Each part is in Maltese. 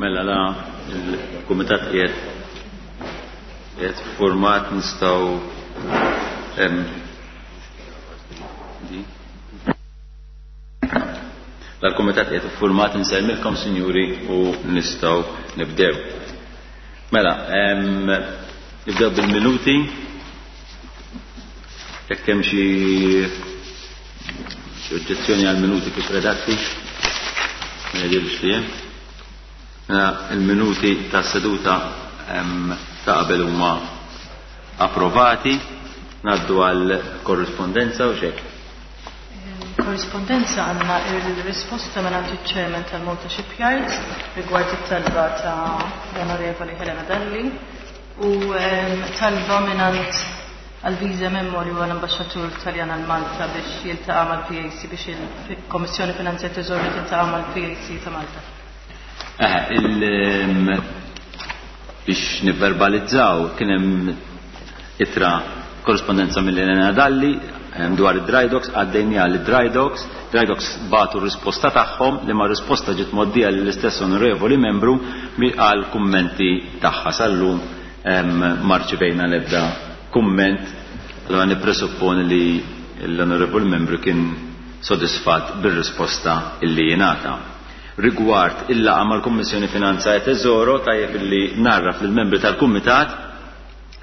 Mela la il-kumitat qiegħed qiegħed format nistgħu Dal-kumitat qiegħed iffurmat insellmilkom sinjuri u nistgħu nibdew. Mela, nibdew bil-minuti. Jekk hemm xi oġġezzjoni għal minuti kif redatti, ma jidhirx li hemm. Mela, il-minuti tas-seduta ta' qabel huma approvati. Ngħaddu għal korrispondenza u xek. Korrispondenza għandna il-risposta minn iċ-Chairman tal-Malta Shipyards rigward it-talba ta' l-Onorevoli Helena Dalli u talba minn Alvise Memmo li huwa l-Ambaxxatur Taljan għal Malta biex jiltaqa' mal-PAC biex il-Kommissjoni Finanzja e Teżori tiltaqa' mal-PAC ta' Malta. Biex nivverbalizzaw kien hemm ittra korrispondenza mill-Elena Dalli dwar id-dry docks għaddejniha lid-dry docks, dry docks bagħtu r-risposta tagħhom li ma risposta ġiet mgħoddija lill-istess onorevoli membru għal kummenti tagħha sal-lum ma rċivejna l-ebda kumment, allura nippresupponi li l-onorevoli membru kien sodisfatt bir-risposta illi jingħata. Rigward il-laqgħa mal-Kummissjoni Finanza e Tesoro, tajjeb illi narraf lill-membri tal-Kumitat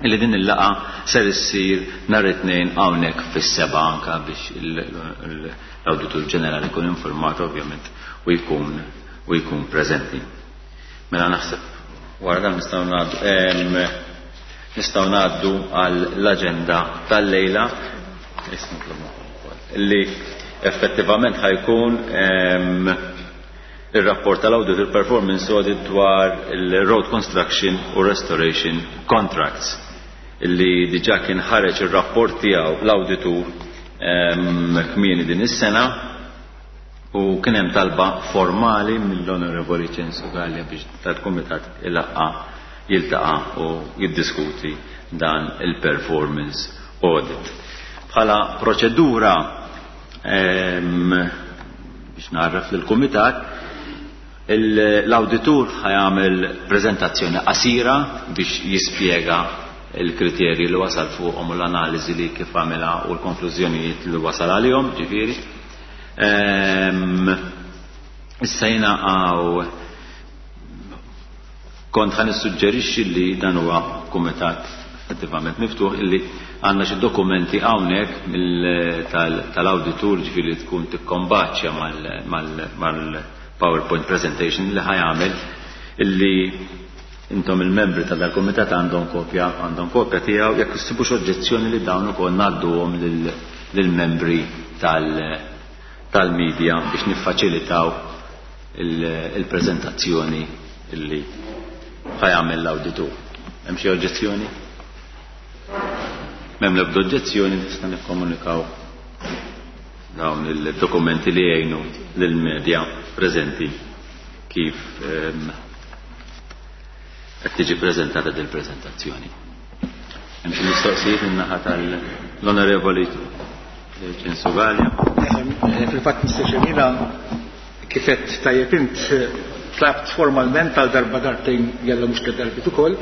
illi din il-laqgħa ser issir nhar it-Tnejn hawnhekk fis-7 anke biex l-Awditur Ġenerali jkun informat ovvjament u jkun u jkun preżenti. Mela naħseb wara dan nistgħu ngħaddu nistgħu ngħaddu għall-aġenda tal-lejla li effettivament ħa jkun ir-rapport tal-Auditor Performance Audit dwar il-Road Construction u Restoration Contracts illi diġà kien ħareġ ir-rapport tiegħu l-awditur kmieni din is-sena u kien hemm talba formali mill-Onorevoli Ċensu Gallia biex tal-Kumitat ilaqqa jiltaqa' u jiddiskuti dan il-performance audit. Bħala proċedura biex narraf lill-Kumitat, l-awditur ħa jagħmel preżentazzjoni qasira biex jispjega l-kriterji li wasal fuqhom u l-analiżi li kif għamilha u l-konklużjonijiet li wasal għalihom, ġifieri. Issa jiena għaw kont ħa nissuġġerixxi li dan huwa kumitat effettivament miftuħ illi għandna xi dokumenti hawnhekk tal-awditur ġifieri li tkun tikkombaċċja mal-PowerPoint presentation li ħa jagħmel illi intom il-membri ta' dal-kumitat għandhom kopja għandhom kopja tiegħu jekk issibux oġġezzjoni li dawn ukoll ngħadduhom lill-membri tal-media biex niffaċilitaw il-preżentazzjoni illi ħa jagħmel l-awditur. Hemm xi oġġezzjoni? M'hemm l-ebda oġġezzjoni nista' nikkomunikaw dawn il-dokumenti li jgħinu lill-medja preżenti kif qed tiġi preżentata din il-preżentazzjoni. Hemm xi mistoqsijiet min-naħa tal-Onorevoli Ċensu Galea? Fil-fatt Mr. Ċemina kif qed tajjeb int tlabt formalment għal darba darbtejn jalla mhux tliet darbiet ukoll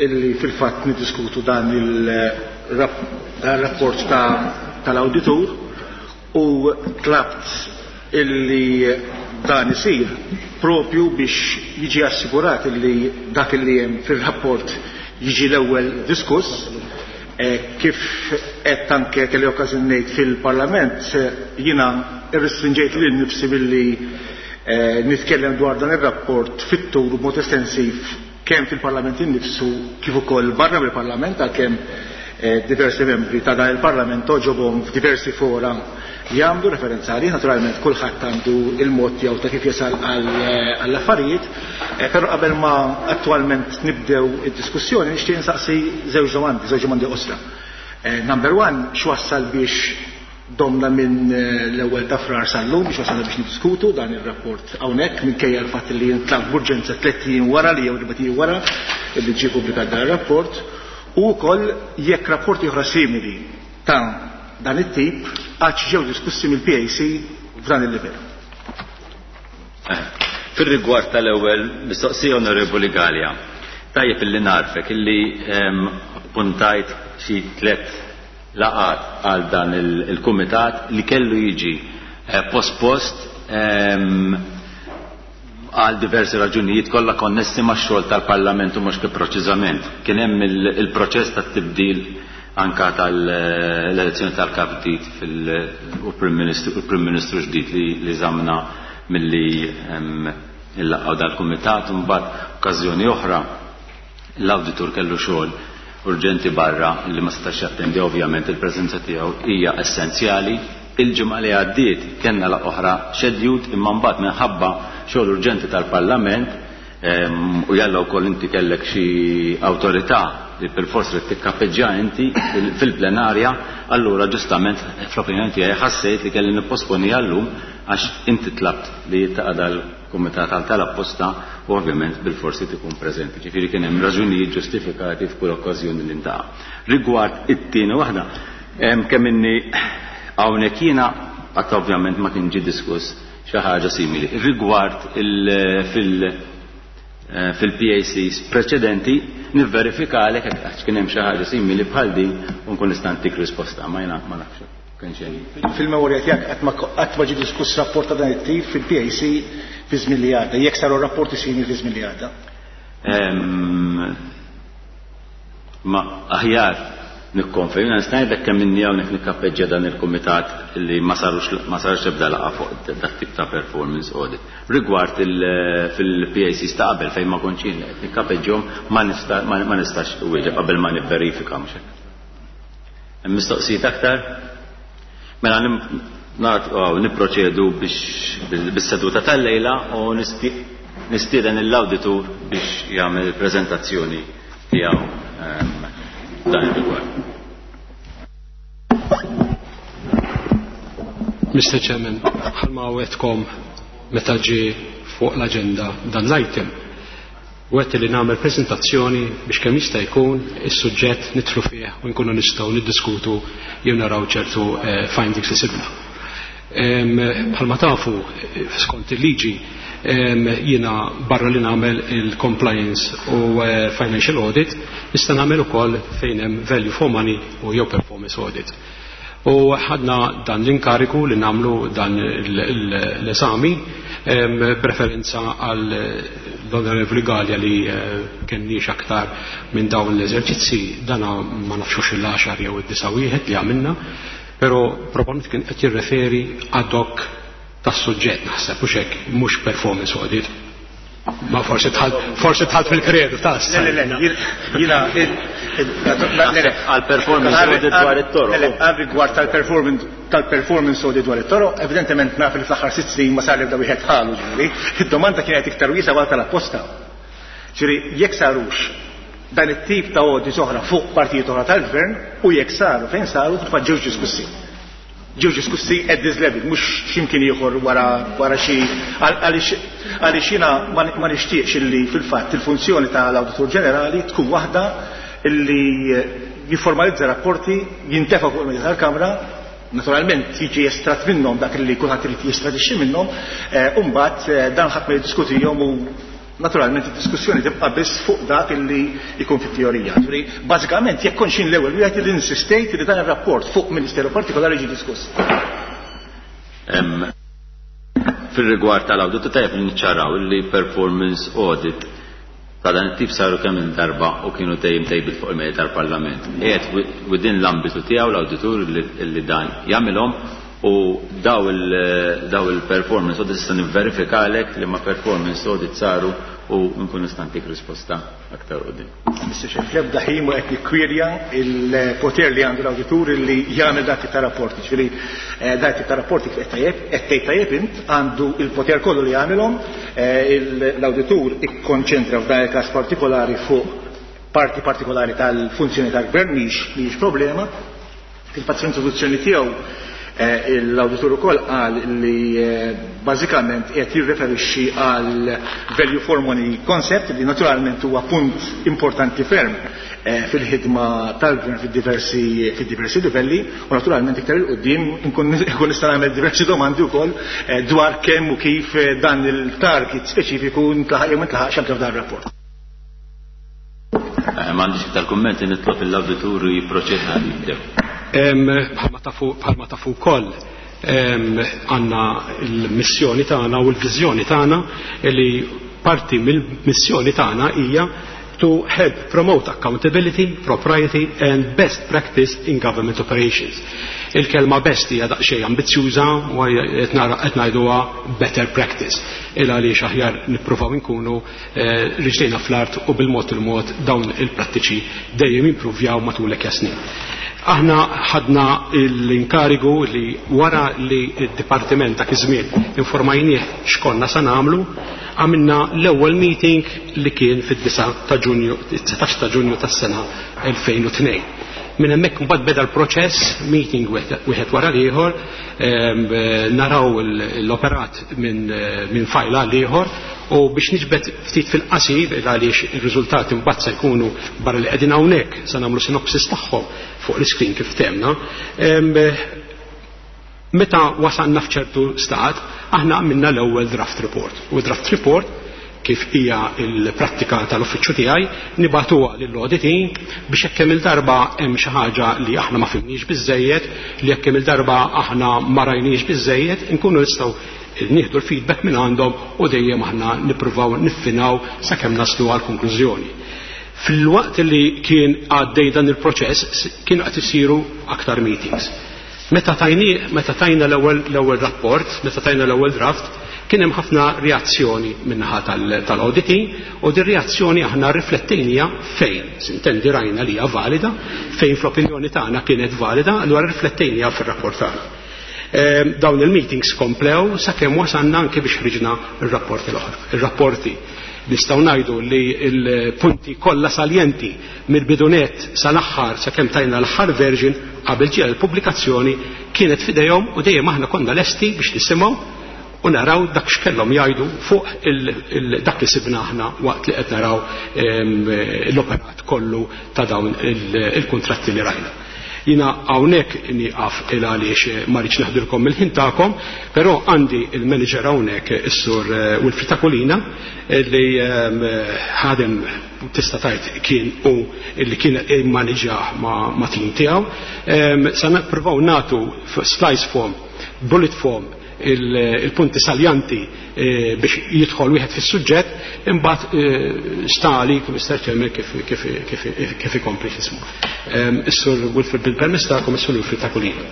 illi fil-fatt niddiskutu dan il-rapport tal-awditur u tlabt illi dan isir propju biex jiġi assigurat illi dak illi hemm fir-rapport jiġi l-ewwel diskuss. Kif qed anke kelli okkażjoni ngħid fil-Parlament, jiena rrestrinġejt lil nifsi billi nitkellem dwar dan ir-rapport fit-tul u b'mod estensiv kemm fil-Parlament innifsu kif ukoll barra mill-Parlament, għalkemm diversi membri ta' dan il-Parlament għoġobhom f'diversi fora jagħmlu referenza għalih. Naturalment kulħadd għandu il-mod tiegħu ta' kif jasal għall-affarijiet, però qabel ma attwalment nibdew id-diskussjoni nixtieq insaqsi żewġ domandi, żewġ domandi qosra. Number one, x'wassal biex domna minn l-ewwel ta' Frar sal-lum biex wasalna biex niddiskutu dan ir-rapport hawnhekk, minkejja l-fatt li ntlab b'urġenza 3 ijiem wara li jew 4 ijiem wara li ġie ppubblikat dan ir-rapport, u wkoll jekk rapporti oħra simili ta' dan it-tip għadx ġew diskussi mill-PAC f'dan il-livell. Fir-rigward tal-ewwel mistoqsija, Onorevoli Galea, tajjeb illi narfek illi appuntajt xi tliet laqgħat għal dan il-kumitat li kellu jiġi pospost għal diversi raġunijiet kollha konnessi max-xogħol tal-Parlament u mhux kif preċiżament. Kien hemm il-proċess tat-tibdil anka tal-elezzjoni tal-kap ġdid u Prim Ministru ġdid li żamna milli nlaqqgħu dal-kumitat u mbagħad okkażjoni oħra l-awditur kellu xogħol urġenti barra li ma setax jattendi, ovvjament il-preżenza tiegħu hija essenzjali. Il-ġimgħa li għaddiet kellna laqgħa oħra scheduled, imma mbagħad minħabba xogħol urġenti tal-Parlament u jalla wkoll inti kellek xi awtorità li bilfors trid tikkapeġġja inti fil-plenarja, allura ġustament fl-opinjoni tiegħi ħassejt li kelli nipposponi għallum għax inti tlabt li jiltaqa' dal-kumitat għal tal-apposta u ovvjament bilforsi tikun preżenti. Ġifieri kien hemm raġunijiet ġustifikati f'kull okkażjoni li ntaqa'. Rigward it-tieni waħda, kemm inni hawnhekk jiena qatt ovvjament ma kien ġie diskuss xi ħaġa simili. Rigward fil-PACs preċedenti nivverifikalek għax kien hemm xi ħaġa simili bħal din u nkun nista' ntik risposta, ma jiena ma nafx kienx hemm. Fil-memorja tiegħek qatt ma ġie diskuss rapport ta' dan it-tip fil-PAC fi żmien li għadda, jekk saru rapporti simili fi żmien li għadda. Ma aħjar nikkonferma, nista' ngħidlek kemm inni hawnhekk nikkapeġġja dan il-kumitat li ma sarux ma sarx ebda laqgħa fuq dak tip ta' performance audit. Rigward fil-PACs ta' qabel fejn ma kontx jien qed nikkapeġġhom ma nistax wieġeb qabel ma nivverifika mhux hekk. Hemm mistoqsijiet aktar? Mela nipproċedu biex bis-seduta tal-lejla u nistieden l-awditur biex jagħmel il-preżentazzjoni tiegħu dan ir-rigward. Mr. Chairman, bħalma wegħedtkom meta ġie fuq l-agenda dan l-item, wegħedt li nagħmel prezentazzjoni biex kemm jista' jkun is-suġġett nidħlu fih u nkunu nistgħu niddiskutu jew naraw ċertu findings li sibna. Bħalma tafu, skont il-liġi, jiena barra li nagħmel il-compliance u financial audit, nista' nagħmel ukoll fejn hemm value for money u jew performance audit. U ħadna dan l-inkariku li nagħmlu dan l-eżami preferenza għal l-Onorevoli Galea li kenniex aktar minn dawn l-eżerċizzi, dana ma nafxux il-10 jew id-9 wieħed li għamilna, pero probabbilment kien qed jirreferi ad hoc tas-suġġett naħseb u xek mhux performance audit. Ma forsi tħalt fil-kredu ta' Le, le, le, jiena le, le. Għal performance audit dwar it-toroq. Le, le, għal rigward tal-performance audit dwar it-toroq, evidentement naf li fl-aħħar 6 snin ma sar ebda wieħed ħalu ġifieri. Id-domanda kienet iktar wiesgħa għal tal-apposta. Ġifieri jekk sarux dan it-tip ta' audits oħra fuq partijiet oħra tal-gvern u jekk saru fejn saru fil-fatt ġewx diskussi. Ġew diskussi at this level, mhux x'imkien ieħor wara xi għaliex jiena ma nixtieqx illi fil-fatt il-funzjoni tal-Awditur Ġenerali tkun waħda illi jifformalizza rapporti, jintefa' fuq il-medja tal-Kamra, naturalment jiġi estratt minnhom dak li kulħadd irid jestradixxi minnhom, u mbagħad dan ħadd ma jiddiskutihom u naturalment id-diskussjoni tibqa' biss fuq dak illi jkun fit-teorija. Ġifieri, bażikament jekk kontx jien l-ewwel wieħed li insistejt li dan ir-rapport fuq ministeru partikolari ġie diskuss. Fil-rigward tal-awditu tajjeb li niċċaraw li performance audit ta' dan it-tip saru kemm il-darba u kienu dejjem tabled fuq il-mejda tal-Parlament. Qiegħed within l-ambitu tiegħu l-awditur li dan jagħmilhom u daw il-performance audit nista' nivverifikalek li ma performance audit saru u nkun nista' ntik risposta aktar quddiem. Mr. Chair, fl-ebda ħin ma qed nikkwirja il-poter li għandu l-awditur li jagħmel dak tip ta' rapporti. Ġifieri dak tip ta' rapporti kif qed tajjeb, qed tgħid tajjeb int, għandu il-poter kollu li jagħmilhom, l-awditur ikkonċentra f'dan il-każ partikolari fuq parti partikolari tal-funzjoni tal-gvern, mhix problema. Fil-fatt fl-introduzzjoni tiegħu L-awditur ukoll qal li bażikament qiegħed jirreferixxi għal value for money concept li naturalment huwa punt importanti ferm fil-ħidma tal-gvern fid-diversi fid-diversi livelli u naturalment iktar 'il quddiem inkun nista' nagħmel diversi domandi wkoll dwar kemm u kif dan il-target speċifiku ntlaħaq jew ma ntlaħaqx anke f'dan ir-rapport. M'għandix iktar kummenti nitlob lill-awditur jipproċedi ħalli jibdew. Bħalma tafu bħalma tafu wkoll għandna l-missjoni tagħna u l-viżjoni tagħna li parti mill-missjoni tagħna hija to help promote accountability, propriety and best practice in government operations. Il-kelma best hija daqsxejn ambizzjuża u qed ngħiduha better practice. Il għaliex aħjar nippruvaw inkunu riġlejna fl-art u bil-mod il-mod dawn il-prattiċi dejjem jimpruvjaw matul hekk snin. Aħna ħadna l-inkarigu li wara li d-dipartiment dak iż-żmien informajnieh x'konna sa nagħmlu, għamilna l-ewwel meeting li kien fid-9 ta' Ġunju, 19 ta' Ġunju tas-sena 2002. Minn hemmhekk imbagħad beda l-proċess, meeting wieħed wara l-ieħor, naraw l-operat minn fajl għal ieħor u biex niġbed ftit fil-qasir għaliex ir-riżultati mbagħad se jkunu barra li qegħdin hawnhekk se nagħmlu sinopsis tagħhom fuq l-iskrin kif temna. Meta wasalna f'ċertu stat, aħna għamilna l-ewwel draft report. U draft report kif hija l-prattika tal-uffiċċju tiegħi, nibagħtuha lill-auditing biex hekk kemm il-darba hemm xi ħaġa li aħna ma fimniex biżejjed, li hekk kemm il-darba aħna ma rajniex biżejjed, inkunu nistgħu nieħdu l-feedback minn għandhom u dejjem aħna nippruvaw niffinaw sakemm naslu għal konklużjoni. Fil-waqt li kien għaddej dan il-proċess kienu qed isiru aktar meetings. Meta tajni, meta tajna l-ewwel rapport, meta tajna l-ewwel draft, kien hemm ħafna reazzjoni min-naħa tal-auditing u din reazzjoni aħna riflettejnija fejn, sintendi rajna li hija valida, fejn fl-opinjoni tagħna kienet valida, allura riflettejnija fir-rapport tagħna. Dawn il-meetings komplew sakemm wasalna anke biex ħriġna r-rapporti l-oħra. Ir-rapporti nistgħu ngħidu li l-punti kollha saljenti mill-bidunet sal-aħħar sakemm tajna l-aħħar version qabel ġie l-pubblikazzjoni kienet f'idejhom u dejjem aħna konna lesti biex nisimgħu u naraw dak x'kellhom jgħidu fuq dak li sibna aħna waqt li qed naraw l-operat kollu ta' dawn il-kuntratti li rajna. Jina hawnhekk nieqaf il għaliex ma rridx naħdilkom mill-ħin tagħkom, però għandi il-manager hawnhekk is-sur Wilfried Aquilina li ħadem tista' tgħid kien u li kien immaniġġah ma' tim tiegħu. Sa nippruvaw nagħtu slice form, bullet form il-punti saljanti biex jidħol wieħed fis-suġġett, imbagħad stali Mr. Chairman kif ikompli x'ismu. Is-Sur Wilfred bil-permess tagħkom, is-Sur Wilfred Aquilina.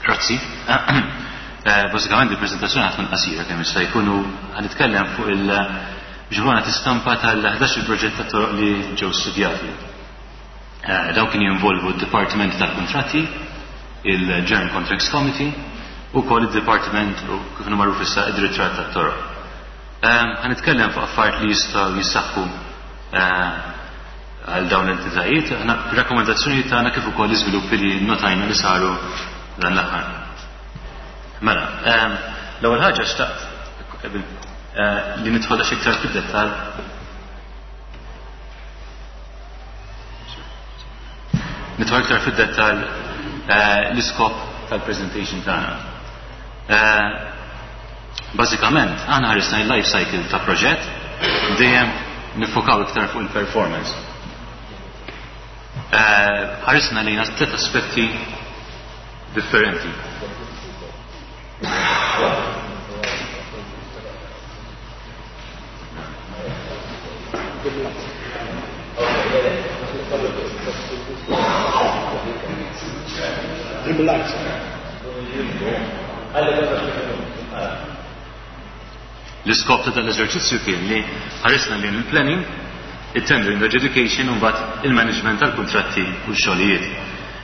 Grazzi. Bażikament il-preżentazzjoni ħa tkun qasira kemm jista' jkun u ħa nitkellem fuq il biex ikun istampa tal-11 il-proġett ta' toroq li ġew studjati. Dawn kienu jinvolvu d-Dipartiment tal-Kuntratti, il-General Contracts Committee, u wkoll id-Dipartiment u kif inhu magħruf issa id-Direttorat tat-Toroq. Ħa nitkellem fuq affarijiet li jistgħu jissaħħu għal dawn l-entitajiet, aħna rakkomandazzjonijiet tagħna kif ukoll l-iżviluppi li notajna li saru dan l-aħħar. Mela, l-ewwel ħaġa xtaqt li nidħol daqs iktar fid-dettall nidħol iktar fid-dettall l-iskop tal-presentation tagħna. Bażikament, aħna ħarisna il-life cycle ta' proġett dejjem nifokaw iktar fuq il-performance. Ħarisna lejna tliet aspetti differenti. L-iskop ta' dan l-eżerċizzju kien li ħarisna lejn il-planning, it-tendering adjudication u mbagħad il-management tal-kuntratti u x-xogħlijiet.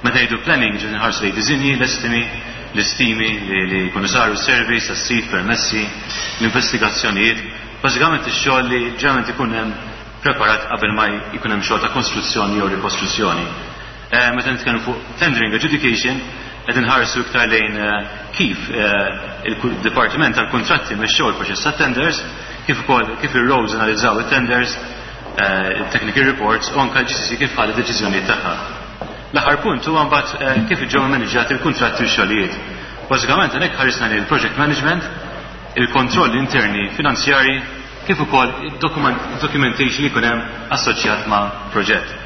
Meta ngħidu planning ġifieri nħarsu lejn disinji, l-estimi, l-istimi li jkunu saru surveys tas-sit, permessi, l-investigazzjonijiet, bażikament ix-xogħol li ġeneralment ikun hemm preparat qabel ma jkun hemm xogħol ta' konstruzzjoni jew rikostruzzjoni. Meta nitkellmu fuq tendering adjudication qed inħarsu iktar lejn kif il-Dipartiment tal-Kuntratti mexxew il-proċess tat-tenders, kif ukoll kif ir-roles analizzaw it-tenders, il-technical reports u anke l-GCC kif ħadet deċiżjonijiet tagħha. L-aħħar punt huwa mbagħad kif ġew immaniġġjati l-kuntratti u x-xogħlijiet. Bażikament hemmhekk ħarisna lejn il-project management, il-kontroll interni finanzjarji, kif ukoll id-documentation li jkun hemm assoċjat ma' proġett.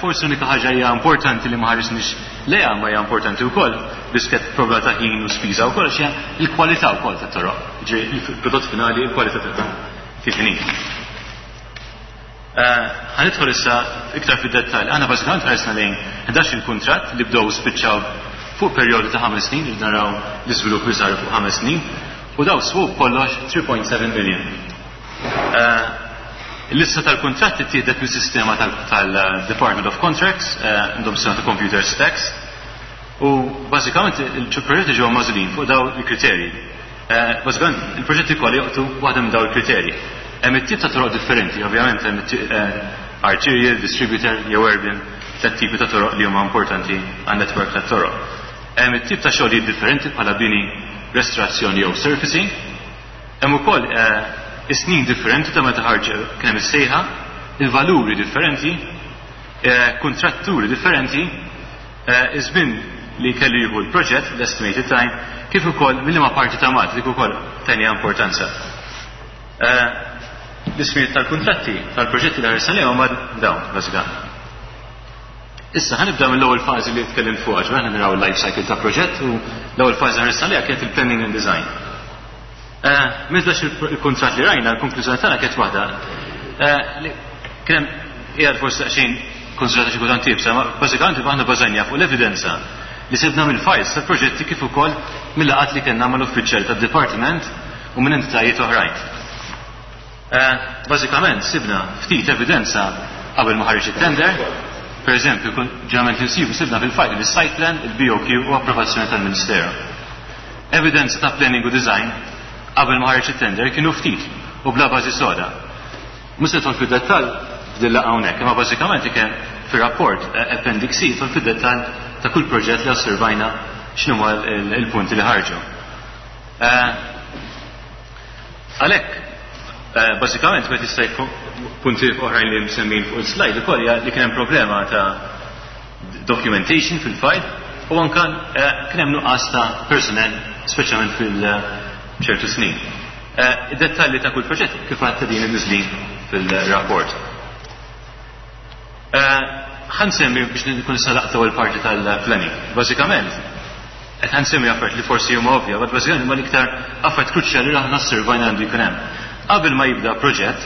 Forsi l-unika ħaġa hija importanti li ma ħarisniex lejha ma hija importanti wkoll, biss kienet problema ta' ħin u spiża wkoll, għax hija l-kwalità wkoll tat-toroq. Ġifieri il-prodott finali, il-kwalità tagħha kif inhi. Ħa nidħol issa iktar fid-dettall. Aħna bażikament ħarisna lejn 11 il-kuntratt li bdew spiċċaw fuq perjodu ta' 5 snin, li naraw l-iżvilupp li saru fuq 5 snin, u daw swew kollox 3.7 million. Il-lista tal-kuntratti ttieħdet mis-sistema tal-Department of Contracts, għandhom sistema ta' computer stacks, u bażikament il-proġetti ġew magħżulin fuq daw il-kriterji. Bażikament il-proġetti kollha joqtu waħda minn daw il-kriterji. Hemm it-tip ta' toroq differenti, ovvjament hemm arterial, distributor jew urban, tliet tipi ta' toroq li huma importanti għan-network ta' toroq. Hemm it-tip ta' xogħlijiet differenti bħala bini, restorazzjoni jew surfacing. Hemm ukoll is-snin differenti ta' meta ħarġ kien hemm is-sejħa, il-valuri differenti, kontratturi differenti, iż-żmien li kellu jieħu l-proġett, l-estimated time, kif ukoll mill-liema parti ta' Malta, dik ukoll tenja importanza. L-ismijiet tal-kuntratti tal-proġetti li ħarisna lejhom huma dawn, bażikament. Issa ħa nibda mill-ewwel fażi li tkellimt fuqha, ġifieri aħna naraw il-life cycle ta' proġett u l-ewwel fażi ħarisna lejha kienet il-planning and design. Minn il-kuntratt li rajna, l-konklużjoni tagħna kienet waħda. Kien hemm qiegħed forsi daqsxejn konsidrata xi kultant iebsa, ma bażikament aħna bażajna fuq l-evidenza li sibna mill-files tal-proġetti kif ukoll mill-laqgħat li kellna mal-uffiċjali tad-dipartiment u minn entitajiet oħrajn. Bażikament sibna ftit evidenza qabel ma ħareġ it-tender. Per eżempju, ġeneralment insibu sibna fil-file il-site plan, il-BOQ u approvazzjoni tal-Ministeru. Evidenza ta' planning u design qabel ma ħareġ it-tender kienu ftit u bla bażi soda. Mhux se nidħol fid-dettall f'din hawnhekk, imma bażikament kien fir-rapport Appendix C jidħol fid-dettall ta' kull proġett li osservajna x'inhuma il-punti li ħarġu. Għalhekk, bażikament meta jista' jkun punti oħrajn li msemmin fuq il-slide ukoll hija li kien hemm problema ta' documentation fil-file u anka kien hemm nuqqas ta' personnel speċjalment fil-ċertu snin. Id-dettalji ta' kull proġett kif għadta din imniżżlin fil-rapport. Ħa nsemmi biex nkun salaqta l-parti tal-planning. Bażikament, qed ħa nsemmi affarijiet li forsi huma ovvja, but bażikament huma l-iktar affarijiet kruċjali li aħna osservajna għandu jkun hemm. Qabel ma jibda proġett,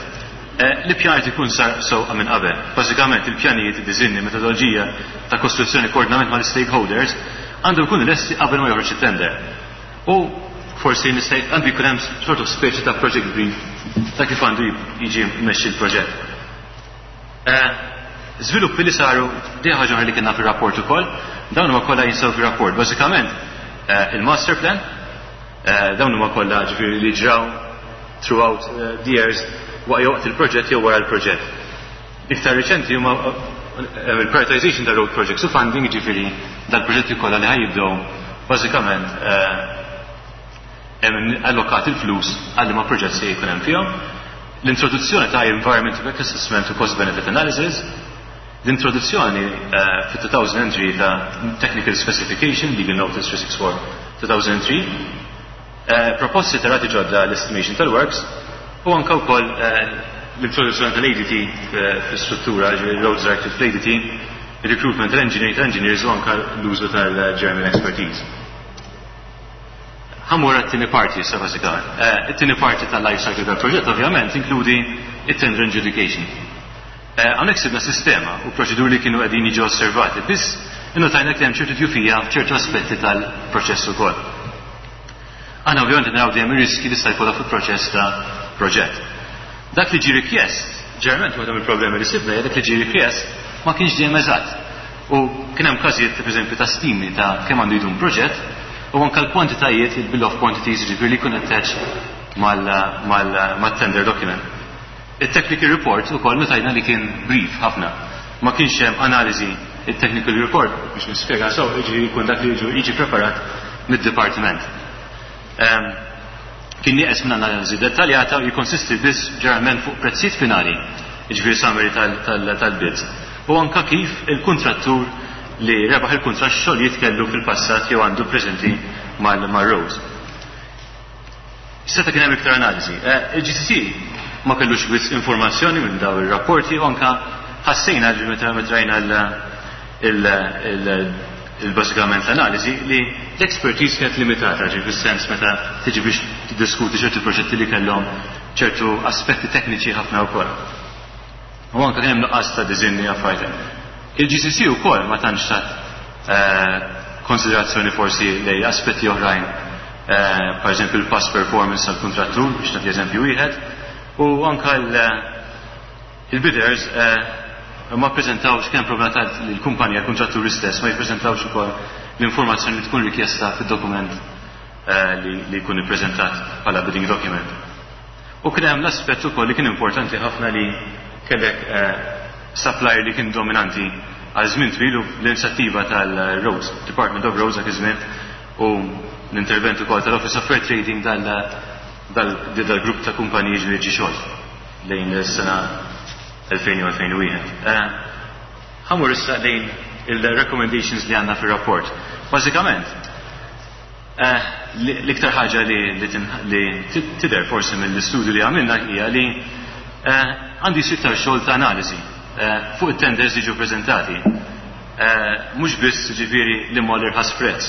l-ippjanar ikun sar sewqa minn qabel. Bażikament il-pjanijiet, id-disinni, metodoloġija ta' kostruzzjoni, koordinament mal-stakeholders għandu jkun lesti qabel ma joħroġ it-tender. U forsi nista' għandu jkun hemm sort of speċi ta' project brief ta' kif għandu jiġi mmexxi l-proġett. Żviluppi li saru di ħaġa li kienna fir-rapport ukoll, dawn huma kollha jinsabu fir-rapport. Bażikament il-master plan, dawn huma kollha ġifieri li ġraw throughout the years waqt il-proġett jew wara l-proġett. Iktar riċenti huma il-prioritization ta' road projects u funding, ġifieri dal-proġetti kollha li ħa jibdew bażikament hemm allokat il-flus għal ma proġett se jkun hemm fihom. L-introduzzjoni ta' Environment Impact Assessment u Cost Benefit Analysis, l-introduzzjoni fit-2003 ta' Technical Specification, Legal Notice 364-2003, proposti ta' rati ġodda l-estimation tal-works, u anka wkoll l-introduzzjoni tal-ADT fl-struttura, Roads Directive fl-ADT, recruitment tal-engineers u anka l-użu tal-German expertise. Ħa mmur għat-tieni parti issa bażikament. It-tieni parti tal-life cycle tal-proġett ovvjament inkludi it-tender adjudication. Hawnhekk sibna sistema u proċeduri li kienu qegħdin jiġu osservati, biss innotajna li hemm ċertu djufija f'ċertu aspetti tal-proċess ukoll. Aħna ovvjament naraw dejjem ir-riski li sta jkollha fil-proċess ta' proġett. Dak li ġie rikjest Ġeneralment waħda mill-problemi li sibna hija dak li ġie rikjest ma kienx dejjem eżatt. U kien hemm każijiet pereżempju ta' stimi ta' kemm għandu jdum proġett u anke l-kwantitajiet, il-bill of quantities, jiġifieri li jkun attached mal-tender document. It-technical report ukoll notajna li kien brief ħafna. Ma kienx hemm analiżi. It-technical report, biex nispjega sew, jiġifieri jkun dak li jiġi preparat mid-dipartiment. Kien nieqes minn analiżi dettaljata u jikkonsisti biss ġeneralment fuq prezzijiet finali, jiġifieri summary tal-bids, u anke kif il-kuntrattur li rebaħ il-kuntratt x'xogħlijiet kellu fil-passat jew għandu preżenti mar-Roads. Seta' kien hemm iktar analiżi. Il-GCC ma kellux wisq informazzjoni minn dawn ir-rapporti u anke ħassejna li meta rajna il-bażikament l-analiżi li l-expertise kienet limitata, ġifieri fis-sens meta tiġi biex tiddiskuti ċertu proġetti li kellhom ċertu aspetti tekniċi ħafna wkoll. U anke kien hemm nuqqas ta' diżinni affarijiet. Il-GCC wkoll ma tantx tat konsiderazzjoni forsi lej aspetti oħrajn, per eżempju il-past performance tal-kuntrattur, biex nagħti eżempju wieħed, u anke il-bidders ma ppreżentawx, kien problema ta' l-kumpanija, l-kuntratturi stess, ma jippreżentawx ukoll l-informazzjoni li tkun rikjesta fid-dokument li jkun ippreżentat bħala bidding document. U kien hemm l-aspett ukoll li kien importanti ħafna li kellek supplier li kien dominanti għal żmien twil u l-inizjattiva tal-Roads, Department of Roads dak iż-żmien, u l-intervent ukoll tal-Office of Fair Trading dal-grupp ta' kumpaniji li ġie xolt lejn is-sena 2000 u 2001. Ħa mmur issa lejn il-recommendations li għandna fir-rapport. Bażikament, l-iktar ħaġa li tidher forsi mill-istudju li għamilna hija li għandi jsir iktar xogħol ta' analiżi fuq it-tenders li ġew preżentati. Mhux biss ġifieri li ma l-irħas prezz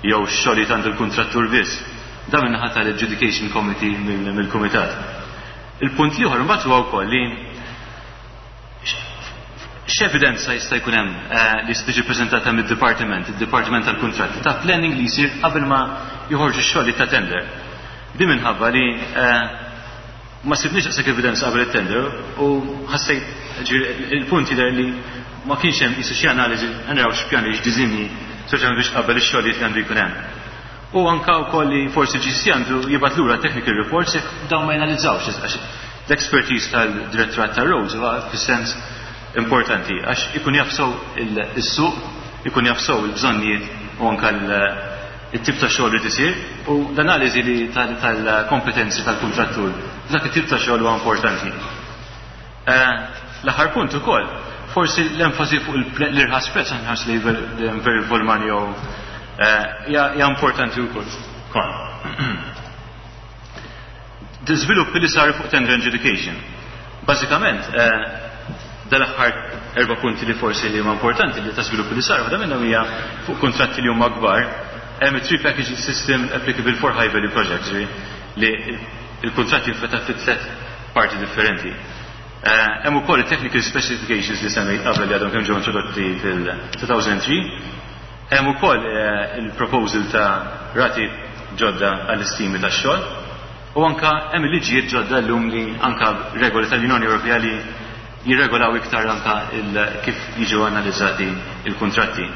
jew xogħlijiet għand il-kuntrattur biss. Dan min-naħa tal-Adjudication Committee mill-Kumitat. Il-punt l-ieħor imbagħad huwa wkoll li x'evidenza jista' jkun hemm li jista' tiġi ppreżentata mid-dipartiment, id-Dipartiment tal-Kuntratti, ta' planning li jsir qabel ma joħorġu x-xogħlijiet ta' tender. Din minħabba li ma sibniex daqshekk evidenza qabel it-tender u ħassejt il-punt jidher li ma kienx hemm qisu xi analiżi naraw x'pjani, x'diżinji, speċjalment biex qabel ix-xogħlijiet li għandu jkun hemm. U anka wkoll li forsi GCC għandu jibgħat lura technical reports jekk dawn ma janalizzawx, għax l-expertise tal-Direttorat tar-Roads huwa fis-sens importanti għax ikun jaf sew is-suq, ikun jaf sew il-bżonnijiet u anka it-tip ta' xogħol li tisir u l-analiżi li tal-kompetenzi tal-kuntrattur f'dak it-tip ta' xogħol huwa importanti. L-aħħar punt ukoll, forsi l-enfasi fuq l-irħas prezz, aħna nħarsu li very for money jew hija importanti wkoll. Żviluppi li saru fuq tender adjudication. Bażikament, dal-aħħar erba' punti li forsi li huma importanti li ta' żviluppi li saru, waħda minnhom hija fuq kuntratti li huma kbar, hemm three package system applicable for high value projects, li il-kuntratti jinfetaħ fi tliet parti differenti. Hemm ukoll technical specifications li semmejt qabel li għadhom kemm ġew introdotti fil-2003. Hemm ukoll il-proposal ta' rati ġodda għall-istimi tax-xogħol u anka hemm il-liġijiet ġodda llum li anka regoli tal-Unjoni Ewropea li jirregolaw iktar anka kif jiġu analizzati il-kuntratti.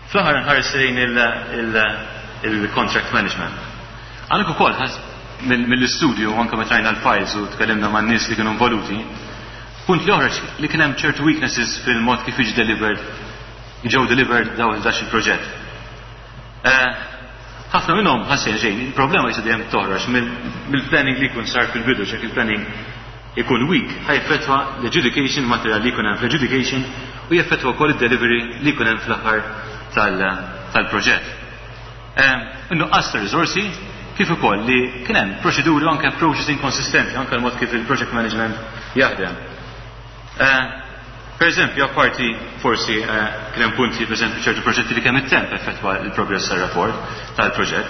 Fl-aħħar nħares lejn il-contract management. Għandek ukoll mill-istudju anke meta rajna l-files u tkellimna man-nies li kienu involuti, punt li oħroġ li kien hemm ċertu weaknesses fil-mod kif jiġi delivered, ġew delivered daw 11 il-proġett. Ħafna minnhom ħassejn xejn, il-problema jista' dejjem toħroġ mill-planning li jkun sar fil-bidu, x'jekk il-planning ikun weak, ħa jeffettwa l-adjudication material li jkun hemm fl-adjudication u jeffettwa wkoll id-delivery li jkun hemm fl-aħħar tal-proġett. In-nuqqas ta' riżorsi kif ukoll li kien hemm proċeduri u anke approaches inkonsistenti anke l-mod kif il-project management jaħdem. Per eżempju, apparti forsi kien hemm punti, per eżempju, ċertu proġetti li kemm it-temp effettwa il-progress tal-rapport tal-proġett,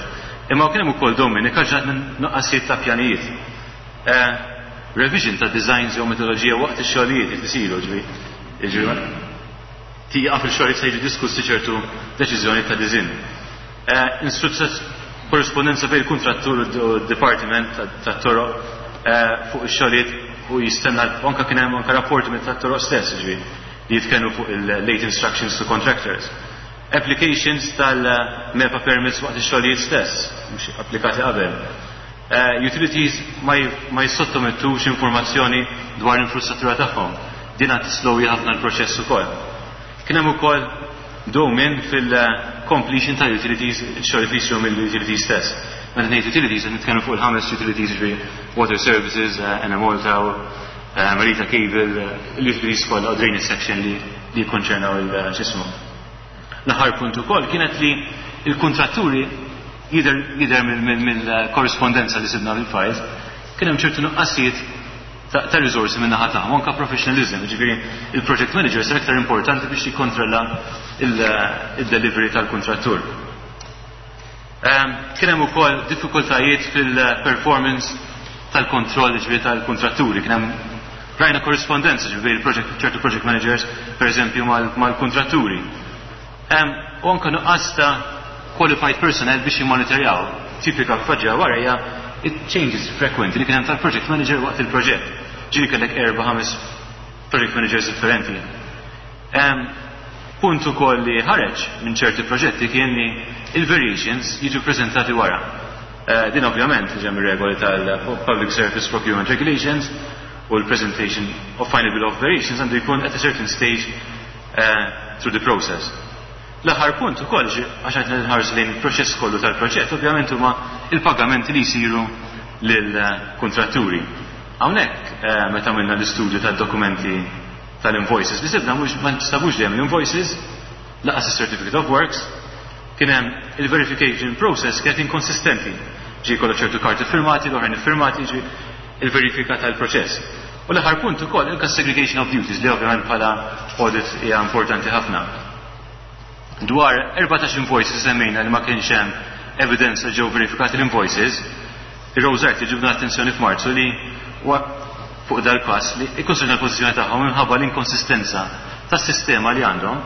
imma kien hemm ukoll dewmien ikkaġunat minn nuqqasijiet ta' pjanijiet. Revision ta' designs jew metodoloġija waqt ix-xogħlijiet li isiru, ġifieri tieqaf il-xogħlijiet se jiġu diskussi ċertu deċiżjoni ta' design. Korrespondenza bejn il-kuntrattur u d-dipartiment tat-toroq. fuq ix-xogħlijiet u jistenna anke kien hemm anke rapporti minn tat-toroq stess, ġifieri, li jitkellmu fuq il-late instructions to contractors. Applications tal-MEPA permits waqt ix-xogħlijiet stess, mhux applikati qabel. Utilities ma jissottomettux informazzjoni dwar l-infrastruttura tagħhom. Din għad tislowi ħafna l-proċess ukoll. Kien hemm ukoll dewmien fil-completion ta' utilities, xogħol li jsiru mill-utilities stess. Meta ngħid utilities, qed nitkellmu fuq il-ħames utilities, ġifieri water services, Enemalta, Marita Cable, l-utilities kollha u drainage section li jikkonċernaw il-xismu. L-aħħar punt ukoll kienet li il-kontratturi jidher mill-korrispondenza li sibna fil-files kien hemm ċertu nuqqasijiet ta' risorsi minn naħa tagħhom, anke professionalism, ġifieri il-project manager sar aktar importanti biex jikkontrolla il-delivery tal-kontrattur. Kien hemm ukoll diffikultajiet fil-performance tal-kontroll, ġifieri tal-kontratturi, kien hemm rajna korrispondenza ġifieri ċertu project managers per eżempju mal-kontratturi. U anke nuqqas ta' qualified personnel biex jimmonitorjaw. Tipika faġġa wara hija changes frequenti li kien hemm tal-project manager waqt il-proġett. Ġieli kellek erba' ħames project managers differenti. Punt ukoll li ħareġ minn ċerti proġetti kien li il-variations jiġu prezentati wara. Din ovvjament ġem regoli tal-Public Service Procurement Regulations u l-presentation of final bill of variations għandu jkun at a certain stage through the process. L-aħħar punt ukoll, għax qed nħarsu lejn il-proċess kollu tal-proġett, ovvjament huma il-pagamenti li jsiru lill-kontratturi. Hawnhekk meta għamilna l-istudju tad-dokumenti tal-invoices li sibna mhux ma nstabux dejjem l-invoices, lanqas is-certificate of works, kien hemm il-verification process kienet inkonsistenti. Ġi kollha ċertu karti firmati, l-oħrajn iffirmati, ġi il-verifika tal-proċess. U l-aħħar punt ukoll il segregation of duties li ovvjament bħala audit hija importanti ħafna. Dwar 14 invoices semmejna li ma kienx hemm evidenza ġew verifikati l-invoices, ir-Rosart ġibna attenzjoni f'Marzu li fuq dal-każ li ikkonsidra l-pożizzjoni tagħhom minħabba l-inkonsistenza tas-sistema li għandhom,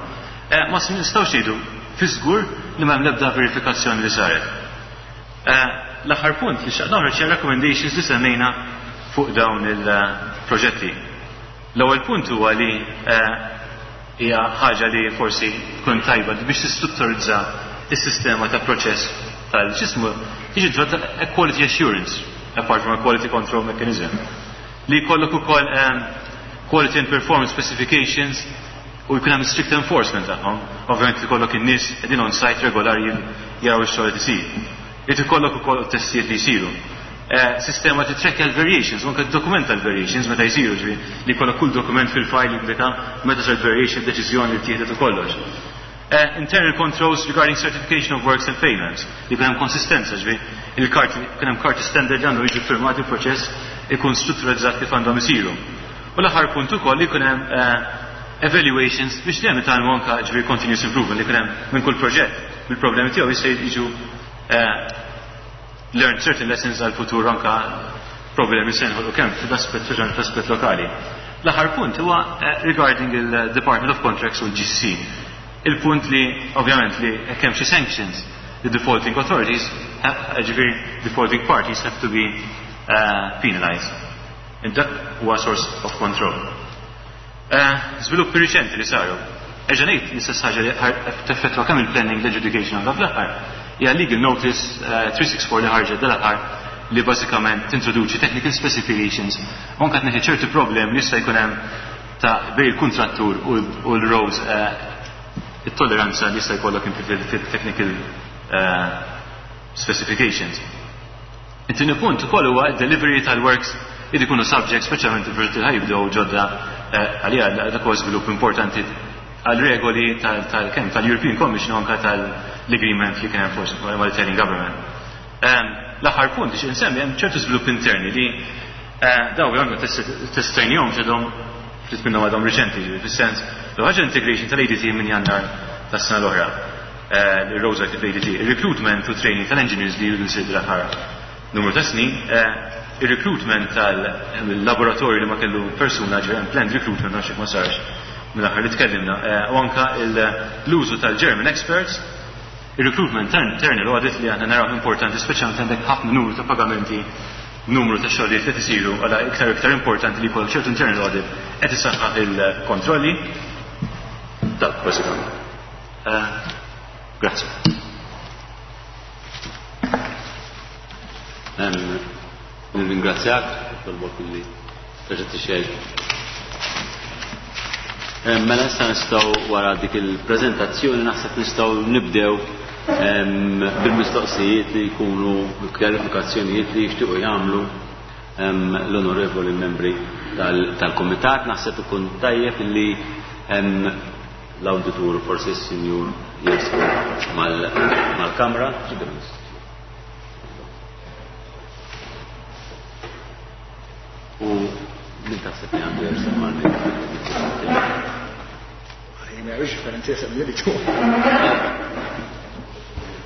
ma nistgħux ngħidu fi żgur li m'hemm l-ebda verifikazzjoni li saret. L-aħħar punt li xtaqt noħroġ recommendations li semmejna fuq dawn il-proġetti. L-ewwel punt huwa li hija ħaġa li forsi tkun tajba biex tistrutturizza is-sistema ta' proċess tal-ġismu tiġi introdotta quality assurance apart from a quality control mechanism. Li jkollok ukoll quality and performance specifications u jkun hemm strict enforcement tagħhom. Ovvjament ikollok in-nies qegħdin on site regolari jaraw ix-xogħol li isir. Irid ikollok ukoll testijiet li jsiru. Sistema titrackja l-variations, anke dokumenta l-variations meta jsiru, ġifieri li jkollok kull dokument fil-file jindika meta sar variation, deċiżjoni li tieħdet u kollox. Internal controls regarding certification of works and payments, li jkun hemm konsistenza, ġifieri il-karti, kien hemm karti standard li għandhom jiġu firmati, il-proċess ikun strutturalizzat kif għandhom isiru. U l-aħħar punt ukoll li jkun hemm evaluations biex dejjem nitgħallmu anke, ġifieri continuous improvement li jkun hemm minn kull proġett bil-problemi tiegħu jista' jiġu learn certain lessons għal futur anka problemi se nħolqu kemm fl-aspett reġjonali, fl-aspett lokali. L-aħħar punt huwa regarding il-Department of Contracts u l-GC. Il-punt li ovvjament li hekk hemm xi sanctions, the defaulting authorities, ġifieri defaulting parties have to be penalized. And dak huwa source of control. Żviluppi riċenti li saru. Erġa' ngħid l-istess ħaġa li teffettwa kemm il-planning, l-adjudication anke fl-aħħar. Hija legal notice 364 li ħarġet dal-aħħar li bażikament tintroduċi technical specifications u anke tneħħi ċerti problemi li jista' jkun hemm ta' bejn il-kuntrattur u l-rows, it-tolleranza li jista' jkollok inti fil-technical specifications. It-tieni punt ukoll huwa d-delivery tal-works li jkunu subject, speċjalment il-proġetti li ħajbdew ġodda, għalija dak huwa żvilupp importanti għal regoli tal-kemm tal-European Commission u anke tal-agreement li kien hemm forsi mal-Italian Government. L-aħħar punt biex insemmi, hemm ċertu żvilupp interni li daw għandhom testajnihom xedhom ftit minnhom għadhom riċenti, ġifieri fis-sens l ħaġa integration tal-ADT minn Jannar tas-sena l-oħra. Il-Rosa ADT, il-recruitment u training tal-engineers li jridu jsir l-aħħar numru ta' snin, il-recruitment tal-laboratorju li ma kellu persuna, ġifieri planned recruitment għax ma sarx mill-aħħar li tkellimna, u anka l-użu tal-German experts, il-recruitment internal audit li aħna naraw importanti, speċjalment għandek ħafna numru ta' pagamenti. numru ta' xogħlijiet qed isiru għala iktar u iktar importanti li jkollok ċertu internal audit qed issaħħaħ il-kontrolli. Dak bażikament. Grazzi. Nirringrazzjak, tolbok li terġa' tixgħel. Mela issa nistgħu wara dik il-preżentazzjoni naħseb nistgħu nibdew bil-mistoqsijiet li jkunu kjarifikazzjonijiet li jixtiequ jagħmlu l-onorevoli membri tal-komitat. Naħseb ikun tajjeb li l-awditur forsi s-sinjur jersqu mal-kamra. U min taħseb li għandu jersaq mal-mikrofon?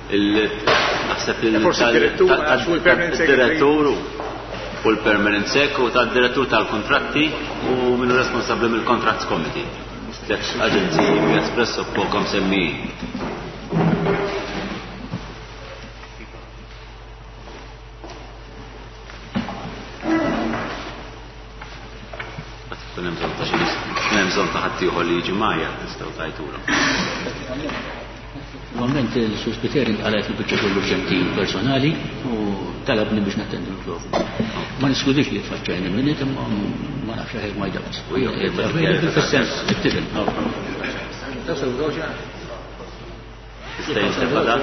Naħseb il-direttur u l-permanent sec u tad-direttur tal-kontratti u minnu responsabbli mill-Contracts Committee. Tlet aġenziji espresso pokom semmi. Kun hemm bżonn ta' xi hemm bżonn ta' ħaddieħor li jiġi magħja tistgħu tajtulhom. Normalment il-Sur Spiteri qalet li biċċa xogħol urġenti personali u talabni biex nattendu l-mikrofonu. Ma niskludix li tfaċċajni minnet imma ma nafx I have my doubts. Fis-sens, tifhem. Tista' jintefa' dan?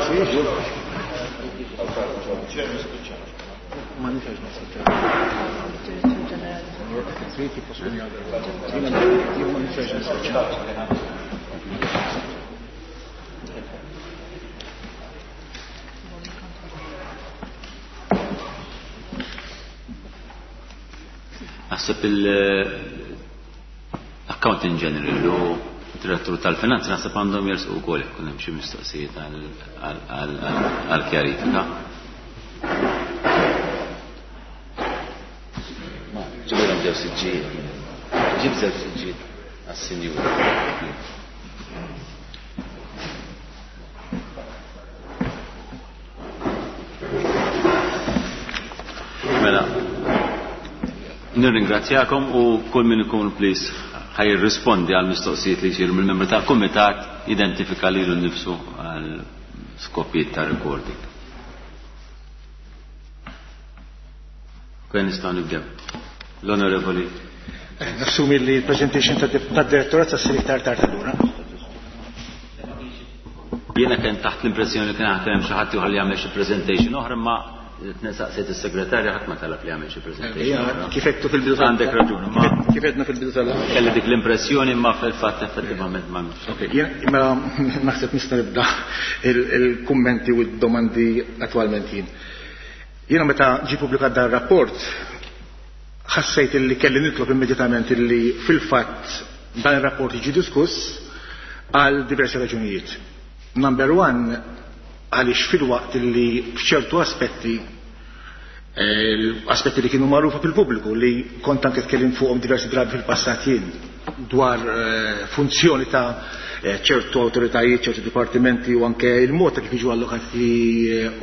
Naħseb il-Accounting General u Direttur tal-Finanzi naħseb għandhom jersqu wkoll jekk hemm xi mistoqsijiet għal kjarifika. Ġibilhom ġew siġġijiet. Ġib żewġ siġġijiet għas-sinjura. Mela, nirringrazzjakom u kull min ikun please ħaj jirrispondi għal mistoqsijiet li jsiru mill-membri tal-kumitat identifika lilu nnifsu għal skopijiet ta' recording. Kwen nistgħu nibdew. L-Onorevoli. Nassumi li l-presentation tad-direttorat sa ssir iktar tard allura. Jiena kien taħt l-impressjoni li kien hemm xi ħadd ieħor li jagħmel xi presentation oħra, imma saqsiet is-segretarja ħadd ma talab li jagħmel xi presentation oħra. Kif għedtu fil-bidu tal- Għandek raġun, ma Kif għedna fil-bidu tal- Kelli dik l-impressjoni imma fil-fatt effettivament ma nafx. Ok, jien mela naħseb nista' nibda il-kummenti u d-domandi attwalment jien. Jiena meta ġie pubblikat dan rapport ħassejt illi kelli nitlob immedjatament illi fil-fatt dan ir-rapport jiġi diskuss għal diversi raġunijiet. Number one, għaliex fil-waqt illi f'ċertu aspetti, aspetti li kienu magħrufa fil-pubbliku li kont anke tkellim fuqhom diversi drabi fil-passat jien dwar funzjoni ta' ċertu awtoritajiet, ċertu dipartimenti u anke il-mod ta' kif jiġu allokati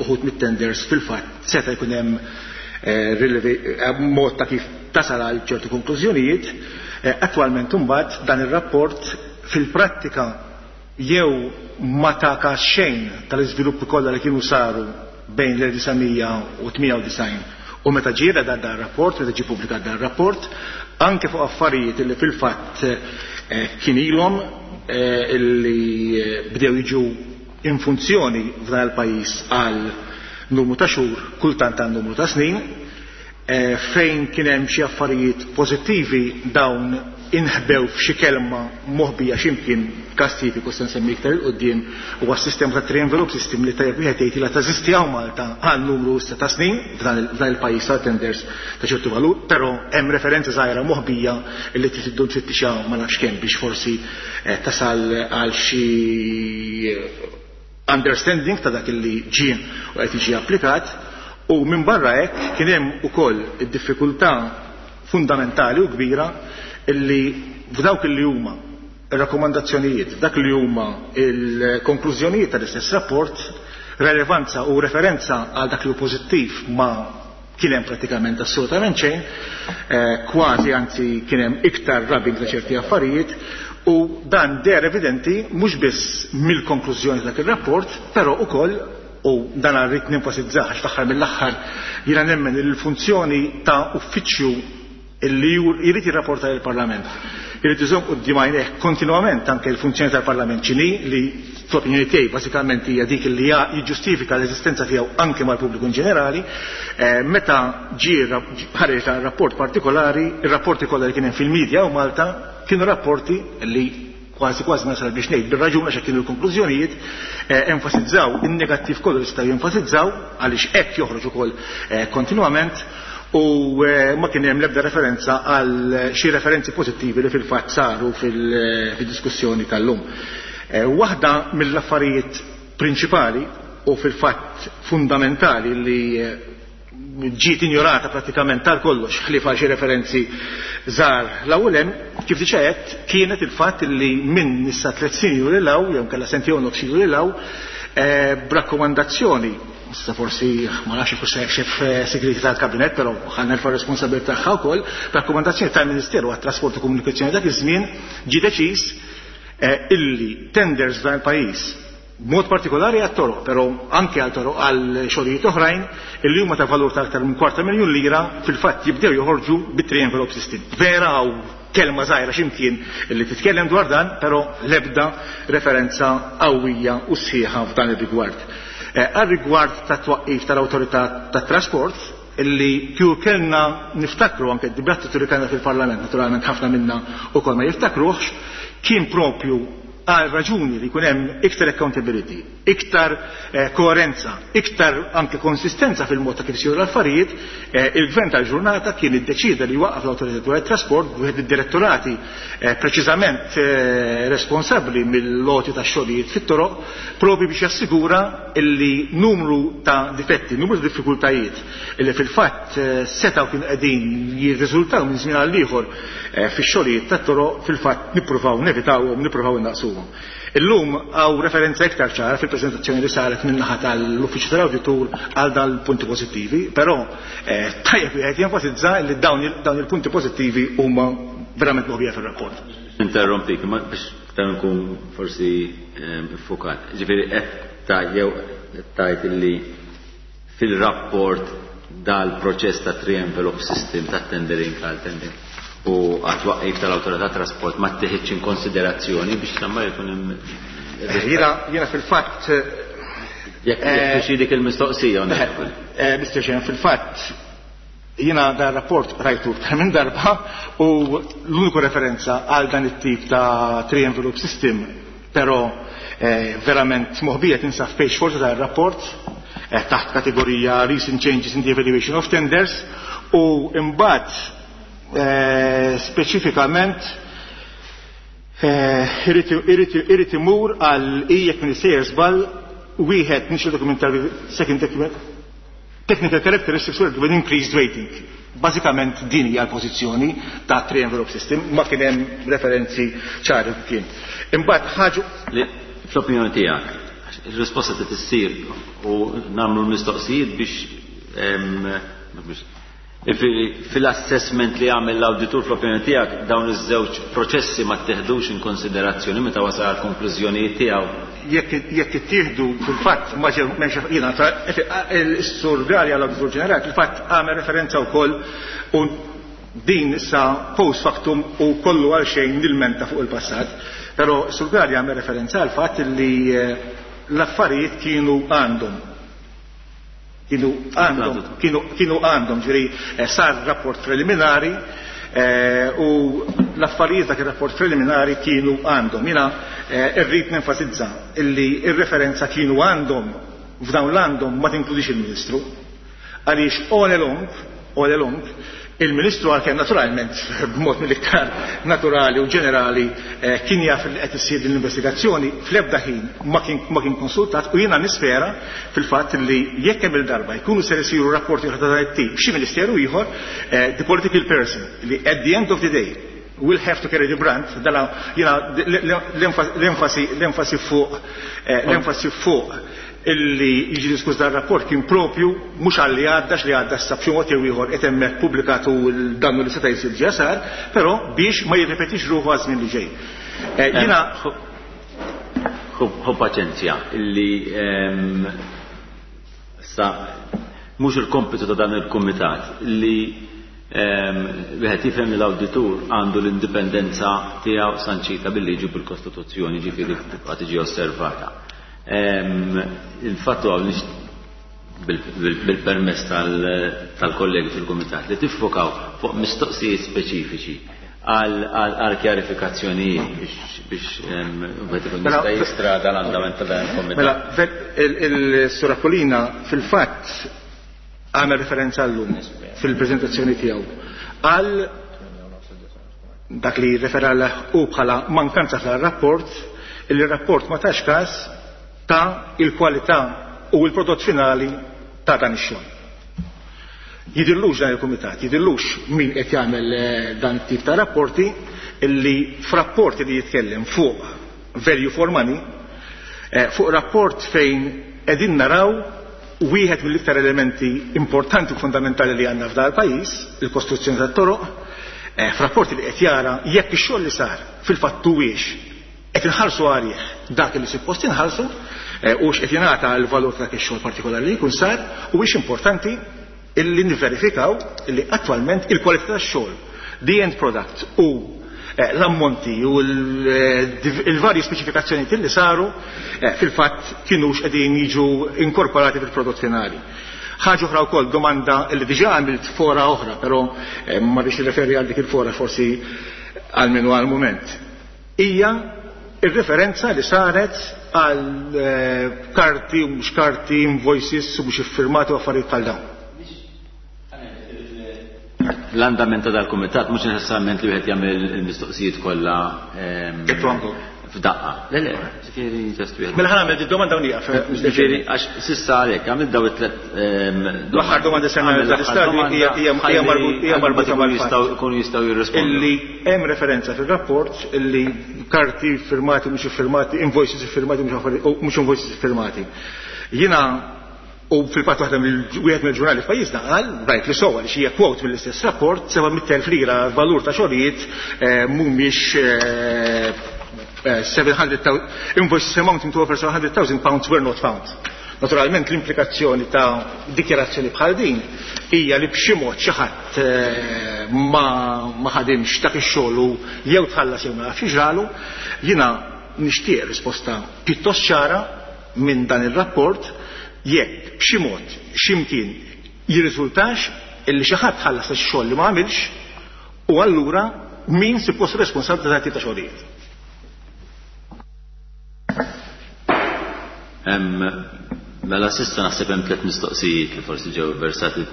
uħud mit-tenders fil-fatt seta' jkun hemm mod ta' kif tasal għal ċertu konklużjonijiet. Attwalment imbagħad dan ir-rapport fil-prattika jew ma ta' każ xejn tal-iżviluppi kollha li kienu saru bejn l-1998 u meta ġie dan dan rapport, meta ġie pubblikat dan rapport, anke fuq affarijiet li fil-fatt kien ilhom illi bdew jiġu in funzjoni f'dan il-pajjiż għal numru ta' xhur, kultant għal numru ta' snin, fejn kien hemm xi affarijiet pożittivi dawn inħbew f'xi kelma moħbija x'imkien każ tipiku se nsemmi iktar il quddiem huwa s-sistema ta' three envelope system li tajjeb wieħed jgħid li teżisti hawn Malta għal numru issa ta' snin f'dan il-pajjiż ta' tenders ta' ċertu valur, però hemm referenza żgħira moħbija li trid iddum tfittixha ma nafx kemm biex forsi tasal għal xi understanding ta' dak li ġie u qed jiġi applikat. U minn barra hekk kien hemm ukoll id-diffikultà fundamentali u kbira illi f'dawk li huma ir-rakkomandazzjonijiet, f'dak li huma il-konklużjonijiet tal-istess rapport, relevanza u referenza għal dak li hu pożittiv ma kien hemm pratikament assolutament xejn, kważi anzi kien hemm iktar rubbing ta' ċerti affarijiet, u dan deher evidenti mhux biss mill-konklużjoni ta' dak ir-rapport, però ukoll, u dan rrid nenfasizzah għax fl-aħħar mill-aħħar jiena nemmen li l-funzjoni ta' uffiċċju illi jrid jirrapporta lill-Parlament irid iżomm quddiem għajnejh kontinwament anke l-funzjoni tal-Parlament x'inhi, li fl-opinjoni tiegħi bażikament hija dik li jiġġustifika l-eżistenza tiegħu anke mal-pubbliku in ġenerali. Meta ġie ħareġ dan ir-rapport partikolari, ir-rapporti kollha li kien hemm fil-media u Malta kienu rapporti li kważi kważi nasal biex ngħid bir-raġun għax hekk kienu l-konklużjonijiet, enfasizzaw in-negattiv kollu li setgħu jenfasizzaw għaliex hekk joħroġ ukoll kontinwament, u ma kien hemm l-ebda referenza għal xi referenzi pożittivi li fil-fatt saru fil-diskussjoni tal-lum. Waħda mill-affarijiet prinċipali u fil-fatt fundamentali li ġiet injorata pratikament tal kollox ħlief għal xi referenzi żgħar l-ewwel hemm, kif diġà għedt, kienet il-fatt li minn issa 3 snin ilu lil hawn, jew kellha sentejn u nofs ilu lil hawn, b'rakkomandazzjoni, issa forsi ma nafx jekk hux xef segreti tal-kabinett, però ħa nerfa' r-responsabilità tagħha wkoll, b'rakkomandazzjoni tal-Ministeru għat-Trasport u Komunikazzjoni dak iż-żmien ġie deċiż illi tenders f'dan il-pajjiż, b'mod partikolari għat-toroq, però anke għal toroq għal xogħlijiet oħrajn illi huma ta' valur ta' aktar minn kwarta miljun lira, fil-fatt jibdew joħorġu bit-three envelope system. Vera hawn kelma żgħira x'imkien illi titkellem dwar dan, però l-ebda referenza qawwija u sħiħa f'dan ir-rigward. Għar-rigward tat-twaqqif tal-Awtorità tat-Trasport, illi kieku kellna niftakru anke d-dibattitu li kellna fil-Parlament, naturalment ħafna minna wkoll ma jiftakruhx, kien propju għal raġuni li jkun hemm iktar accountability, iktar koerenza, iktar anke konsistenza fil-mod ta' kif isiru l-affarijiet, il-gvern tal-ġurnata kien iddeċieda li jwaqqaf l-Awtorità dwar it-Trasport b'wieħed id-direttorati preċiżament responsabbli mill-għoti tax-xogħlijiet fit-toroq, propju biex jassigura illi numru ta' difetti, numru ta' diffikultajiet illi fil-fatt setgħu kienu qegħdin jirriżultaw minn żmien għal ieħor fix-xogħlijiet tat-toroq fil-fatt nippruvaw nevitawhom, nippruvaw innaqsuhom. Illum hawn referenza iktar ċara fil-preżentazzjoni li saret min-naħa tal-Uffiċċju tal-Awditur għal dan il-punti pożittivi, però tajjeb wieħed jenfasizza li dawn il-punti pożittivi huma verament moħbija fir-rapport. Interrompik, ma biex iktar nkun forsi iffukat. Ġifieri qed ta' jew qed tgħid illi fil-rapport dal-proċess ta' three envelope system ta' tendering għal tendering u għat-twaqqif tal-Awtorità Trasport ma tieħidx in konsiderazzjoni biex l-ammar jkun hemm Jiena fil-fatt, Jekk jekk dik il-mistoqsija, onorevoli. Mr. Chairman, fil-fatt jiena dan rapport rajtu iktar minn darba u l-uniku referenza għal dan it-tip ta' three envelope system, però verament moħbija tinsab page 4 ta' rapport, taħt kategorija Recent Changes in the Evaluation of Tenders, u imbagħad speċifikament irid imur għal jekk minn sejjer żball wieħed initial documentary, second document, technical characteristics were with increased rating. Bażikament din hija l-pożizzjoni ta' three envelope system, ma kien hemm referenzi ċari kien. Imbagħad ħaġa li fl-opinjoni tiegħek ir-risposta trid issir u nagħmlu l-mistoqsijiet biex fil-assessment li għamel l-awditur fl-opinjoni tiegħek dawn iż-żewġ proċessi ma tteħdux in konsiderazzjoni meta wasal għal konklużjonijiet tiegħu. Jekk ittieħdu fil-fatt ma ġew m'hemmx jiena is-Sur Galea l-Awditur Ġenerali fil-fatt għamel referenza wkoll u din issa post factum u kollu għal xejn nilmenta fuq il-passat, però s-Sur Galea għamel referenza għal fatt li l-affarijiet kienu għandhom. Kienu għandhom, kienu, kienu għandhom, ġifieri sar rapport preliminari u l-affarijiet dak ir-rapport preliminari kienu għandhom. Jiena irrid nenfasizza illi ir-referenza kienu għandhom f'dawn l-għandhom ma tinkludix il-Ministru. Għaliex all along, all along, il-Ministru għalkemm naturalment b'mod mill-iktar naturali u ġenerali kien jaf li qed issir din l-investigazzjoni, fl-ebda ħin ma kien konsultat, u jiena nispera fil-fatt li jekk hemm il-darba jkunu ser isiru rapporti oħra ta' dan it-tip xi ministeru ieħor, the political person li at the end of the day will have to carry the brand, dala jiena l-enfasi fuq l-enfasi fuq illi jiġi diskuss dan rapport kien propju mhux għal li għadda li għadda issa b'xi mod jew ieħor qed hemmhekk pubblikat u l-dannu li seta' jsir ġa sar, però biex ma jirrepetix ruħu għaż-żmien li ġej. Jiena Ħu paċenzja illi sa mhux il-kompitu ta' dan il-kumitat li wieħed jifhem li l-awditur għandu l-indipendenza tiegħu sanċita bil-liġi u bil-Kostituzzjoni, ġifieri tibqa' tiġi osservata. Il-fatt huwa bil-permess tal-kollegi fil-kumitat li tiffokaw fuq mistoqsijiet speċifiċi għal kjarifikazzjonijiet biex wieħed ikun Mela, jista' jistrada l-andament ta' dan il-kumitat. Mela, il-Sur Aquilina fil-fatt għamel referenza llum fil-preżentazzjoni tiegħu għal dak li refera u bħala mankanza tal-rapport, il rapport ma tax każ ta' il-kwalità u l-prodott finali ta' dan ix-xogħol. Jidillux dan il-kumitat, jidillux min qed jagħmel dan tip ta' rapporti illi f'rapporti li jitkellem fuq value for money, fuq rapport fejn qegħdin naraw wieħed mill-iktar elementi importanti u fundamentali li għandna f'dar pajjiż, il-kostruzzjoni tat-toroq, f'rapporti li qed jara jekk ix-xogħol li sar fil-fatt huwiex qed inħallsu għalih dak li suppost inħallsu, u x'qed jingħata l-valur ta' dak ix-xogħol partikolari li jkun sar, u hix importanti illi nivverifikaw illi attwalment il-kwalità tax-xogħol, the end product u l-ammonti u il-varji speċifikazzjoni li saru fil-fatt kienux qegħdin jiġu inkorporati fil-prodott finali. Ħaġa oħra wkoll domanda li diġà għamilt fora oħra, però ma rridx nirreferi għal dik il-fora forsi għal minu għal mument. Hija ir-referenza li saret għal karti u mhux karti, invoices u mhux iffirmati u affarijiet bħal dawn. L-andament ta' dal-kumitat mhux neċessarjament li wieħed jagħmel il-mistoqsijiet kollha f'daqqa. Le, le, ġifieri just wieħed. Mela ħa nagħmel domanda u nieqaf. Ġifieri għax s'issa għalhekk għamil daw it-tlet L-aħħar domanda se nagħmel Għamil l-aħħar dal-istadju domanda hija hija marbuta ħalli mal-fatt. jkunu jistgħu jirrispondu. Illi hemm referenza fir-rapport illi karti firmati mhux iffirmati, invoices iffirmati mhux invoices iffirmati. Jiena u fil-fatt waħda wieħed mill-ġurnali f'pajjiżna qal, rajt li sewwa li xi quote mill-istess rapport, 700,000 lira valur ta' xogħlijiet mhumiex 700,000 invoices amounting to over 700,000 pounds were not found. Naturalment l-implikazzjoni ta' dikjarazzjoni bħal din hija li b'xi mod xi ħadd ma ħadimx dak ix-xogħol u jew tħallas jew ma nafx x'ġralu. Jiena nixtieq risposta pjuttost ċara minn dan ir-rapport jekk b'xi mod x'imkien jirriżultax illi xi ħadd ħallas ix-xogħol li ma għamilx u allura min suppost responsabbli ta' tip ta' xogħlijiet. Mela s'issa naħseb hemm tliet mistoqsijiet li forsi ġew versati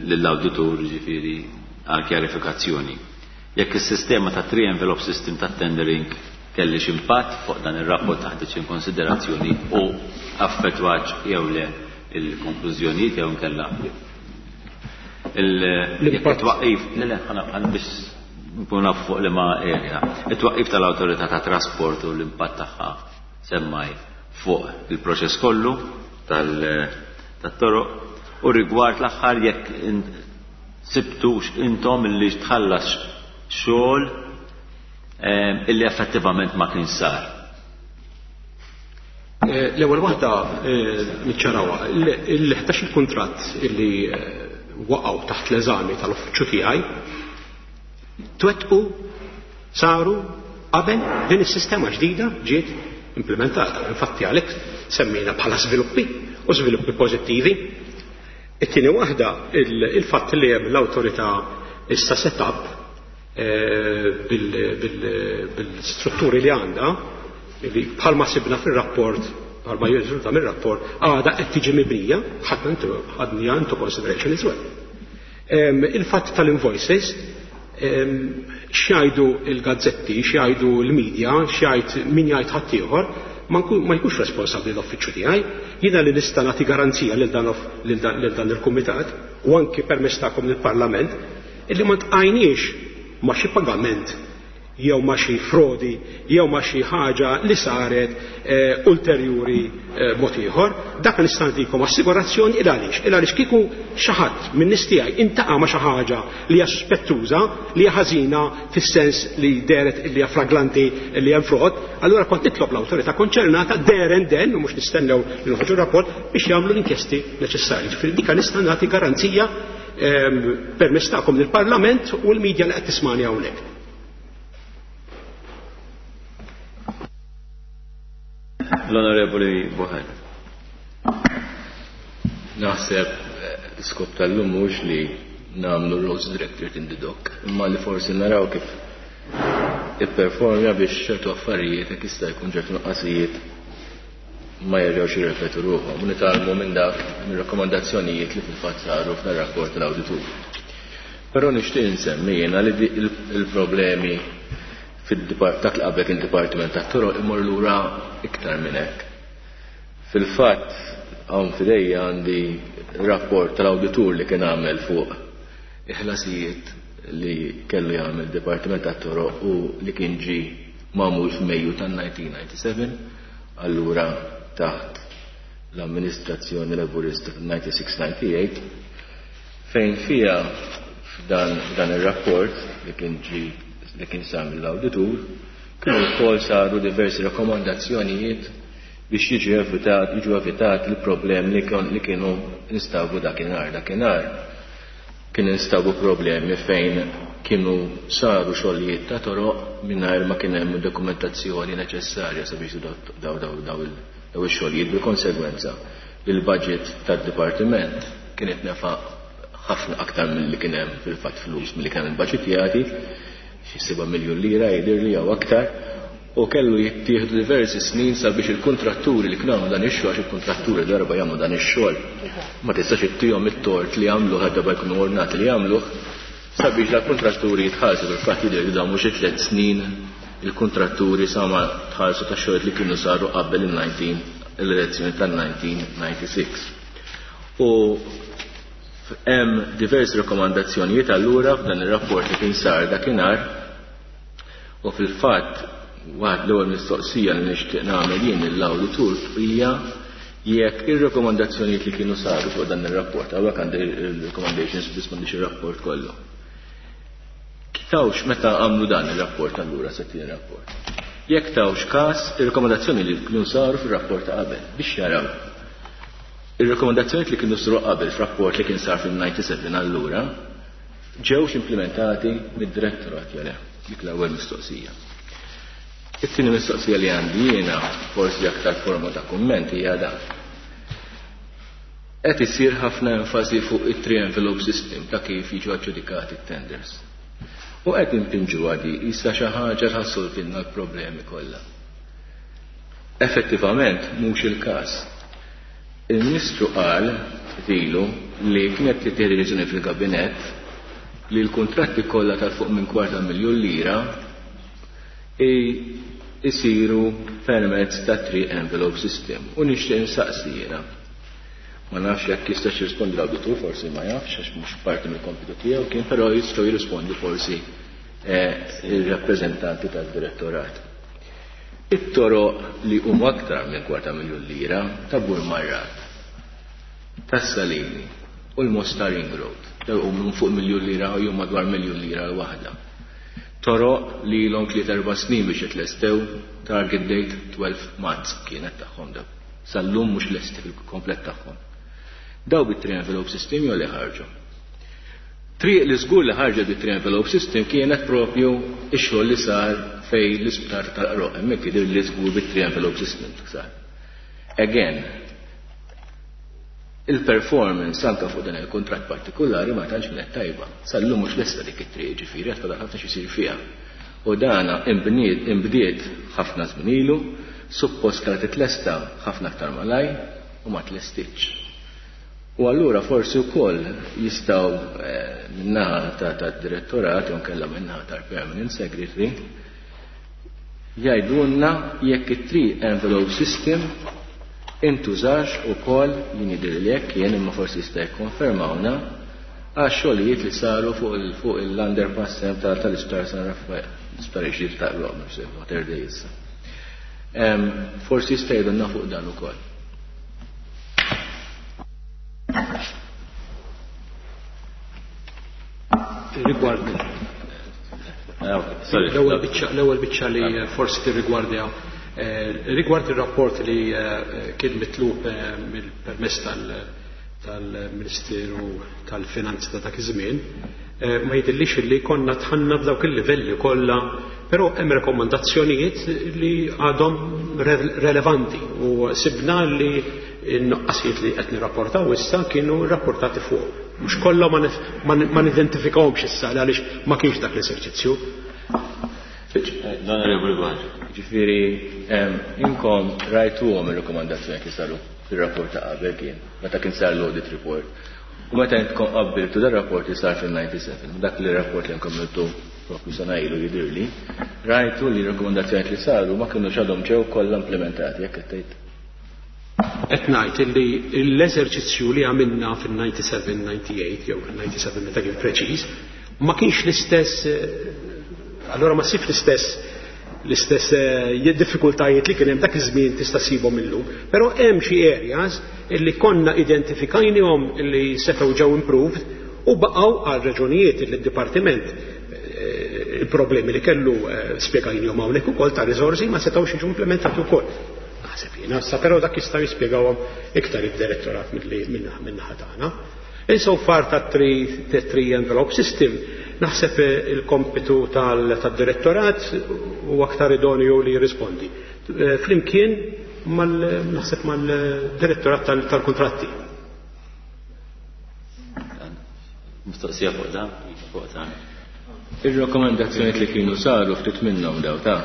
lill-awditur, ġifieri għal kjarifikazzjoni. Jekk is-sistema ta' three envelope system ta' tendering kellix impatt fuq dan ir-rapport taħt in konsiderazzjoni u affettwax jew le il-konklużjonijiet jew inkella jekk it-twaqqif, le, le, ħana biex nkun naf fuq liema area. It-twaqqif tal-awtorità ta' trasport u l-impatt tagħha semmaj fuq il-proċess kollu tat-toroq u rigward l-aħħar jekk sibtux intom illi tħallas xogħol illi effettivament ma kien sar. L-ewwel waħda niċċarawha, il-11 il-kuntratt illi waqgħu taħt l-eżami tal-uffiċċju tiegħi twettqu saru qabel din is-sistema ġdida ġiet implementata. Infatti għalhekk semmejna bħala żviluppi u żviluppi pożittivi. It-tieni waħda il-fatt li hemm l-awtorità issa set-up bil-strutturi li għandha, li bħalma sibna fir-rapport, bħalma jirriżulta mir-rapport, għadha qed tiġi mibnija, ħadniha into consideration as well. Il-fatt tal-invoices, x'jgħidu l-gazzetti, x'jgħidu l-media, x'jgħid min jgħid ħaddieħor, ma jkunx responsabbli l-uffiċċju tiegħi. Jiena li nista' nagħti garanzija lil dan il-kumitat u anki permezz tagħkom lill-Parlament illi ma tqajniex ma' xi pagament jew ma' xi frodi jew ma' xi ħaġa li saret eh, ulterjuri eh, mod ieħor, dak nista' nagħtikom assigurazzjoni il għaliex. Il għaliex kieku xi ħadd minn nies tiegħi intaqa' ma' xi ħaġa li hija suspettuża, li hija ħażina fis-sens li dehret li hija flagranti li hemm frod, allura kont nitlob l-awtorità konċernata there and then, u mhux nistennew li noħorġu rapport biex jagħmlu l-inkjesti neċessarji. Ġifieri dika nista' nagħti garanzija ehm, permezz tagħkom lill-Parlament u l-medja li qed tismani hawnhekk. L-Onorevoli Buħan. Naħseb eh, l-iskop tal-lum mhux li nagħmlu Rose Directorate in the Dock, imma li forsi naraw kif ipperformja biex ċertu affarijiet jekk jista' jkun ċertu nuqqasijiet ma jerġgħux jirrepetu ruħhom u nitgħallmu minn dak mir-rakkomandazzjonijiet li fil-fatt saru f'dan rapport tal-awditur. Però nixtieq insemmi jiena li il-problemi fid-dak li qabel kien Dipartiment tat-Toroq imur lura iktar minn hekk. Fil-fatt hawn f'idejja għandi rapport tal-awditur li kien għamel fuq il-ħlasijiet li kellu jagħmel Dipartiment tat-Toroq u li kien ġie magħmul f'Mejju tan-1997, allura taħt l-amministrazzjoni Laburista tan-96-98, fejn fiha f'dan f'dan ir-rapport li kien ġie li kien sar mill-awditur kienu wkoll saru diversi rakkomandazzjonijiet biex jiġi evitat jiġu evitati l-problemi li li kienu instabu dakinhar. Dakinhar kien instabu problemi fejn kienu saru xogħlijiet ta' toroq mingħajr ma kien hemm dokumentazzjoni neċessarja sabiex daw daw daw ix-xogħlijiet bil-konsegwenza li l-budget tad-dipartiment kien itnefaq ħafna aktar milli kien hemm fil-fatt flus milli kien hemm ibbaġitjati, xi 7 miljun lira jidhirli jew aktar, u kellu jittieħdu diversi snin sabiex il-kuntratturi li kienu għamlu dan ix-xogħol, għax il-kuntratturi darba jagħmlu dan ix-xogħol ma tistax ittihom it-tort li għamluh għal darba jkunu ordnati li jagħmluh, sabiex dal-kuntratturi jitħallsu. Fil-fatt jidher li damu xi tliet snin il-kuntratturi sa ma tħallsu tax-xogħlijiet li kienu saru qabel il-19 l-elezzjoni tal-1996. U hemm diversi rakkomandazzjonijiet allura f'dan ir-rapport li kien sar dakinhar. U fil-fatt, waħd l-ewwel mistoqsija li nixtieq nagħmel jien lill-awditur hija jekk ir-rakkomandazzjonijiet li kienu saru fuq dan ir-rapport, hawnhekk għandi r-recommendations biss m'għandix ir-rapport kollu. Tawx meta għamlu dan ir-rapport allura se tieni rapport. Jekk tawx każ ir-rakkomandazzjoni li kienu saru fir-rapport ta' qabel biex jaraw ir-rakkomandazzjonijiet li kienu saru qabel f'rapport li kien sar fil-97 allura ġewx implimentati mid-direttorat jew le? Dik l-ewwel mistoqsija. It-tieni mistoqsija li għandi jiena, forsi aktar forma ta' kumment, hija dan. Qed isir ħafna enfasi fuq it-three envelope system ta' kif jiġu aġġudikati t-tenders. U qed impinġuha di qisha xi ħaġa li ħassolvilna l-problemi kollha. Effettivament mhux il-każ. Il-Ministru qal ftit ilu li kienet tittieħed deċiżjoni fil-Kabinett li l-kuntratti kollha ta' fuq minn kwarta miljun lira jsiru permezz ta' three envelope system. U nixtieq insaqsi jiena. Ma nafx jekk jistax jirrispondi l-awditur, forsi ma jafx għax mhux parti mill-kompitu tiegħu kien, però jistgħu jirrispondu forsi eh, ir-rappreżentanti tad-direttorat. It-toroq li huma aktar minn kwarta miljun lira ta' Burmarrad, tas-Salini u l-Mosta Ring Road, dawn huma minn fuq miljun lira jew madwar miljun lira l-waħda. Toroq li ilhom tliet erba' snin biex jitlestew, target date 12 Marz kienet tagħhom dawn. Sal-lum mhux lesti fil-komplet tagħhom. Dawn bit-three envelope system jew le ħarġu? Triq li żgur li ħarġet bit-three envelope system kienet propju x-xogħol li sar fejn l-isptar tal-Qroq. Hemmhekk jidhirli li żgur bit-three envelope system sar. Again, il-performance anke fuq dan il-kuntratt partikulari ma tantx kienet tajba. Sal-lum mhux lesta dik it-triq, jiġifieri għad fadal ħafna x'isir fiha. U dana inbniet inbdiet ħafna żmien ilu, suppost kellha titlesta ħafna aktar malajr u ma tlestitx. U allura forsi wkoll jistgħu min-naħa tad-direttorat jew inkella min-naħa tal-permanent secretary jgħidulna jekk it-three envelope system intużax ukoll, jien jidhirli hekk jien imma forsi jista' jikkonfermawna, Għax-xogħlijiet li saru fuq l-underpass tal-Isptar San Raffaele, l-isptar ġdid ta' Mater Dei issa. Forsi jista' jgħidulna fuq dan ukoll. Rigward l-ewwel biċċa li forsi tirrigwardja rigward ir-rapport li kien mitlub mill-permess tal-Ministeru tal-Finanzi ta' dak iż-żmien, ma jidhirlix li konna dħalna f'dawk il-livelli kollha, però hemm rekomandazzjonijiet li għadhom relevanti u sibna li n-nuqqasijiet li qed nirrapportaw issa kienu rrapportati fuq. Mhux kollha ma nidentifikawhomx issa għaliex ma kienx dak l-eżerċizzju. L-Onorevoli Buhaġar. Ġifieri inkom rajtuhom ir-rekomandazzjoni li saru fir-rapport ta' qabel kien, meta kien sar l-audit report. U meta intkom qabbiltu dar rapport li sar fil-97, dak li rapport li inkom għamiltu propju sena ilu jidhirli, rajtu li r-rekomandazzjoni li saru ma kinux għadhom ġew kollha implementati, jekk qed tgħid. Qed ngħid illi l-eżerċizzju li għamilna fil-97-98 jew 97 meta kien preċiż, ma kienx l-istess, allora ma ssibx l-istess l-istess diffikultajiet li kien hemm dak iż-żmien tista' ssibhom illum. Però hemm xi areas illi konna identifikajnihom illi setgħu ġew improved u baqgħu għal raġunijiet li d-dipartiment il-problemi li kellu spjegajnihom hawnhekk ukoll ta' riżorsi ma setgħux jiġu implementati wkoll. Naħseb jiena, issa però dak jista' jispjegawhom iktar id-direttorat min-naħa tagħna. Insofar ta' three envelope system, naħseb il-kompitu tad-direttorat u aktar idonju li jirrispondi. Flimkien naħseb mal-direttorat tal-kontratti. Mistoqsija fuq dan? Fuq dan. Ir-rakkomandazzjonijiet li kienu saru ftit minnhom daw ta'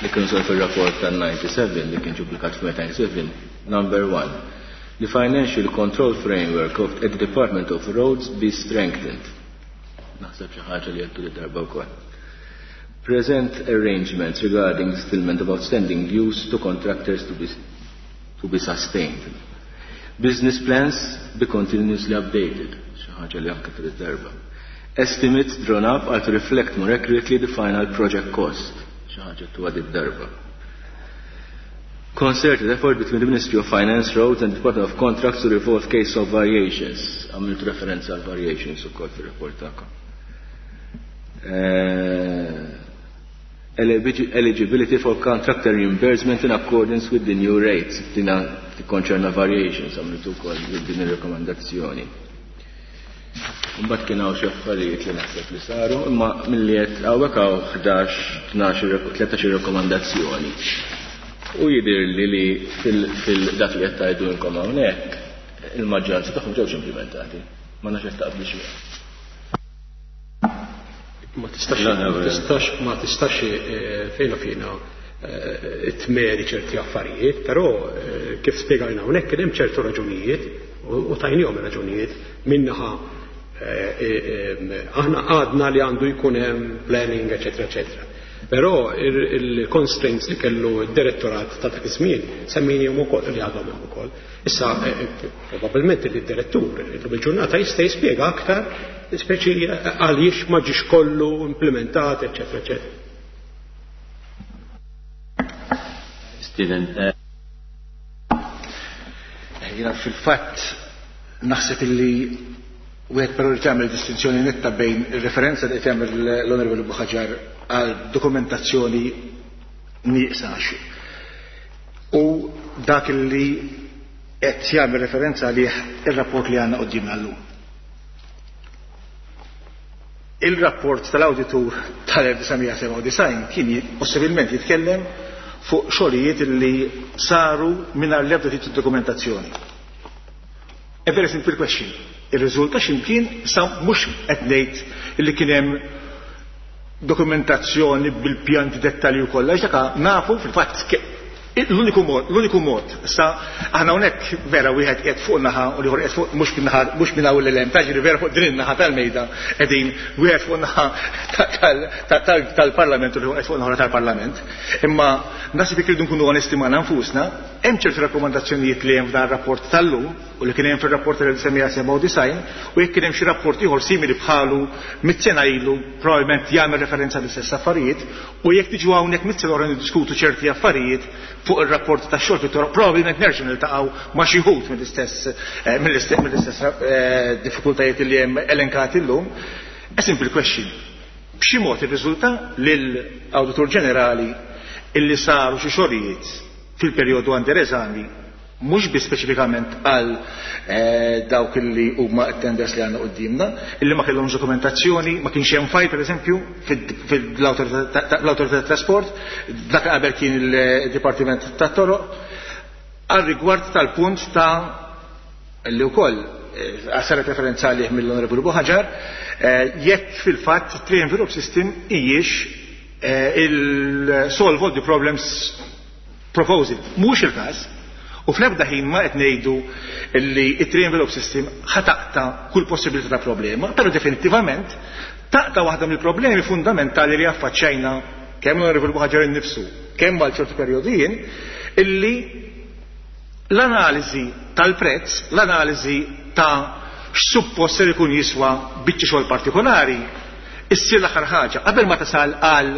li kienu saru fir-rapport tan-97 li kien ġubblikat f'May 97, number 1. The financial control framework of the Department of Roads be strengthened. Naħseb xi ħaġa li għedtu li darba wkoll. Present arrangements regarding settlement of outstanding dues to contractors to be sustained. Business plans be continuously updated. Xi ħaġa li anke trid darba. Estimates drawn up are to reflect more accurately the final project cost. Xi ħaġa tuwa dit darba. Concerted effort between the Ministry of Finance, Roads and the Department of Contracts to resolve case of variations. Għamiltu referenza għal variations ukoll fir-rapport tagħkom. Eligibility for contractor reimbursement in accordance with the new rates. Dina tikkonċerna variations, għamiltu wkoll din ir-rekomendazzjoni. Mbagħad kien hawn xi affarijiet li naħseb li saru, imma milli qed hawnhekk hawn 11, 12, 13 rekomendazzjoni. U jidhirli li fil-dak li qed tgħidu inkom hawnhekk, il-maġġoranza tagħhom ġewx implementati. Ma nafx qed taqblu xi. Ma tistax, ma tistax, ma tistax fejn fina tmeri ċerti affarijiet, però kif spjegajna hawnhekk kien hemm ċertu raġunijiet u tajnihom raġunijiet minnaħa aħna għadna li għandu jkun hemm planning, eċetera, eċetera. Però il-constraints li kellu d-direttorat ta' dak iż-żmien semmejnihom ukoll li għadhom hemm ukoll. Issa probabbilment li d-direttur illum il-ġurnata jista' jispjega aktar speċi għaliex ma ġiex kollu implementat, eċetera, eċetera. Steven. Jiena fil-fatt naħseb illi wieħed però li tagħmel distinzjoni netta bejn ir-referenza li tagħmel l-Onorevoli Buhagiar għal dokumentazzjoni nieqsa u dak li qed jagħmel referenza għalih ir-rapport li għandna quddiemna llum. Il-rapport tal-awditur tal-1997 kien possibilment jitkellem fuq xogħlijiet li saru mingħajr l-ebda tip ta' dokumentazzjoni. A very simple question. Ir-riżulta x'imkien sa mhux qed ngħid li kien hemm dokumentazzjoni bil-pjanti dettalji u kollha, għax dak nafu fil-fatt L-uniku mod, l-uniku mod, sa aħna hawnhekk vera wieħed qiegħed fuq naħa u l-ieħor qiegħed fuq mhux minn naħa mhux minn hawn l-hemm, taġri vera fuq din in-naħa tal-mejda qegħdin wieħed fuq naħa tal-Parlament u l-ieħor qiegħed fuq naħa tal-Parlament. Imma naħseb jekk irridu nkunu onesti magħna nfusna, hemm ċerti rakkomandazzjonijiet li hemm f'dan rapport tal-lum u li kien hemm fir-rapport tal-1997 u jekk kien hemm xi rapport ieħor simili bħalu mit-sena ilu probabbilment jagħmel referenza l-istess affarijiet u jekk tiġu hawnhekk mit-sena oħra niddiskutu ċerti affarijiet fuq ir-rapport tax-xogħol fit-toroq probabbilment nerġgħu niltaqgħu ma' xi wħud mill-istess eh, mill-istess mill-istess eh, diffikultajiet li hemm elenkati llum. A simple question. B'xi mod irriżulta lill-Awditur Ġenerali illi saru xi xogħlijiet fil-perjodu under eżami mhux biss speċifikament għal eh, dawk li huma t-tenders li għandna quddiemna, illi ma kellhomx dokumentazzjoni, ma kienx hemm file pereżempju fil-awtorità tat-trasport, dak qabel kien il-Dipartiment tat-Toroq, għal rigward tal-punt ta' li wkoll eh, saret referenza għalih mill-Onorevoli Buħaġar, eh, jekk fil-fatt three envelope system hijiex il-solve all the problems proposed. Mhux il-każ. U fl-ebda ħin ma qed ngħidu li it-three envelope system ħa taqta' kull possibilità ta' problema, però definittivament taqta' waħda mill-problemi fundamentali li affaċċajna kemm l-Onorevoli Buħaġar innifsu, kemm għal ċertu perjodi jien, illi l-analiżi tal-prezz, l-analiżi ta' x'suppost ser ikun jiswa biċċa xogħol partikolari, issir l-aħħar ħaġa qabel ma tasal għal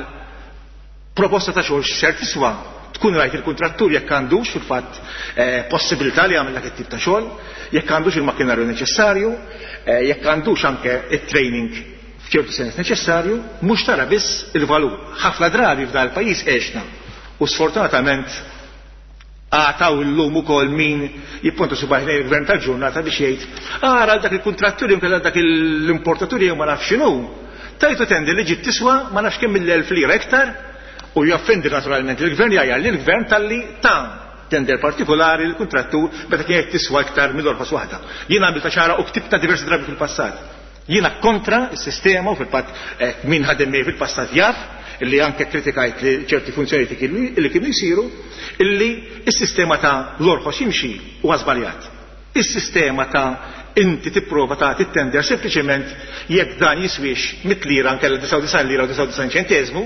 proposta ta' xogħol x'ser tiswa, tkun rajt il-kuntrattur jekk għandux fil-fatt eh, possibilità li jagħmel dak it-tip ta' xogħol, jekk għandux il-makkinarju neċessarju, eh, jekk għandux anke it-training f'ċertu sens neċessarju, mhux tara biss il-valur. Ħafna drabi f'dan il-pajjiż għexna u sfortunatament għataw illum ukoll min jipponta subgħajh lejn il-gvern tal-ġurnata biex jgħid ara dak il-kuntrattur jew dak l-importatur jew ma nafx x'inhu. Tajtu tender li ġiet tiswa ma nafx kemm mill-elf lira iktar u jaffendi naturalment il-gvern jgħajjar li l-gvern talli ta' tender partikolari l-kuntrattur meta kienet tiswa iktar mill-orħos waħda. Jien għamilta ċara u ktibta diversi drabi fil-passat. Jiena kontra s-sistema u fil-fatt eh, min ħadem miegħi fil-passat jaf illi anke kritikajt li ċerti funzjonijiet li kienu jsiru illi s-sistema ta' l-orħos jimxi huwa żbaljat. Is-sistema ta' inti tipprova ta' tender sempliċement jekk dan jiswix mit lira nkella 99 lira u 99 ċentesmu,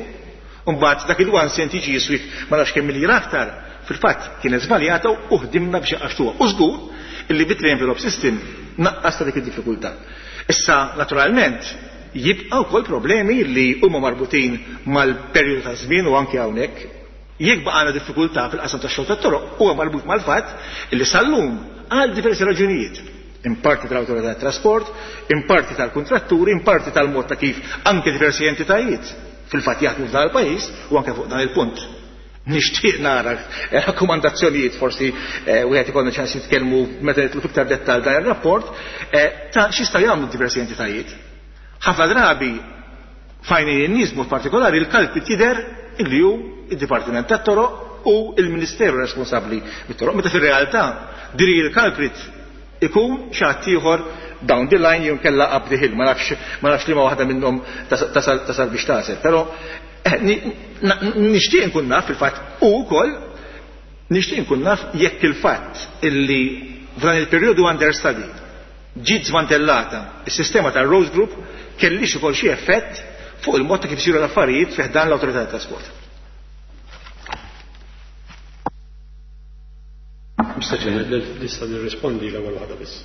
mbagħad dak il-one cent jiġi jiswik ma nafx kemm lira aktar, fil-fatt kienet żbaljata u ħdimna biex għaxtuha. U żgur illi bit envelope system naqqas ta' dik id-diffikultà. Issa, naturalment, jibqa' wkoll problemi li huma marbutin mal-perjodu ta' żmien u anke hawnhekk. Jekk baqgħna diffikultà fil-qasam tax-xogħol tat-toroq huwa marbut mal-fatt li sal-lum għal diversi raġunijiet in parti tal-autorità tat-trasport, in parti tal-kuntratturi, in parti tal-mod ta' kif anke diversi entitajiet fil-fatt jaħdmu f'dan il-pajjiż u anke fuq dan il-punt. Nixtieq nara rakkomandazzjonijiet forsi eh, wieħed ikollna ċans jitkellmu meta nitlu fiktar dettal dan ir-rapport eh, ta' x'jistgħu jagħmlu diversi entitajiet. Ħafna drabi fajni n-nies mod partikolari il-kalpi tidher illi hu id-Dipartiment tat-Toroq u il-Ministeru responsabbli mit-toroq, meta fir-realtà diri il-culprit ikun xi ħadd ieħor down the line jew kella up the hill, ma nafx ma nafx liema waħda minnhom tasal biex tasel. Però eh, nixtieq nkun naf fil-fatt u wkoll nixtieq nkun naf jekk il-fatt illi f'dan il-perjodu under study ġiet żmantellata is-sistema tar-Rose Group kellix ukoll xi effett fuq il-mod ta' kif isiru l-affarijiet fi ħdan l-Awtorità tat-Trasport. Mr. Chairman, nista' nirrispondi l-ewwel waħda biss.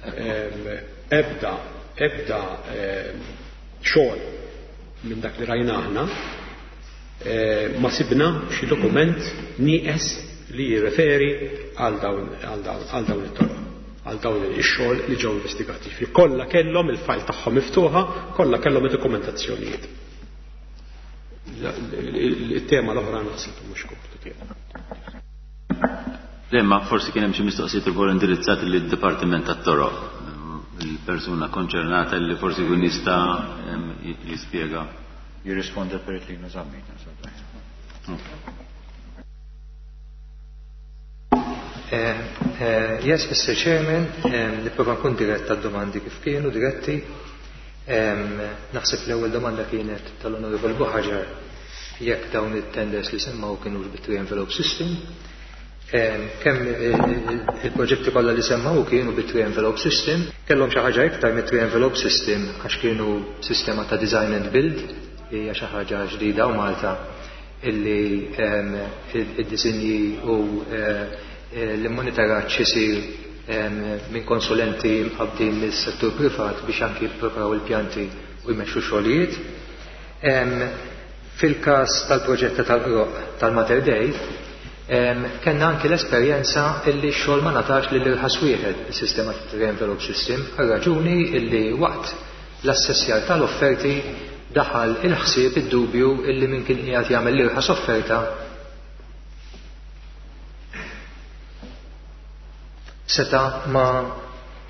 Ebda, ebda xogħol minn dak li rajna aħna ma sibna xi dokument nieqes li jirreferi għal dawn għal dawn it-toroq għal dawn ix-xogħol li ġew investigati. Fi kollha kellhom il-fajl tagħhom miftuħa, kollha kellhom id-dokumentazzjonijiet. Il-tema l-oħra naħseb mhux kompitu tiegħu. Le, forsi kien hemm xi mistoqsijiet ukoll indirizzati lid-Dipartiment tat-Toroq. Il-persuna konċernata li forsi jkun jista' jispjega. Jirrisponda Perit Lino Zammit. Eh, eh, yes, Mr. Chairman, nipprova nkun dirett għad-domandi kif kienu diretti. Naħseb l-ewwel domanda kienet tal-Onorevoli Buħaġar jekk dawn it-tenders li semmaw kienu bit-three envelope system. Kemm il-proġetti kollha li semma hu kienu bit-three envelope system, kellhom xi ħaġa iktar mit-three envelope system għax kienu sistema ta' design and build li hija xi ħaġa ġdida hawn Malta illi id-disinji u l-immonitoraġġ isir minn konsulenti mqabbdin mis-settur privat biex anki jippreparaw il-pjanti u jmexxu xogħlijiet. Fil-każ tal-proġett ta' tal-Qroqq tal-Mater Dei, kellna anki l-esperjenza illi x-xogħol ma ngħatax lil irħas wieħed, is-sistema ta' three envelope system, għar-raġuni illi waqt l-assessjar tal-offerti daħal il-ħsieb, id-dubju illi min kien qiegħed jagħmel l-irħas offerta seta' ma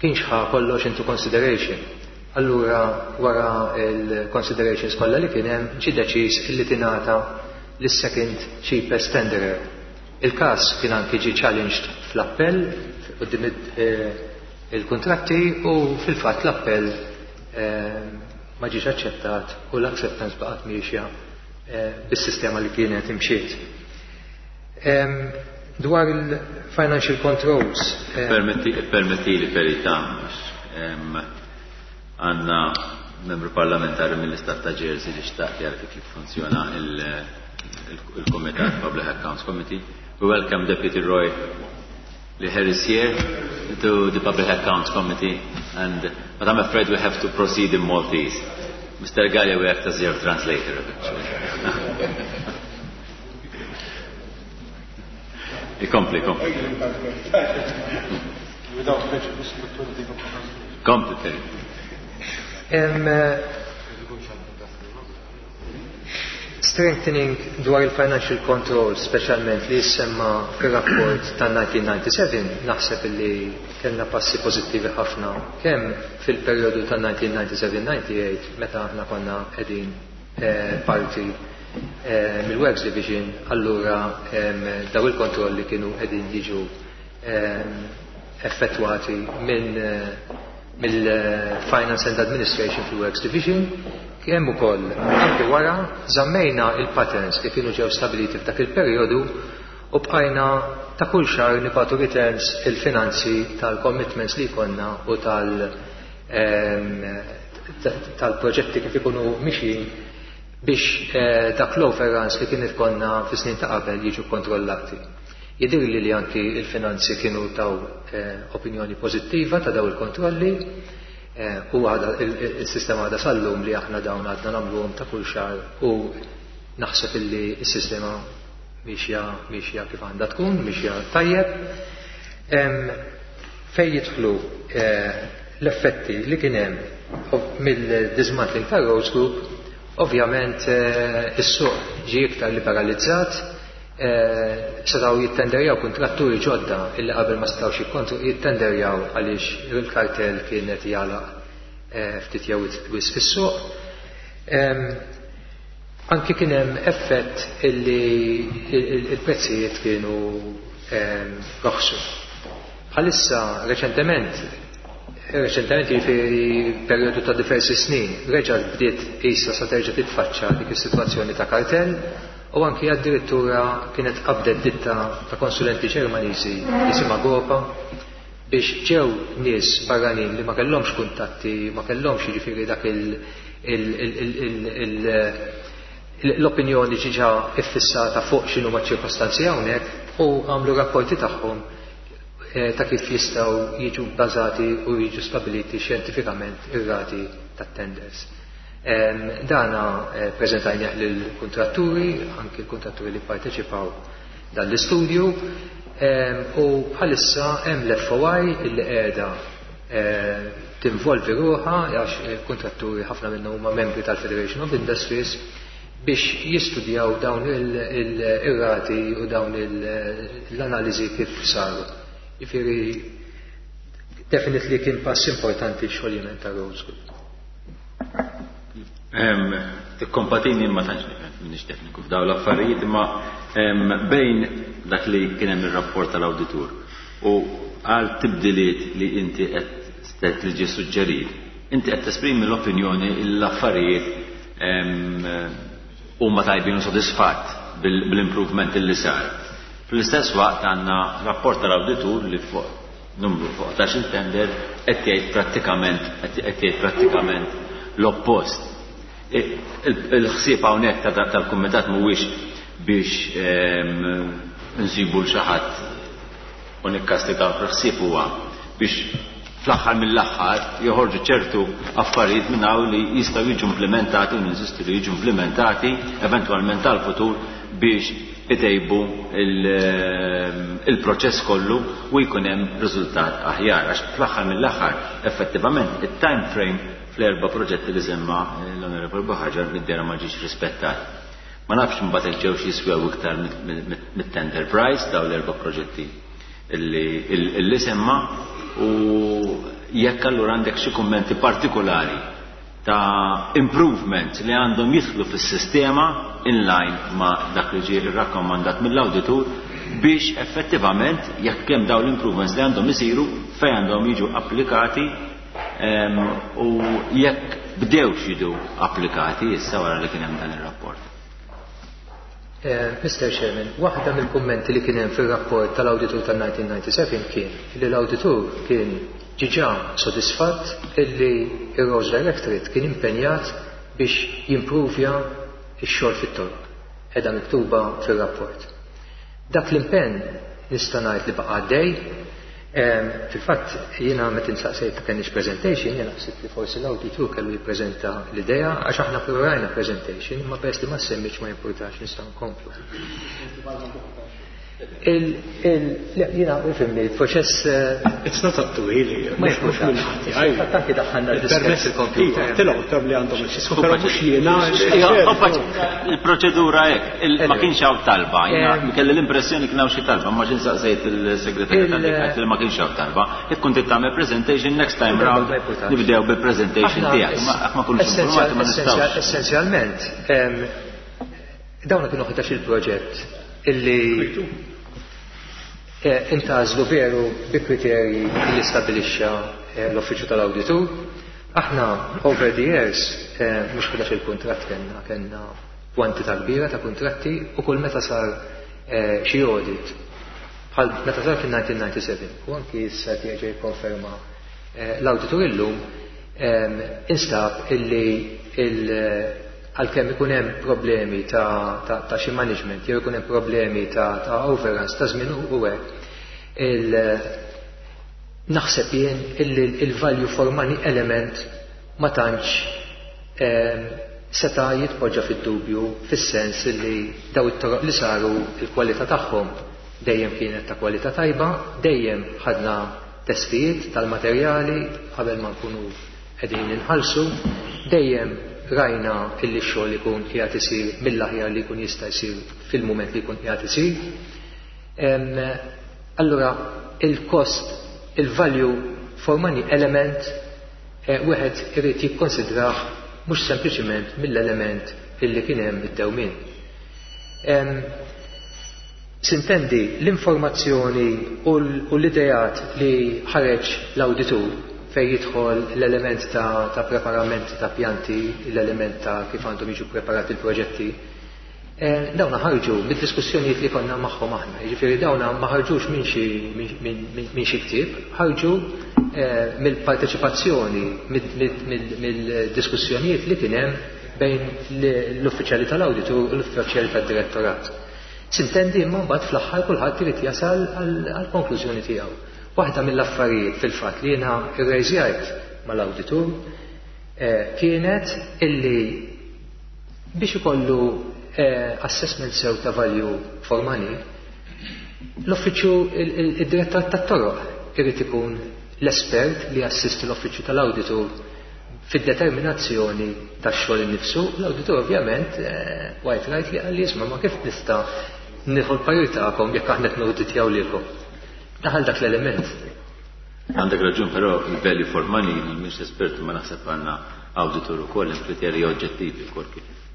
kienx ħa kollox into consideration. Allura wara l-considerations kollha li kien hemm ġie deċiż illi tingħata lis-second cheapest tenderer. Il-każ kien anki ġie challenged fl-appell quddiem il-kuntratti u fil-fatt l-appell ma ġiex aċċettat u l-acceptance baqgħet miexja bis-sistema li kienet imxiet. Dwar il-financial controls. Ippermettili verità, għandna membru parlamentari mill-Istat ta' Jersey li xtaq jara kif jiffunzjona il-Kumitat Public Accounts Committee. We welcome Deputy Roy Le Herissier to the Public Accounts Committee, and but I'm afraid we have to proceed in Maltese. Mr. Gallia will act as your translator eventually. Ikompli, kompli. Without prejudice, but Kompli, Terry. Strengthening dwar il-financial control, speċjalment li jissemma fir-rapport tan-1997, naħseb li kellna passi pożittivi ħafna kemm fil-perjodu tan-1997-98 meta aħna konna qegħdin parti mill-Works Division, allura daw il-kontrolli kienu qegħdin jiġu effettwati minn mill-Finance and Administration fil-Works Division, kemm ukoll anke wara żammejna il-patterns li kienu ġew stabiliti f'dak il-perjodu u bqajna ta' kull xahar nibagħtu returns il-finanzi tal-commitments li jkollna u tal tal-proġetti kif ikunu mixjin biex dak l-overruns li kien ikollna fis-snin ta' qabel jiġu kontrollati. Jidhirli li anki il-finanzi kienu taw opinjoni pożittiva ta' daw il-kontrolli u għada il-sistema għadha sal-lum li aħna dawn għadna nagħmluhom ta' kull xahar u naħseb illi s-sistema miexja miexja kif għandha tkun, miexja tajjeb. Fejn jidħlu l-effetti li kien hemm mill-dismantling tar-Roads Group, ovvjament is-suq ġie iktar liberalizzat, setgħu jittenderjaw kuntratturi ġodda illi qabel ma setgħux jittenderjaw għaliex il-kartell kien qed jagħlaq ftit jew wisq is-suq. Anki kien hemm effett illi il-prezzijiet kienu roħsu. Bħalissa reċentement, reċentement jiġifieri perjodu ta' diversi snin, reġgħet bdiet qisha sa terġa' titfaċċa dik is-sitwazzjoni ta' kartell u anki addirittura kienet qabdet ditta ta' konsulenti Ġermaniżi jisimha Gopa biex ġew nies barranin li ma kellhomx kuntatti, ma kellhomx jiġifieri dak l-opinjoni ġiġa iffissata fuq x'inhu ma' ċirkostanzi hawnhekk u għamlu rapporti tagħhom ta' kif jistgħu jiġu bbażati u jiġu stabiliti xjentifikament ir-rati tat-tenders. Dana preżentajnieh lill-kuntratturi, anki l-kuntratturi li pparteċipaw dan l-istudju, u bħalissa hemm l-FOI illi qiegħda tinvolvi ruħha għax il-kuntratturi ħafna minnhom huma membri tal-Federation of Industries biex jistudjaw dawn il-rati u dawn l-analiżi kif saru. Jiġifieri definitely kien pass importanti x-xoljiment ta' Roads Group. Tikkompatini ma tantx nifhem m'iniex tekniku f'dawn l-affarijiet imma bejn dak li kien hemm ir-rapport tal-awditur u għal tibdiliet li inti qed li ġie suġġerit, inti qed tesprimi l-opinjoni l-affarijiet huma tajbin u sodisfatt bil-improvement li sar. Fl-istess waqt għandna rapport tal-awditur li fuq numru fuq 11 tender qed jgħid prattikament qed jgħid prattikament l-oppost. Il-ħsieb hawnhekk tal-kumitat mhuwiex biex nsibu l xi ħadd u nikkastigaw, il-ħsieb huwa biex fl-aħħar mill-aħħar joħorġu ċertu affarijiet minn hawn li jistgħu jiġu implimentati u ninsistu li jiġu implimentati eventwalment tal-futur biex itejbu il-proċess kollu u jkun hemm riżultat aħjar. Għax fl-aħħar mill-aħħar effettivament it-time frame fl-erba' proġetti li semma l-Onorevole Buhagiar mid-dehra ma ġiex rispettat. Ma nafx imbagħad jekk ġewx jiswew iktar mit-tender price daw l-erba' proġetti illi semma u jekk allura għandek xi kummenti partikolari ta' improvements li għandhom jidħlu fis-sistema in line ma' dak li ġie rrakkomandat mill-awditur biex effettivament jekk hemm dawn l-improvements li għandhom isiru fejn għandhom jiġu applikati u jekk bdewx jiġu applikati issa wara li kien hemm dan ir-rapport. Mr. Chairman, waħda mill-kummenti li kien hemm fir-rapport tal-awditur tal-1997 kien li l-awditur kien ġiġa sodisfatt illi ir-Roads Directorate kien impenjat biex jimprovja x-xogħol fit-toroq. Qiegħda miktuba fir-rapport. Dak l-impenn nista' ngħid li baqa' għaddej. Fil-fatt jiena meta insaqsejt kenniex presentation, jiena ħsibt li forsi l-awditur kellu jippreżenta l-idea għax aħna preparajna presentation, imma peress li ma semmitx ma jimpurtax nistgħu nkomplu. Jiena ifhimni, il-proċess It's not up to me. Ma jimpurtax. Fatt anki daħħalna l-diskett fil-computer. Tilgħu tab li għandhom il-ċisku, però mhux jiena. Il-proċedura hekk, ma kienx hawn talba. Jiena kelli l-impressjoni kien hawn xi talba, ma xi saqsejt il-segretarju tal-Liga li ma kienx hawn talba. Jekk kont tagħmel presentation next time round nibdew bil-presentation tiegħek. Ma kunux informati ma nistgħux. Essenzjalment, dawna kienu 11 il-proġett illi intgħażlu veru bi kriterji li stabilixxa l-Uffiċċju tal-Awditur. Aħna over the years mhux 11 il-kuntratt kellna, kellna kwantità kbira ta' kuntratti u kull meta sar xi audit bħal meta sar fil-1997 u anki issa jerġa' jikkonferma l-awditur illum instab illi għalkemm ikun hemm problemi ta' xi management jew ikun hemm problemi ta' overruns ta' żmien u hekk, naħseb jien illi il-value for money element ma tantx seta' jitpoġġa fid-dubju fis-sens illi daw it-toroq li saru il-kwalità tagħhom dejjem kienet ta' kwalità tajba, dejjem ħadna testijiet tal-materjali qabel ma nkunu qegħdin inħallsu, dejjem rajna illi x-xogħol ikun qiegħed isir mill-aħjar li jkun jista' jsir fil-mument li jkun qiegħed isir. Allura il-cost, il-value for money element wieħed irid jikkonsidrah mhux sempliċiment mill-element illi kien hemm id-dewmien. Sintendi l-informazzjoni u l-ideat li ħareġ l-awditur fej jidħol l-element ta' preparament ta' pjanti, l-element ta' kif għandhom jiġu preparati l-proġetti, dawna ħarġu mid-diskussjonijiet li konna magħhom aħna. Jiġifieri dawna ma ħarġux minn xi ktieb, ħarġu mill-parteċipazzjoni, mill-diskussjonijiet li kien hemm bejn l-uffiċjali tal-awditur u l-uffiċjali tad-direttorat. Sintendi imma mbagħad fl-aħħar kulħadd irid jasal għall-konklużjoni tiegħu. Waħda mill-affarijiet fil-fatt li jiena rrejżjajt mal-awditur kienet illi biex ikollu assessment sew ta' value for money, l-uffiċċju id-direttorat tat-toroq irid ikun l-espert li jassisti l-uffiċċju tal-awditur fid-determinazzjoni tax-xogħol innifsu. L-awditur ovvjament quite right li qal li isma' ma kif nista' nieħu l-parir tagħkom jekk aħna qed nawditjaw lilkom. Daħal dak l-element. Għandek raġun, però il-value for money mhix espert, ma naħseb għandna awditur ukoll hemm kriterji oġġettivi wkoll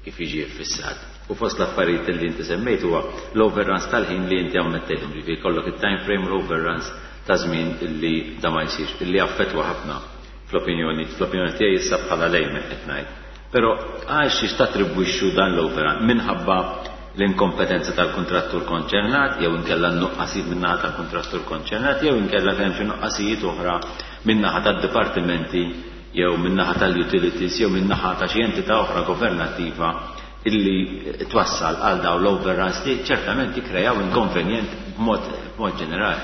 kif jiġi ffissat. U fost l-affarijiet li inti semmejt huwa l-overruns tal-ħin li inti ammettejthom, ġifieri jkollok it-time frame u l-overruns ta' żmien illi da ma jsirx, illi affettwa ħafna fl-opinjoni tiegħi issa bħala lejmen qed ngħid. Però għal xiex tattribwixxu dan l-overrun? Minħabba l-inkompetenza tal-kuntrattur konċernat jew inkella n-nuqqasijiet min-naħa tal-kuntrattur konċernat jew inkella kien hemm xi nuqqasijiet oħra min-naħa tad-dipartimenti jew min-naħa tal-utilities jew min-naħa ta' xi entità oħra governattiva illi twassal għal dawn l-overruns li ċertament jikkrejaw inkonvenjent b'mod b'mod ġenerali.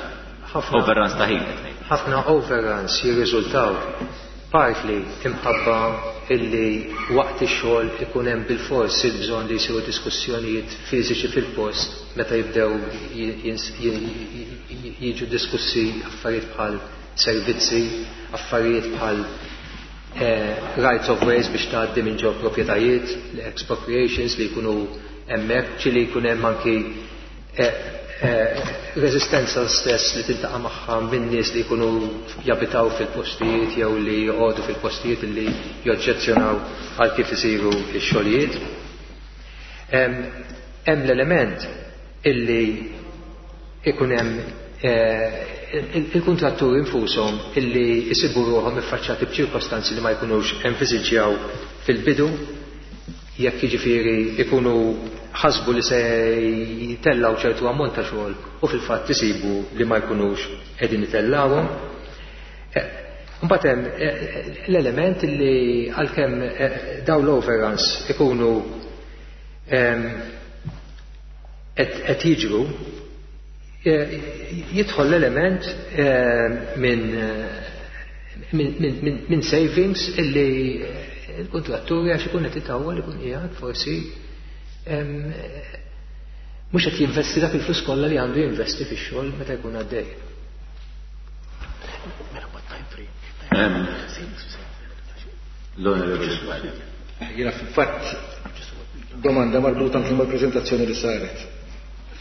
Overruns ta' ħin qed ngħid. Ħafna overruns jirriżultaw partly imħabba illi waqt ix-xogħol ikun hemm bilfors il-bżonn li jsiru diskussjonijiet fiżiċi fil-post meta jibdew jiġu diskussi affarijiet bħal servizzi, affarijiet bħal rights of ways biex tgħaddi minn ġo proprjetajiet, l-expropriations li jkunu hemmhekk, ġieli jkun hemm anki reżistenza stess li tiltaqa' magħha minn nies li jkunu jabitaw fil-postijiet jew li joqogħdu fil-postijiet li joġġezzjonaw għal kif isiru x-xogħlijiet. Hemm l-element illi ikun hemm il-kuntratturi infushom illi jsibu ruħhom iffaċċjati b'ċirkostanzi li ma jkunux enviżiġġjaw fil-bidu, jekk jiġifieri ikunu ħasbu li se jitellaw ċertu ammont ta' xogħol u fil-fatt isibu li ma jkunux qegħdin itellawhom. Mbagħad hemm l-element li għalkemm dawn l-overruns ikunu qed jiġru, jidħol l-element minn savings illi il-kontratturi għax ikun qed itawwal ikun qiegħed forsi mhux qed jinvesti dak il-flus kollha li għandu jinvesti fix-xogħol meta jkun għaddej. L-Onorevoli. Jiena fil-fatt domanda marbuta anke mal-preżentazzjoni li saret.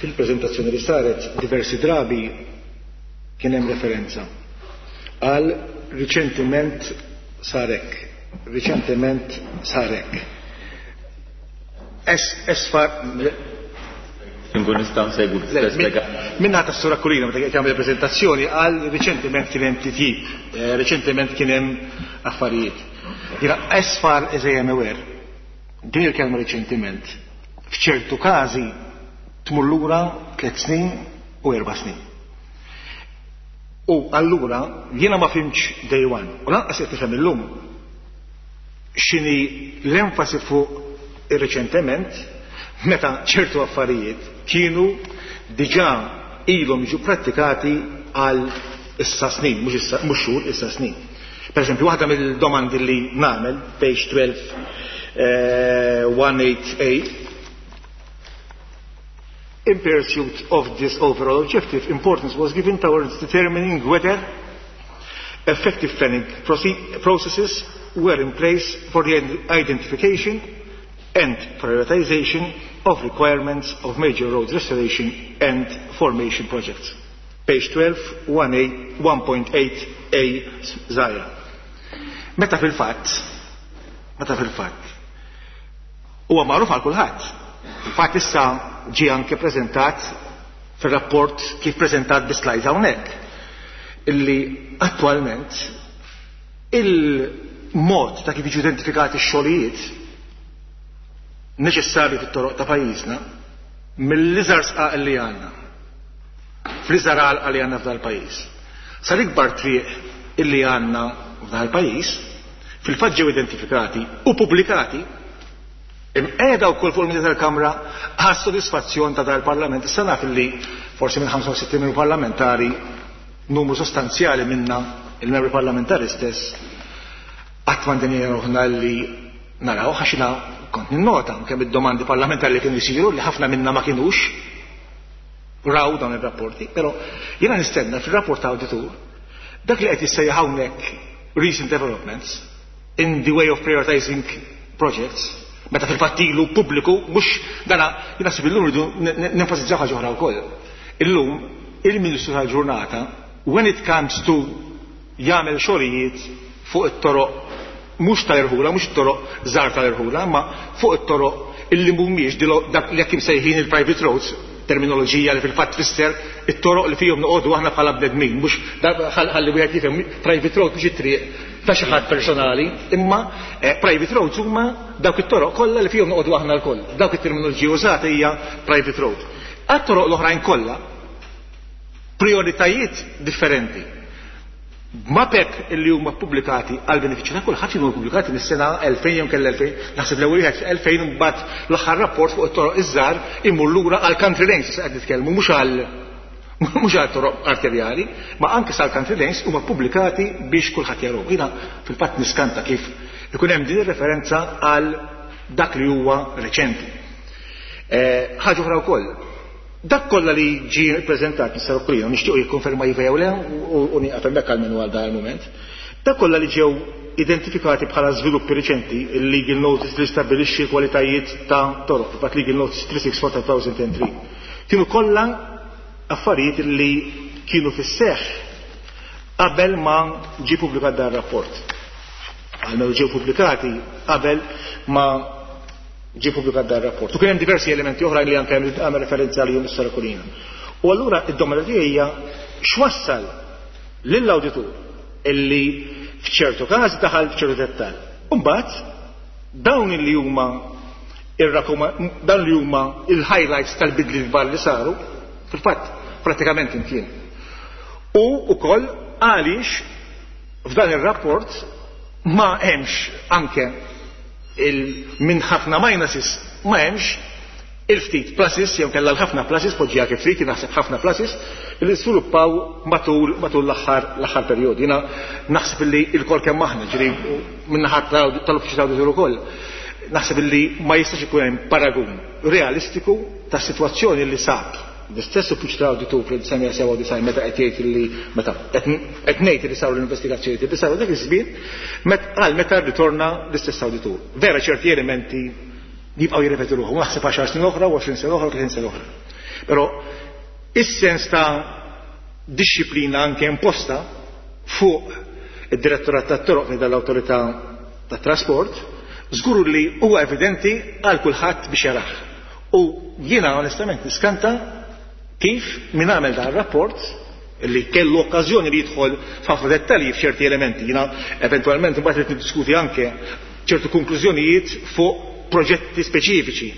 Fil-preżentazzjoni li saret diversi drabi kien hemm referenza għal riċentiment sarek, riċentiment sarek. Es far Nkun nistgħu nsegwu Le, minna ta' Sura Aquilina meta qed jagħmel preżentazzjoni għal riċentement kien hemm titjib, riċentement kien hemm affarijiet. Jiena as far as I am aware, din il-kelma riċentement f'ċertu każi tmur lura 3 snin u 4 snin. U allura jiena ma fimx day one, u lanqas qed nifhem illum x'inhi l-enfasi fuq ir-reċentement meta ċertu affarijiet kienu diġà ilhom jiġu prattikati għal issa snin, mhux issa, mhux xhur, issa snin. Per eżempju, waħda mill-domandi li nagħmel, page 12, 188, in pursuit of this overall objective, importance was given towards determining whether effective planning processes were in place for the identification and prioritization of requirements of major road restoration and formation projects. Page 12, one A, 1.8 A, Zaja. Meta fil-fatt, meta fil-fatt, huwa magħruf għal kulħadd. Fil-fatt issa ġie anke preżentat fir-rapport kif preżentat bi slides hawnhekk, illi attwalment il-mod ta' kif jiġu identifikati x-xogħlijiet neċessarji fit-toroq ta' pajjiżna mill-iżgħar sqaq li għandna, fl-iżgħar għalqa li għandna f'dal pajjiż, sal-ikbar triq illi għandna f'dal pajjiż, fil-fatt ġew identifikati u pubblikati imqiegħda wkoll fuq il-media tal-Kamra għas sodisfazzjon ta' dal-Parlament. Issa naf li forsi minn 65 membru parlamentari numru sostanzjali minna il-membri parlamentari stess qatt ma ndinja ruħna li naraw, għax jiena kont ninnota kemm id-domandi parlamentari li kienu jsiru li ħafna minna ma kinux raw dawn ir-rapporti, però jiena nistenna fir-rapport ta' awditur dak li qed jissejjaħ hawnhekk recent developments in the way of prioritizing projects, meta fil-fatt ilu pubbliku, mhux dana jiena naħseb illum rridu nenfasizzaw ħaġa oħra wkoll. Illum il-Ministru tal-Ġurnata when it comes to jagħmel xogħlijiet fuq it-toroq mhux tal-irħula, mhux it-toroq żgħar tal-irħula, ma fuq it-toroq illi mhumiex dak li jekk imsejħin il-private roads. Terminoloġija li fil-fatt tfisser it-toroq li fihom noqogħdu aħna bħala bnedmin, mhux ħalli wieħed jifhem private road mhux it-triq ta' xi ħadd personali, imma private roads huma dawk it-toroq kollha li fihom noqogħdu aħna lkoll. Dawk it-terminoloġija użata hija private road. Għat-toroq l-oħrajn kollha prioritajiet differenti. Mapep illi huma ppubblikati għal benefiċċju ta' kulħadd kienu ppubblikati mis-sena 2000 jew kellha 2000, naħseb l-ewwel wieħed 2000 u mbagħad l-aħħar rapport fuq it-toroq iż-żgħar imur lura għal country lanes issa qed nitkellmu mhux għal mhux għal toroq arterjali, ma anke sal country lanes huma ppubblikati biex kulħadd jarahom. Jiena fil-fatt niskanta kif ikun hemm din ir-referenza għal dak li huwa reċenti. Ħaġa oħra wkoll, Dak kollha li ġie ppreżentat Mister Occolino, nixtiequ jikkonferma iva jew le u nieqaf hemmhekk almenu għal dan il-mument. Dak kollha li ġew identifikati bħala żviluppi riċenti, il-legal notice li stabbilixxi l-kwalitajiet ta' toroq, fil-fatt legal notice 364 ta' 2003, kienu kollha affarijiet li kienu fis-seħħ qabel ma ġie pubblikat dan ir-rapport. Almenu ġew pubblikati qabel ma ġie pubblikat dan ir-rapport. U kien hemm diversi elementi oħrajn li anke għamel referenza għalihom is-Sara Colina. U allura id-domanda tiegħi hija x'wassal lill-awditur illi f'ċertu każi daħal f'ċertu dettall. U mbagħad dawn li huma dawn li huma il-highlights tal-bidli kbar li saru, fil-fatt pratikament imkien. U wkoll għaliex f'dan ir-rapport ma hemmx anke minn ħafna minuses ma hemmx il-ftit pluses jew kellha l-ħafna pluses poġġiha kif trid, naħseb ħafna pluses li żviluppaw matul matul l-aħħar l-aħħar perjodu. Jiena naħseb li l-kol kemm aħna, ġifieri min-naħa tal-Uffiċċju tal-Awditur ukoll, naħseb li ma jistax ikun hemm paragun realistiku tas-sitwazzjoni li sab L-istess uffiċċju tal-awditur fl-1997 meta qed jgħid li meta qed ngħid li saru l-investigazzjonijiet li saru dak iż-żmien għal meta rritorna l-istess awditur. Vera ċerti elementi jibqgħu jirrepetu ruħhom, naħseb 10 snin oħra, 20 sena oħra, 30 sena oħra. Però is-sens ta' dixxiplina anke imposta fuq id-Direttorat tat-Toroq minn dal-Awtorità tat-Trasport żgur li huwa evidenti għal kulħadd biex jarah. U jiena onestament niskanta kif min għamel dan rapport li kellu okkażjoni li jidħol f'ħafna dettalji f'ċerti elementi. Jiena eventwalment imbagħad irid niddiskuti anke ċertu konklużjonijiet fuq proġetti speċifiċi.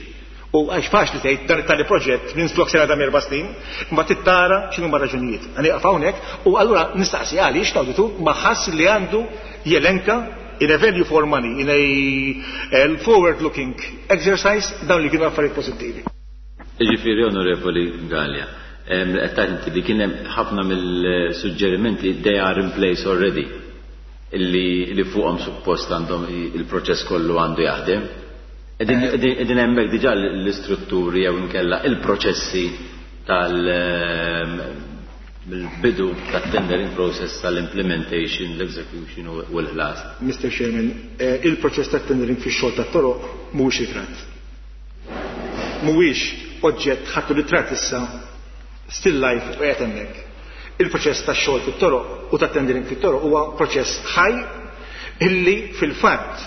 U għax faċli tgħid dan it-tali proġett minn flok sena dam erba' snin, imbagħad tittara x'inhuma raġunijiet. Nieqaf hawnhekk u allura nistaqsi għaliex l-awditur ma ħass li għandu jelenka in a value for money, in a forward-looking exercise, dawn li kienu affarijiet pożittivi. Jiġifieri, Onorevoli Galea, qed tgħid inti li kien hemm ħafna mill-suġġerimenti they are in place already, illi li fuqhom suppost għandhom il-proċess kollu għandu jaħdem. Qegħdin hemmhekk diġà l-istrutturi jew inkella il-proċessi tal mill-bidu tat-tendering process tal-implementation, l-execution u l-ħlas. Mr. Chairman, il-proċess tat-tendering fix-xogħol tat-toroq mhuwiex ritratt. Mhuwiex oġġett ħadtu ritratt issa still life u qiegħed hemmhekk. Il-proċess tax-xogħol fit-toroq u tat-tendering fit-toroq huwa proċess ħaj illi fil-fatt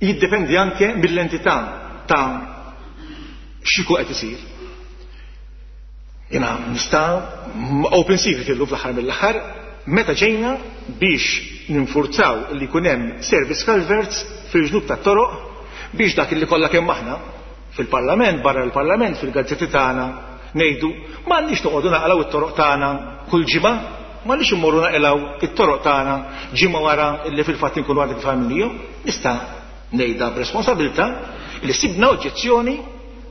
jiddependi anke mill-entità ta' x'ikun qed isir. Jiena nista' open secret illum fl-aħħar mill-aħħar meta ġejna biex ninfurzaw li jkun hemm service culverts fil-ġnub tat-toroq biex dak li kollha kemm aħna fil-Parlament, barra l-Parlament, fil-gazzetti tagħna ngħidu m'għandniex noqogħdu naqalgħu it-toroq tagħna kull ġimgħa, m'għandniex immorru naqilgħu it-toroq tagħna ġimgħa wara li fil-fatt inkunu għadna kif għamilnihom. Nista' ngħidha b'responsabilità li sibna oġġezzjoni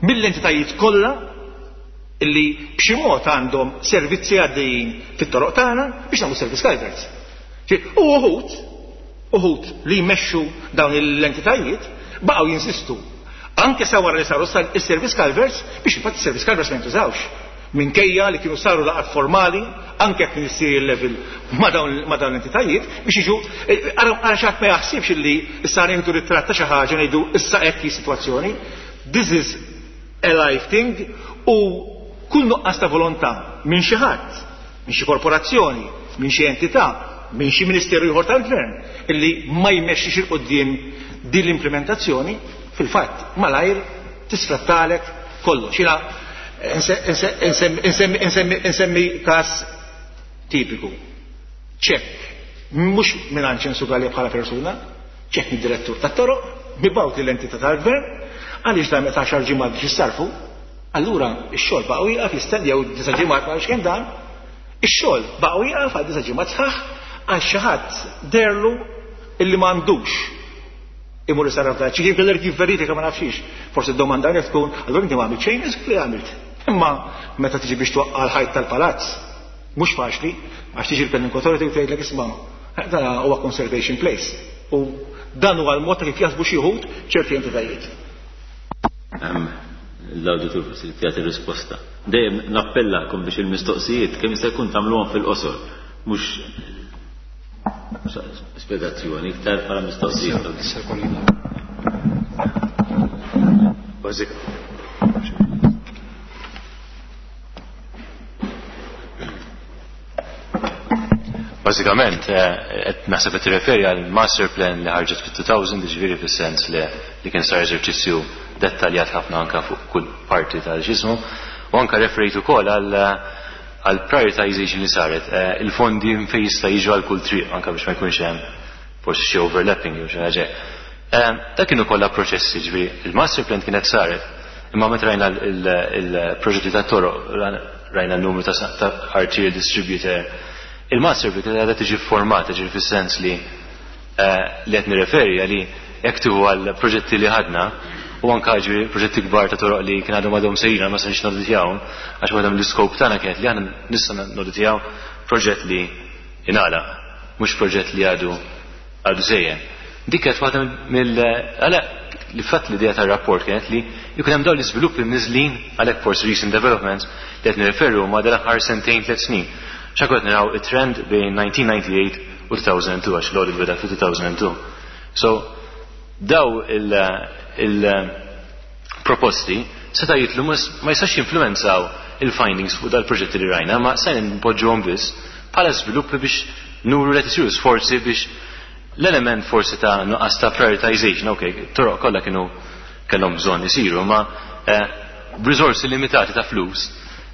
mill-entitajiet kollha illi b'xi mod għandhom servizzi għaddejjin fit-toroq tagħna biex nagħmlu service culverts. U uħud, uħud li jmexxu dawn l-entitajiet baqgħu jinsistu anke sa wara li saru is-service culverts biex infatti is-service culverts ma jintużawx. Minkejja li kienu saru laqgħat formali anke at ministerial level ma' dawn l-entitajiet biex jiġu ara xi ħadd ma jaħsibx illi issa nieħdu ritratt ta' xi ħaġa ngħidu issa hekk hi sitwazzjoni. This is a live thing u kull nuqqas ta' volontà minn xi ħadd, minn xi korporazzjoni, minn xi entità, minn xi ministeru ieħor tal-gvern illi ma jmexxix il quddiem din l-implementazzjoni, fil-fatt malajr tisfrattalek kollox. Jiena Insemmi każ tipiku. Ċekk, mhux mingħand Ċensu Galea bħala persuna, ċekk mid-direttur tat-toroq, mibgħut lill-entità tal-gvern, għaliex dan meta għaxar ġimgħat biex jissarfu, allura x-xogħol baqgħu jieqaf jistennew disa' ġimgħat ma nafx kemm dan, ix-xogħol baqgħu jieqaf għal disa' ġimgħat sħaħ għax xi ħadd deherlu illi m'għandux imur isarraf dan. Xi kien kellek jivverifika ma nafx Forsi d-domanda hawnhekk tkun, allura inti ma għamilt xejn, iżgur li għamilt. Imma meta tiġi biex twaqqa' l-ħajt tal-palazz, mhux faċli, għax tiġi l-Planning Authority u tgħidlek isma' dan huwa conservation place. U dan huwa l-mod ta' kif jaħsbu xi wħud ċerti entitajiet. L-awditur forsi jagħti risposta. Dejjem nappellakom biex il-mistoqsijiet kemm jista' jkun tagħmluhom fil-qosor, mhux spjegazzjoni, iktar bħala mistoqsijiet. Bażikament, qed naħseb qed tirreferi għal master plan li ħarġet fit-2000, jiġifieri fis-sens li li kien sar eżerċizzju dettaljat ħafna anke fuq kull parti tal-ġismu, u anke referejt ukoll għal għal prioritization li saret, il-fondi fejn jista' jiġu għal kull triq anke biex ma jkunx hemm forsi xi overlapping jew xi ħaġa. Dak kienu kollha proċessi, jiġifieri il-master plan kienet saret, imma meta rajna il-proġetti tat-toroq, rajna n-numru ta' arterial distributor, il-master plan kienet għadha tiġi formata, ġifieri fis-sens li li qed nirreferi għali jekk tieħu għal proġetti li ħadna u anke ġifieri proġetti kbar ta' toroq li kien għadhom għadhom sejrin ma stajniex noditjawhom għax waħda mill-iskop tagħna kienet li aħna nista' noditjaw proġett li ingħalaq, mhux proġett li għadu għadu sejjer. Dik kienet waħda mill għalhekk li fatt l-idea tar-rapport kienet li jkun hemm dawn l-iżviluppi mniżżlin għalhekk forsi recent developments li qed nirreferu huma dal-aħħar sentejn tliet snin. X'anke qed naraw it-trend bejn 1998 u 2002 għax l-audit beda fi 2002. So daw il-proposti seta' jitlu ma jistax jinfluwenzaw il-findings fuq dal-proġetti li rajna, ma se npoġġuhom biss bħala żviluppi biex nuru li qed isiru sforzi biex l-element forsi ta' nuqqas ta' prioritization, ok, toroq kollha kienu kellhom bżonn isiru, ma b'riżorsi limitati ta' flus,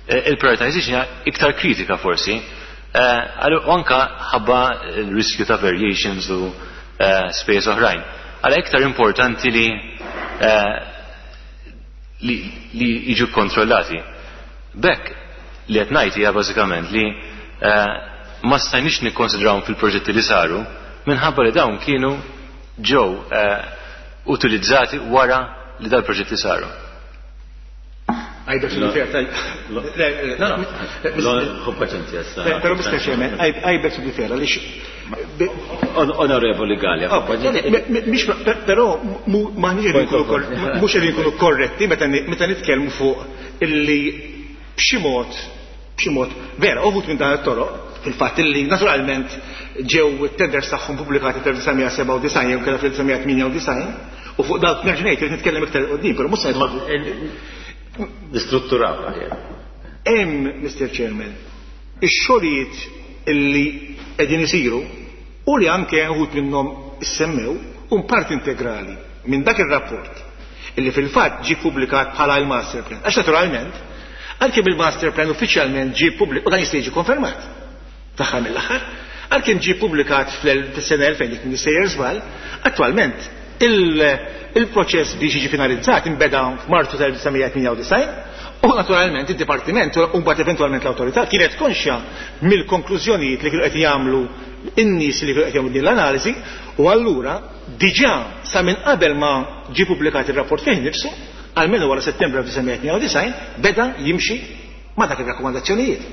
il-prioritization hija iktar kritika forsi, u anka ħabba l-riskju ta' variations u spejjeż oħrajn. Għalhekk iktar importanti li li jiġu kontrollati. B'hekk li qed ngħid hija bażikament li ma stajniex nikkonsidrawhom fil-proġetti li saru minħabba li dawn kienu ġew utilizzati wara li dal-proġetti saru. Għajda xi Però Mr. Chairman, għajbek xi fair għaliex Onorevoli Galea. Però mhux qegħdin nkunu korretti meta nitkellmu fuq illi b'xi mod b'xi mod vera uħud minn dan it-toroq fil-fatt illi naturalment ġew it-tenders tagħhom pubblikati fl-1997 jew kellha fl-1998 u fuq dawk nerġa' ngħid irid nitkellem iktar qudiem, però mhux se Nistrutturaw aħjar. Hemm, Mr. Chairman, ix-xogħlijiet illi qegħdin isiru u li anke uħud minnhom issemmew hum parti integrali minn dak ir-rapport illi fil-fatt ġie ppubblikat bħala l-master plan. Għax naturalment, għalkemm il-master plan uffiċjalment ġie ppubblikat, u dan jista' jiġi konfermat fl-aħħar mill-aħħar, għalkemm ġie ppubblikat fis-sena 2000 jekk m'iniex sejjer żball, attwalment il-proċess biex jiġi finalizzat inbeda f'Marzu tal-1998 u naturalment id-Dipartiment u mbagħad eventwalment l-awtorità kienet konxja mill-konklużjonijiet li kienu qed jagħmlu in-nies li kienu qed jagħmlu din l-analiżi u allura diġà sa minn qabel ma ġie pubblikat ir-rapport fih innifsu, almenu wara Settembru 1998, beda jimxi ma' dak ir-rakkomandazzjonijiet.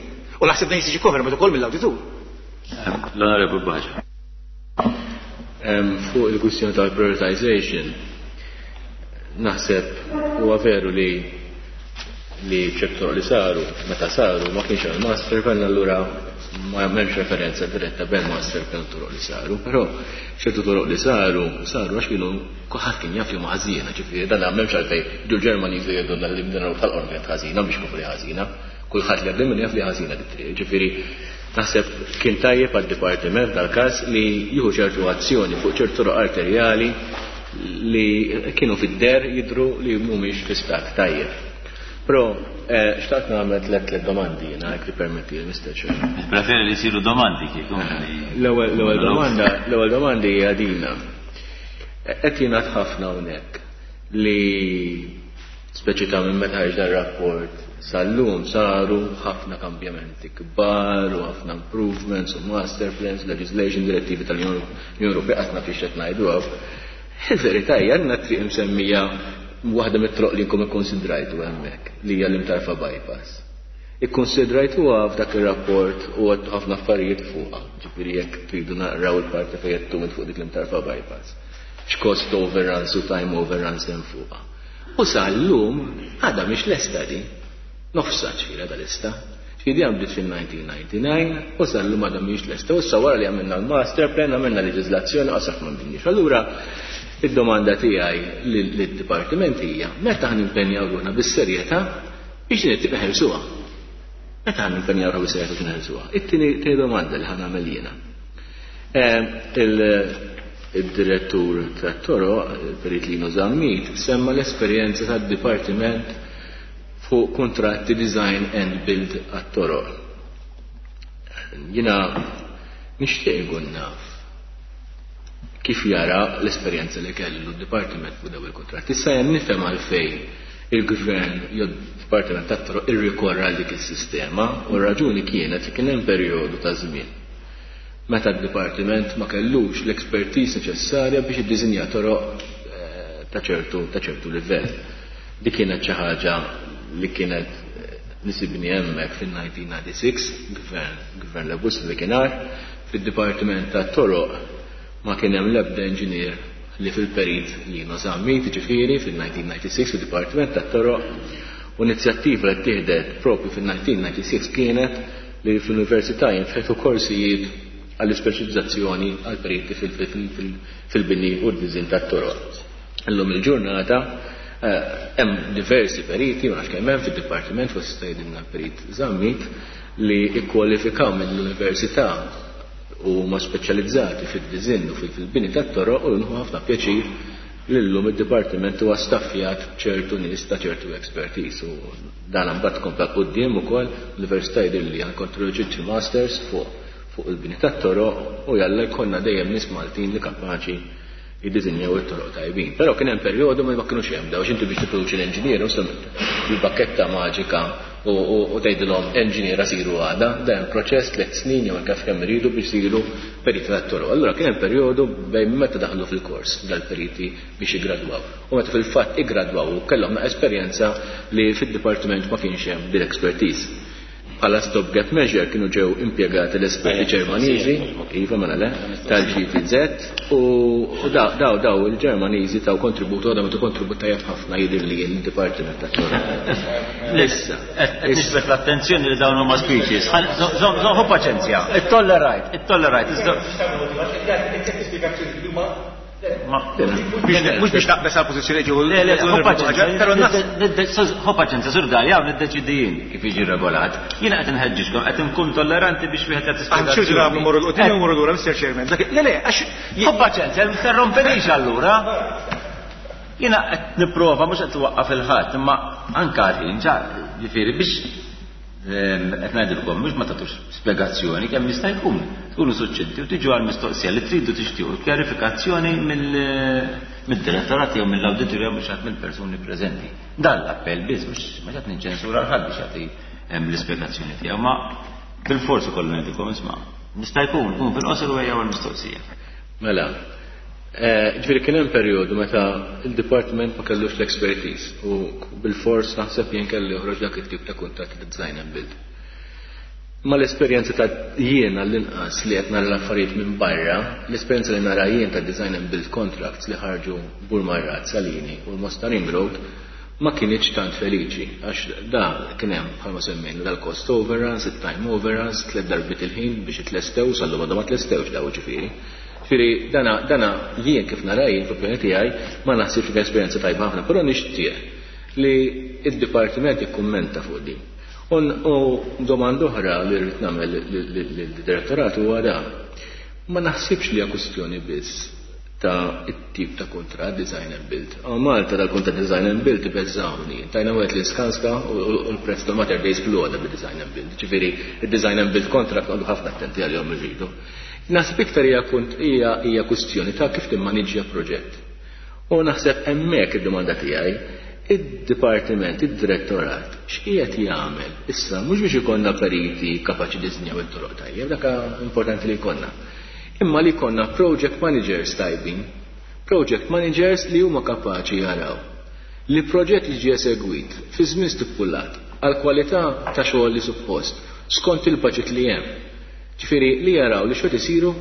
U naħseb dan jista' jiġi konfermat ukoll mill-awditur. L-Onorevoli Baġa. Fuq il-kwistjoni tal-prioritization, naħseb huwa veru li li ċertu toroq li saru, meta saru ma kienx hemm master plan, allura ma hemmx referenza diretta bejn master plan u toroq li saru, però ċertu toroq li saru, saru għax kienu kulħadd kien jaf li huma ħażina, ġifieri dan m'hemmx għalfejn ġu l-Ġermaniżi jgħidulna li din tal-qorm kienet ħażina biex kopri ħażina, kulħadd li għaddej minn jaf li ħażina dit-triq, ġifieri naħseb kien tajjeb għad-dipartiment dal-każ li jieħu ċertu azzjoni fuq ċertu toroq arterjali li kienu fid-der jidhru li mhumiex fi stat tajjeb. Però xtaqt nagħmel tlet domandi jiena jekk tippermetti Mr. Chairman. Preferi li jsiru domandi kieku. L-ewwel domanda, l-ewwel domandi hija dina. Qed jingħad ħafna hawnhekk li speċi ta' minn meta ħareġ dar-rapport sal-lum saru ħafna kambjamenti kbar u ħafna improvements u master plans, legislation, direttivi tal-Unjoni Ewropea qatt ma fiex qed ngħidu hawn. Il-verità hija għandna triq imsemmija waħda mit-troq li nkom ikkonsidrajtu hemmhekk li hija l-Imtarfa bypass. Ikkonsidrajtuha f'dak ir-rapport u għedtu ħafna affarijiet fuqha, ġifieri jekk tridu naqraw il-parti fejn għedtu int fuq dik l-Imtarfa bypass. X'cost overruns u time overruns hemm fuqha. U sal-lum għadha mhix lesta di. Nofsha ġifieri għadha lesta. Ġifieri di bdiet fil-1999 u sal-lum għadha mhix lesta. U issa wara li għamilna l-master plan, għamilna leġiżlazzjoni, qasaf ma bdinniex. Allura id-domanda tiegħi lid-dipartiment hija meta ħa nimpenjaw ruħna bis-serjetà biex din it-triq neħelsuha. Meta ħa nimpenjaw ruħna bis-serjetà biex neħelsuha? It-tieni domanda li ħa nagħmel jiena. Il-direttur tat-toroq, il-Perit Lino Zammit, semma l-esperjenza tad-dipartiment fuq kuntratti design and build għat-toroq. Jiena nixtieq inkun naf kif jara l-esperjenza li kellu d-dipartiment fuq dawn il-kuntratti. Issa jien nifhem għalfejn il-gvern jew d-dipartiment tat-toroq irrikorra għal dik is-sistema u r-raġuni kienet li kien hemm perjodu ta' żmien meta d-dipartiment ma kellux l-expertise neċessarja biex iddisinja toroq ta' ċertu ta' ċertu livell. Dik kienet xi ħaġa li kienet nisibni hemmhekk fin-1996, gvern gvern Laburista li kien fid-dipartiment tat-toroq ma kien hemm l-ebda inġinier li fil-perit Lino Zammit, ġifieri fil-1996 fid-dipartiment tat-toroq u inizjattiva li ttieħdet propju fil-1996 kienet li fl-università jinfetħu korsijiet għall-ispeċjalizzazzjoni għal periti fil-bini u d-diżin tat-toroq. Illum il-ġurnata hemm diversi periti, ma nafx kemm hemm fid-dipartiment forsi jista' jgħidilna l-perit Zammit, li kkwalifikaw mill-università u huma speċjalizzati fid-diżinn u fil-bini tat-toroq u nħu ħafna pjaċir li llum id-dipartiment huwa staffjat b'ċertu nies ta' ċertu expertise u dan imbagħad kompla quddiem ukoll l-università jidhirli anke introduċiet xi masters fuq fuq il-bini tat-toroq u jalla jkollna dejjem nies Maltin li kapaċi jiddisinjaw it-toroq tajbin. Però kien hemm perjodu ma kinux hemm daw inti biex tipproduċi l-enġinier bil-bakketta maġika u tgħidilhom enġiniera siru għada, dan hemm proċess 3 snin jew anke kemm iridu biex isiru periti tat-toroq. Allura kien hemm perjodu bejn meta daħlu fil-kors dal-periti biex jiggradwaw. U meta fil-fatt iggradwaw u kellhom esperjenza li fid-dipartiment ma kienx hemm din expertise. Bħala stopgap measure kienu ġew impjegati l-esperti Ġermaniżi, iva mela le, tal-GTZ u daw daw il-Ġermaniżi taw kontributu għadhom tu kontribut tajjeb ħafna jidher li l-Dipartiment tat-Toroq. Issa, qed niġbed l-attenzjoni li dawn huma speeches. Żomm paċenzja, ittollerajt, ittollerajt. Mhux biex naqbes għal pożizzjoni ġew. Le, le, ħu paċenzja, Sur Galea, hawn niddeċidi jien kif jiġi regolat. Jiena qed inħeġġiġkom, qed inkun tolleranti biex wieħed jagħti spjegazzjoni. Xi drabi mmorru 'l quddiem u mmorru lura, Mr. Chairman. Le, le, għax. Ħu paċenzja, interrompenix allura. Jiena qed nipprova mhux qed waqqaf il-ħadd, imma anke għal-ħin, ġifieri biex qed ngħidilkom mhux ma tagħtux spjegazzjoni kemm jista' jkun. Tkunu suċċinti u tiġu għal mistoqsija li tridu tixtiequ kjarifikazzjoni mid-direttorat jew mill-awditur jew mhux ħadd mill-persuni preżenti. Dan l-appell biss mhux ma qed niċċensura l ħadd biex jagħti l-ispjegazzjoni tiegħu, ma bil-forsi kollu ngħidilkom isma' nista' jkun kun fil-qosor u ejjew għall-mistoqsija. Mela, ġifieri kien hemm perjodu meta il-dipartiment ma kellux l-expertise u bil-fors naħseb jien kelli joħroġ dak it-tip ta' kuntratt ta' design and build. Ma l-esperjenza ta' jien għall-inqas li qed nara l-affarijiet minn barra, l-esperjenza li nara jien ta' design and build contracts li ħarġu Burmarrad, Salini u l-Mosta Ring Road ma kinitx tant feliċi għax da kien hemm bħalma semmejna dal-cost overruns, it-time overruns, 3 darbiet il-ħin biex itlestew, sal-lum għadhom ma tlestewx daw ġifieri. Ġifieri dana jien kif nara jien fl-opinjoni tiegħi ma naħsibx li esperjenza tajba ħafna, però nixtieq li d-dipartiment jikkummenta fuq din. U domanda oħra li rrid nagħmel lid-direttorat huwa dan. Ma naħsibx li hija kwistjoni biss Ta' it-tip ta' kuntratt design and build. Hawn Malta dal-kuntratt design and build ibeżżgħuni. Tajna wieħed lil Skanska u l-prezz tal-Mater Dei sploda bid-design and build. Ġifieri id-design and build contract noqogħdu ħafna attenti għalihom irridu. Naħseb iktar hija hija hija kwistjoni ta' kif timmaniġġja proġett. U naħseb hemmhekk id-domanda tiegħi, id-dipartiment, id-direttorat, x'qiegħed jagħmel issa mhux biex ikollna periti kapaċi jiddisinjaw it-toroq tajjeb, dak importanti li jkollna. Imma li jkollna project managers tajbin, project managers li huma kapaċi jaraw li proġett jiġi esegwit fi żmien stipulat għall-kwalità ta' xogħol li suppost, skont il-budget li hemm. Ġifieri li jaraw li xogħol isiru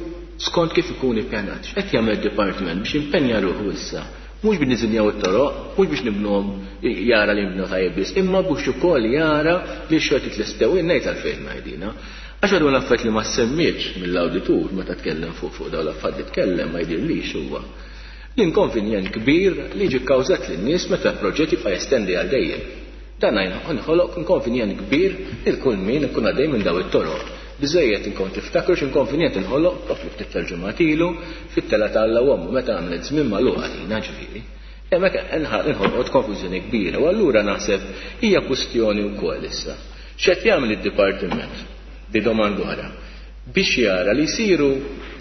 skont kif ikun ippjanat. X'qed jagħmel id-dipartiment biex jimpenja ruħu issa mhux biex niżinjaw it-toroq, mhux biex nibnuhom jara li jinbnew tajjeb biss, imma biex ukoll jara li x-xogħol jitlestew. Jien ngħid għalfejn ngħidina. Għax għadu l-affarijiet li ma semmietx mill-awditur meta tkellem fuq fuq dawn l-affarijiet li tkellem ma jidhirlix huwa l-inkonvenjent kbir li jiġi kkawżat lin-nies meta proġett jibqa' jestendi għal dejjem. Dan inħoloq inkonvenjent kbir lil kull min ikun għaddej minn dawn it-toroq. Biżżejjed inkom tiftakru x'inkonvenjent inħoloq proprju ftit tal-ġimgħat ilu fit-telgħa ta' Alla u Ommu meta għamlet żmien magħluq għalina ġifieri. Hemmhekk inħolqot konfużjoni kbira u allura naħseb hija kwistjoni wkoll issa. X'qed jagħmel id-dipartiment, di domanda oħra, biex jara li jsiru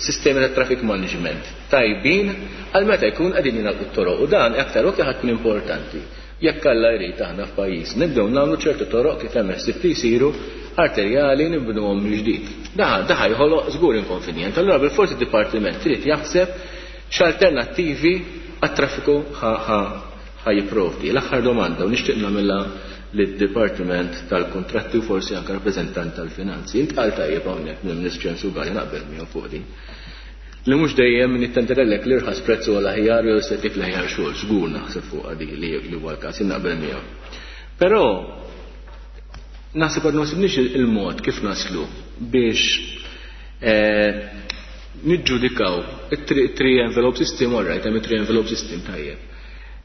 sistemi ta' traffic management tajbin għal meta jkun qegħdin jingħalqu t-toroq u dan aktar u aktar ħa tkun importanti Jekk Alla jrid aħna f'pajjiżna nibdew nagħmlu ċertu toroq kif hemm ħsieb li jsiru arterjali nibnuhom mill-ġdid. Da da ħa jħoloq żgur inkonvenjent. Allura bilfors id-dipartiment irid jaħseb x'alternattivi għat-traffiku ħa ħa ħa jipprovdi. L-aħħar domanda u nixtieq nagħmilha lid-Dipartiment tal-Kuntratti u forsi anke rappreżentant tal-Finanzi. Intqal tajjeb hawnhekk mill-Ministru Ċensu Galea naqbel miegħu fuq din. Li mhux dejjem min jittenderellek l-irħas prezz huwa l-aħjar jew se jtik l-aħjar xogħol, żgur naħseb fuqha di li huwa l-każ, jien naqbel miegħu. Però naħseb għadna ma sibniex il-mod kif naslu biex eh, niġġudikaw it-three envelope system, all right, hemm it-three envelope system tajjeb.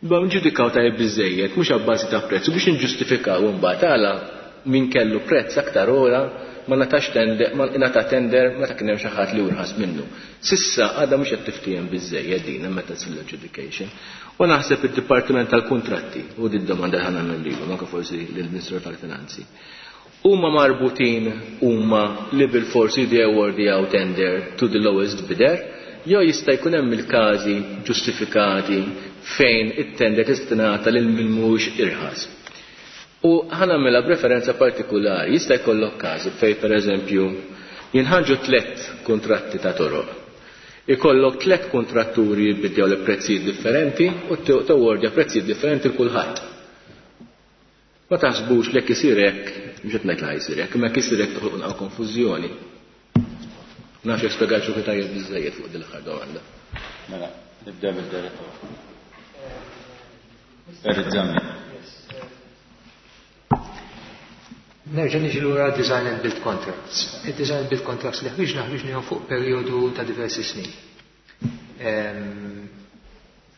Ba nġudikaw tajjeb biżejjed, mhux abbażi ta' prezz, u biex niġġustifikaw imbagħad għala min kellu prezz aktar ogħla ma ngħatax tender, ma ingħata tender meta kien hemm xi ħadd li hu irħas minnu. S'issa għadha mhux qed tiftiehem biżżejjed din hemm meta ssir l-adjudication. U naħseb id-Dipartiment tal-Kuntratti, u di d-domanda li ħa nagħmel lilhom anke forsi lill-Ministru tal-Finanzi, huma marbutin huma li bilfors jridu jawwardjaw tender to the lowest bidder jew jista' jkun hemm il-każi ġustifikati fejn it-tender tista' tingħata lil min mhuwiex irħas. U ħa nagħmilha b'referenza partikulari, jista' jkollok każi fejn pereżempju jinħarġu tlett kuntratti ta' toroq. Ikollok tlett kuntratturi jibbiddjaw prezzijiet differenti u tawwardja prezzijiet differenti l kulħadd. Ma taħsbux li jekk isir hekk, mhux qed ngħid li ħa jsir hekk, imma jekk isir hekk toħloq naqra konfużjoni. Ma nafx jekk spjegajtx ruħi tajjeb biżżejjed fuq din l-aħħar domanda. Mela, nibdew bid-direttur. Perit Zammit. Nerġa' niġi lura design and build contracts. Il-design and build contracts li ħriġna ħriġnihom fuq perjodu ta' diversi snin.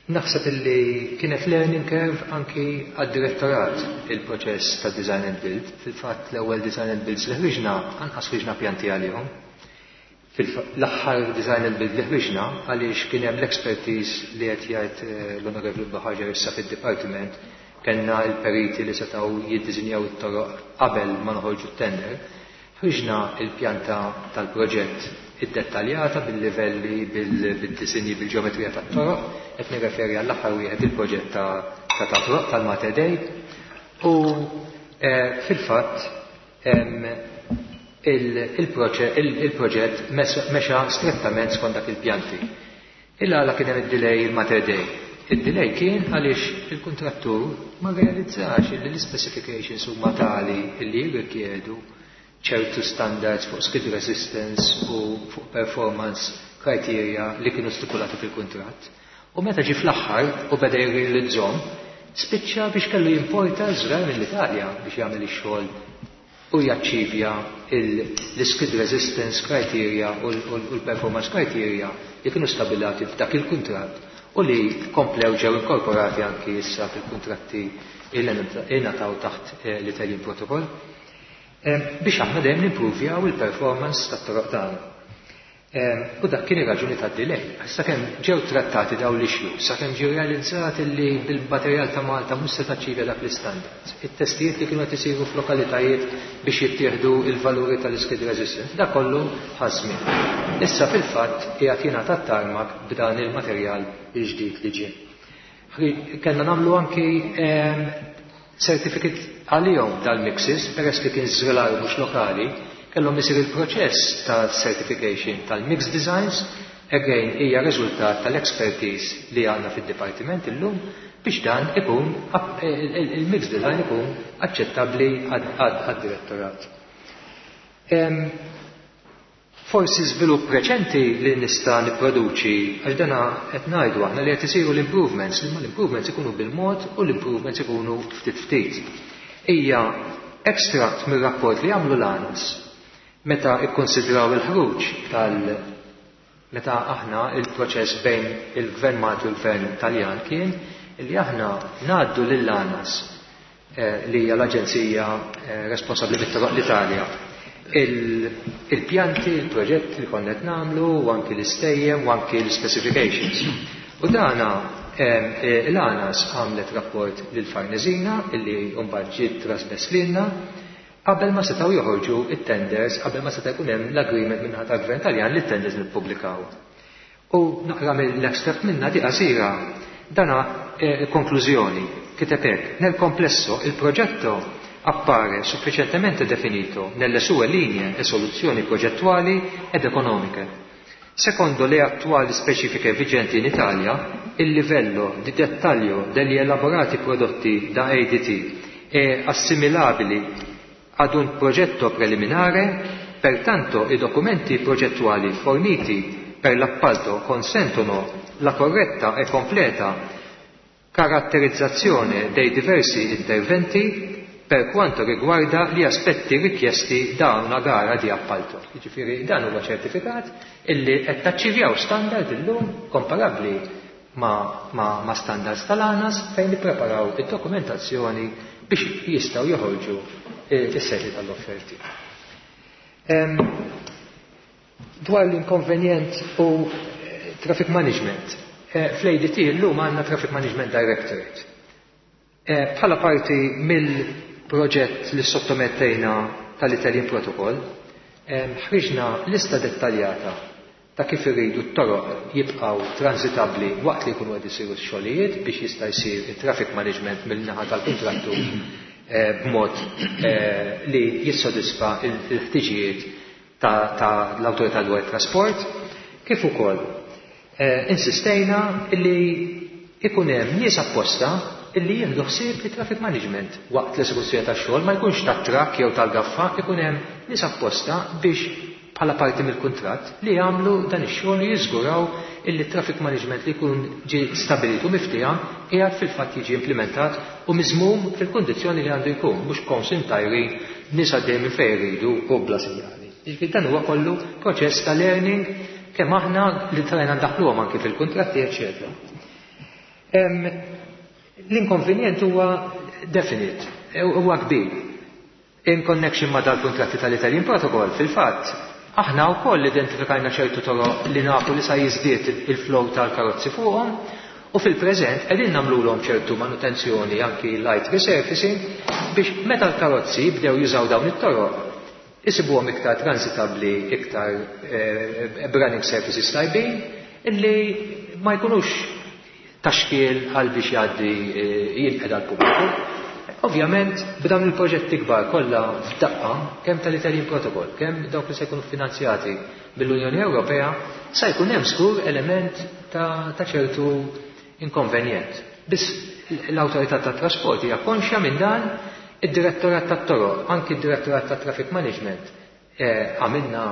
Naħseb illi kienet learning curve anki għad-direttorat il-proċess ta' design and build. Fil-fatt l-ewwel design and builds li ħriġna anqas ħriġna pjanti għalihom. L-aħħar design and build li ħriġna għaliex kien hemm l-expertise li qed jgħid l-Onorevoli Buhagiar issa fid-dipartiment, kellna l-periti li setgħu jiddisinjaw it-toroq qabel ma noħorġu t-tender. Ħriġna l-pjanta tal-proġett iddettaljata bil-livelli, bid-disinji, bil-ġeometrija tat-toroq, qed nirreferi għall-aħħar wieħed il-proġett ta' ta' toroq tal-Mater Dei u fil-fatt Il-proġett mexa strettament skont dak il-pjanti. Il-għala kien hemm id-delay il-Mater Dei? Id-delay kien għaliex il-kuntrattur ma rrealizzax li l-ispecifications huma tali li jirrikjedu ċertu standards fuq skid resistance u fuq performance criteria li kienu stipulati fil-kuntratt. U meta ġie fl-aħħar u beda jirrealizzhom, spiċċa biex kellu jimporta ż-żrar mill-Italja biex jagħmel ix-xogħol u jaċċivja l-skid resistance criteria u l-performance criteria li kienu stabilati f'dak il-kuntratt u li komplew ġew inkorporati anki issa fil-kuntratti li ingħataw taħt l-Italian Protocol biex aħna dejjem nimpruvjaw il-performance tat-toroq tagħna. U dak kien ir-raġuni tad-delay. Sakemm ġew trattati dawn l-issues, sakemm ġie realizzat li bil-materjal ta' Malta mhux se taċċivja dak l-istandards, it-testijiet li kienu qed isiru f'lokalitajiet biex jittieħdu l-valuri tal-skid resistance, dak kollu ħa żmien. Issa fil-fatt qiegħed jingħata t-tarmac b'dan il-materjal il-ġdid li ġie. Kellna nagħmlu anki certificate għalihom dal-mixes, peress li kien żvelar mhux lokali, kellhom isir il-proċess ta' certification tal-mix designs, again hija riżultat tal-expertise li għandna fid-dipartiment illum biex dan ikun il-mix design ikun aċċettabbli għad-direttorat. Forsi żvilupp reċenti li nista' nipproduċi, għax dana qed ngħidu aħna li qed isiru l-improvements, imma l-improvements ikunu bil-mod u l-improvements ikunu ftit ftit. Hija extract mir-rapport li għamlu l-ANAS meta ikkonsidraw il-ħruġ tal meta aħna il-proċess bejn il-Gvern Malti u l-Gvern Taljan kien li aħna ngħaddu lill-ANAS, li hija l-aġenzija responsabbli mit-toroq l-Italja, il-pjanti, il-proġett li konna qed nagħmlu, u anki l-istejjem u anki l-specifications. U dana l-ANAS għamlet rapport lil Farnesina illi mbagħad ġiet trasmess lilna qabel ma setgħu joħorġu it-tenders, qabel ma seta' jkun hemm l-agreement minn naħa tal-Gvern Taljan li t-tenders nippubblikaw. U naqra mill-extract minna di qasira, dana konklużjoni, kiteb hekk: nel complesso il progetto appare sufficientemente definito nelle sue linee e soluzioni progettuali ed economiche. Secondo le attuali specifiche vigenti in Italia, il livello di dettaglio degli elaborati prodotti da ADT è assimilabile ad un progetto preliminare, pertanto i documenti progettuali forniti per l'appalto consentono la corretta e completa caratterizzazione dei diversi interventi per quanto riguarda gli aspetti richiesti da una gara di appalto. Jiġifieri dan huwa ċertifikat illi qed taċċivjaw standard illum komparabbli ma standards tal-ANAS fejn nippreparaw id-dokumentazzjoni biex jistgħu joħorġu is-sejħi tal-offerti. Dwar l-inkonvenjent u traffic management, fl-ADT illum għandna Traffic Management Directorate. Bħala parti mill-proġett li sottomettejna tal-Italian Protocol, ħriġna lista dettaljata ta' kif irridu t-toroq jibqgħu transitabbli waqt li jkunu qed isiru x-xogħlijiet biex jista' jsir it-traffic management mill-naħa tal-kuntrattur b'mod li jissodisfa l-ħtiġijiet ta' l-Awtorità dwar it-Trasport, kif ukoll insistejna li ikun hemm nies apposta illi jieħdu ħsieb li traffic management waqt l-esekuzzjoni tax-xogħol ma jkunx tat-trakk jew tal-gaffa, ikun hemm nies apposta biex bħala parti mill-kuntratt li jagħmlu dan ix-xogħol u jiżguraw illi traffic management li jkun ġie stabilit u miftiehem qiegħed fil-fatt jiġi implementat u miżmum fil-kundizzjoni li għandu jkun, mhux konsintajri nies għaddej minn fejn iridu u bla sinjali. Jiġifieri dan huwa kollu proċess ta' learning kemm aħna li trajna ndaħluhom anki fil-kuntratti, eċċetera. L-inkonvenjent huwa definite, huwa kbir. In connection ma' dal-kuntratti tal-Italian Protocol, fil-fatt, aħna wkoll identifikajna ċertu toroq li nafu li sa jiżdied il-flow tal-karozzi fuqhom, u fil-preżent qegħdin nagħmluhom ċertu manutenzjoni anki light resurfacing biex meta l-karozzi jibdew jużaw dawn it-toroq isibuhom iktar transitabbli, iktar running surfaces tajbin, illi ma jkunux taxkiel għal biex jgħaddi jinqeda l-pubbliku. Ovvjament, b'dawn il-proġetti kbar kollha f'daqqa, kemm tal-Italian Protocol, kemm dawk li se jkunu finanzjati mill-Unjoni Ewropea, sa jkun hemm żgur element ta' ċertu inkonvenjent. Biss l-Awtorità tat-Trasport hija konxja minn dan, id-Direttorat tat-Toroq, anki d-Direttorat tat-Traffic Management, għamilna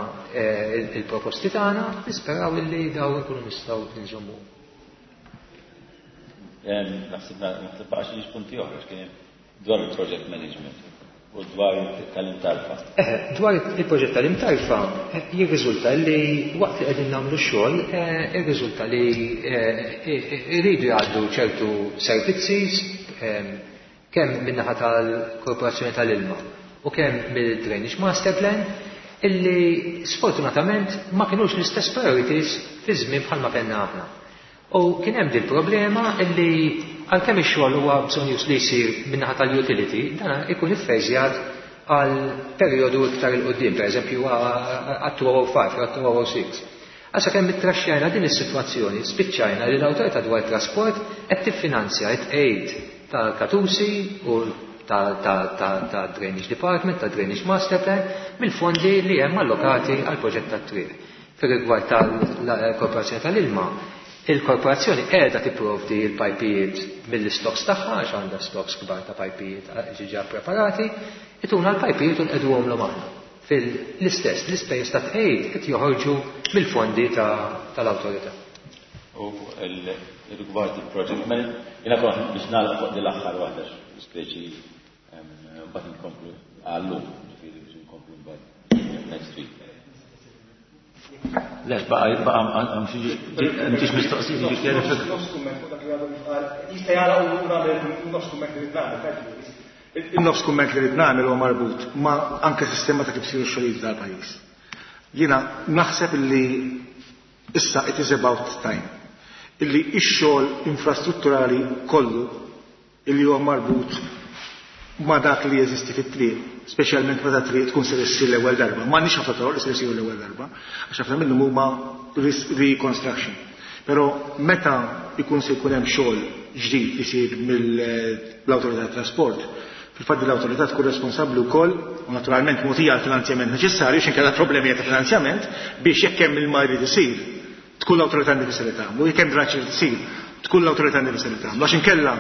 il-proposti tagħna, nisperaw illi daw ikunu nistgħu nżommu. Naħseb naħseb baqa' xi punti oħra x'kien dwar il-project management u dwar tal-imtarfa. Dwar il-proġett tal-imtarfa jirriżulta li waqt li qegħdin nagħmlu x-xogħol, jirriżulta li jridu jgħaddu ċertu servizzi kemm min-naħa tal-Korporazzjoni tal-Ilma u kemm mill-Drainage Master Plan. illi sfortunatament ma kinux l-istess priorities fi żmien bħalma kellna aħna. U kien hemm dil problema illi għalkemm ix-xogħol huwa bżonjus li jsir min-naħa tal-utility, dan ikun iffeżjat għal perjodu iktar 'il quddiem, pereżempju għat-2005 jew għat-2006. Għal sakemm ittraxxajna din is-sitwazzjoni, spiċċajna li l-Awtorità dwar it-Trasport qed tiffinanzja t-tqegħid tal-katusi u tad-Drainage Department, tad-Drainage Master Plan, mill-fondi li hemm allokati għall-proġett tat-triq. Fir-rigward tal-Korporazzjoni tal-Ilma, il-Korporazzjoni qiegħda tipprovdi l-pajpijiet mill-istocks tagħha, għax għandha stocks kbar ta' pajpijiet ġiġa preparati, ituna l-pajpijiet u nqegħduhomlhom aħna. Fil-istess, l-ispejjeż ta' tqegħid qed joħorġu mill-fondi tal-awtorità. U rigward il-project management, jiena kont biex nagħlaq fuq din l-aħħar waħda speċi mbagħad inkomplu għallum, ġifieri biex inkomplu mbagħad next week. Le, baqa' baqa' hemm xi mistoqsijiet jiġi kjerifika. Nofs kumment fuq dak li għadu kif qal, jista' jagħlaq u nagħmel nofs kumment li rrid nagħmel, tajt In-nofs kumment li rrid nagħmel huwa marbut ma' anke sistema ta' kif isiru x-xogħlijiet f'dal-pajjiż. Jiena naħseb illi issa it is about time illi x-xogħol infrastrutturali kollu illi huwa marbut ma' dak li jeżisti fit-triq, speċjalment meta triq tkun ser issir l-ewwel darba. M'għandniex ħafna toroq li ser isiru l-ewwel darba, għax ħafna minnhom huma reconstruction. Però meta jkun se jkun hemm xogħol ġdid isir mill-Awtorità tat-Trasport, fil-fatt din l-awtorità tkun responsabbli wkoll, u naturalment mogħtija l-finanzjament neċessarju, għax inkella problemi ta' finanzjament, biex jekk hemm ilma jrid isir, tkun l-awtorità nnifisha li tagħmlu, jekk hemm drenaġġ irid isir, tkun l-awtorità nnifisha li tagħmlu, għax inkella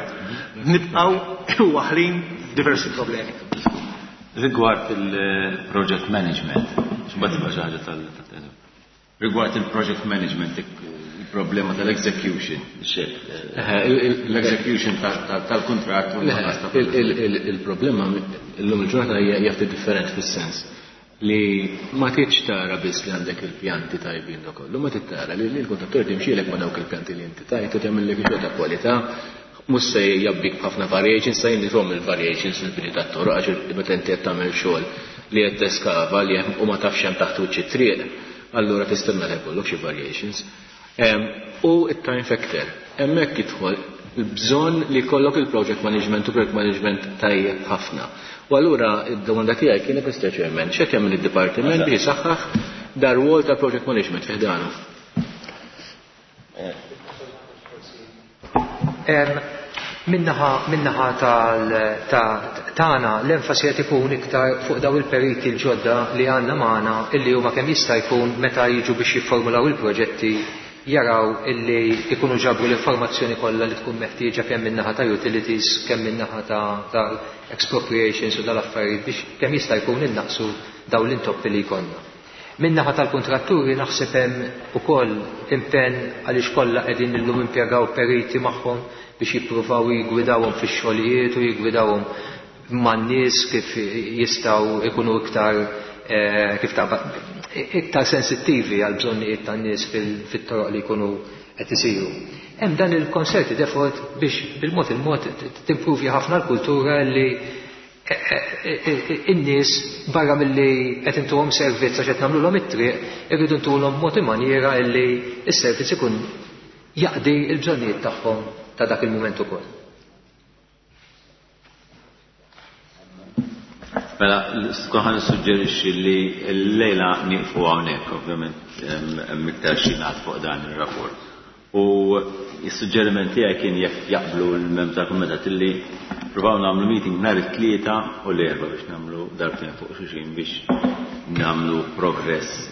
nibqgħu waħlin f'diversi problemi. Rigward il-project management, x'mbagħad tibqa' xi ħaġa tal Rigward il-project management, il-problema tal-execution, l-execution tal-kuntratt u Il-problema illum il-ġurnata hija ftit differenti fis-sens li ma tridx tara biss li għandek il-pjanti tajbin u kollu, ma trid tara li l-kontrattur timxielek ma' dawk il-pjanti li inti tajt u tagħmillek xogħol ta' kwalità, mhux se jabbik b'ħafna variations, sa jien il-variations fil-bini tat-toroq għax meta inti qed tagħmel xogħol li qed teskava li hemm u ma tafx hemm taħt wiċċ it-triq, allura tistenna li jkollok xi variations. U it-time factor. Hemmhekk jidħol il-bżonn li jkollok il-project management u project management tajjeb ħafna. U allura id-domanda tiegħi kienet Mr. Chairman, x'qed jagħmel id-dipartiment biex isaħħaħ dar rwol ta' project management fi ħdanu? Minnaħa tagħna l-enfasi qed ikun iktar fuq daw il-periti l-ġodda li għandna magħna illi huma kemm jista' jkun meta jiġu biex jifformulaw il-proġetti jaraw illi ikunu ġabru l-informazzjoni kollha li tkun meħtieġa kemm min-naħa ta' utilities, kemm min-naħa ta' expropriations u dal-affarijiet biex kemm jista' jkun innaqsu dawn l-intoppi li jkollna. Min-naħa tal-kuntratturi naħseb hemm ukoll impenn għaliex kollha qegħdin illum impjegaw periti magħhom biex jippruvaw jiggwidawhom fix-xogħlijiet u jiggwidawhom man-nies kif jistgħu ikunu iktar kif taqbad iktar sensittivi għal bżonnijiet tan-nies fit-toroq li jkunu qed isiru. Hemm dan il-concerted effort biex bil-mod il-mod timpruvja ħafna l-kultura li in-nies barra milli qed intuhom servizz għax qed nagħmluhom it-triq, irridu ntuhom mod maniera li s-servizz ikun jaqdi l-bżonnijiet tagħhom ta' dak il-mument ukoll. Mela, skont ħa nissuġġerixxi li l-lejla nieqfu hawnhekk, ovvjament hemm iktar xi ngħad fuq dan ir-rapport. U s-suġġeriment tiegħi kien jekk jaqblu l-membri tal-kumitat illi provaw nagħmlu meeting nhar it-Tlieta u l-Erbgħa biex nagħmlu darbtejn fuq xulxin biex nagħmlu progress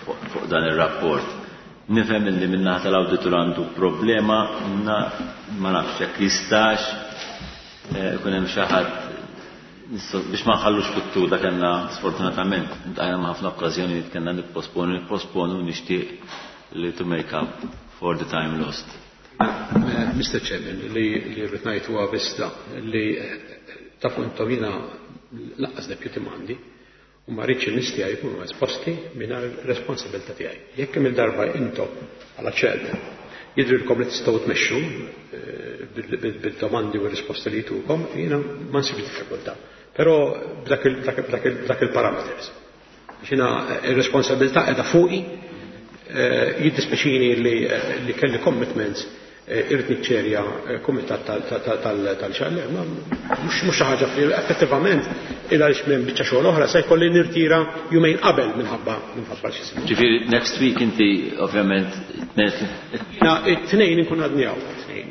fuq dan ir-rapport. Nifhem illi min-naħa tal-awditur għandu problema, ma nafx jekk jistax ikun hemm xi ħadd biex ma nħallux fit-tul, dak kellna sfortunatament intqajna ma' ħafna okkażjonijiet kellna nipposponu, nipposponu nixtieq li to make up for the time lost. Mr. Chairman, li rrid ngħid huwa biss da li tafu intom jiena lanqas deputy m'għandi u ma rridx in-nies tiegħi jkunu esposti mingħajr responsabilità tiegħi. Jekk kemm il-darba intom bħala chairman jidhrilkom li tistgħu tmexxu bil-domandi u r-risposti li jtukom, jiena ma nsibx diffikultà. Però b'dak il-parameters. Xina ir-responsabilità qiegħda fuqi, jiddispjaċini li kelli commitments, irrid niċċerja kumitat tal-ċalle, ma mhux xi ħaġa li effettivament il għaliex minn biċċa xogħol oħra se jkolli nirtira jumejn qabel minħabba xi ismu. Ġifieri next week inti ovvjament Na, it-tnejn inkun għadni hawn, it-tnejn.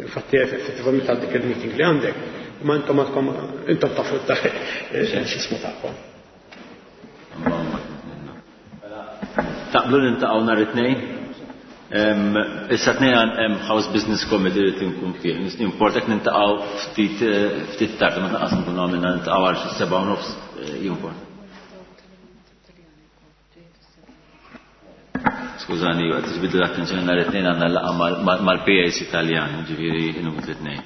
Infatti effettivament għal dik il-meeting li għandek, ma intom għadkom intom tafu x'ismu tagħkom. Taqblu niltaqgħu nhar it-tnejn? Issa tnejn hemm House Business Committee li tinkun fih. Importek niltaqgħu ftit ftit tard, ma tnaqqas nkunu għamilna niltaqgħu għal xi 7:30 jimport. Skużani, għad tiġbidlu l-attenzjoni nhar it-tnejn għandna laqgħa mal-PAC Italjan, ġifieri inhom it-tnejn.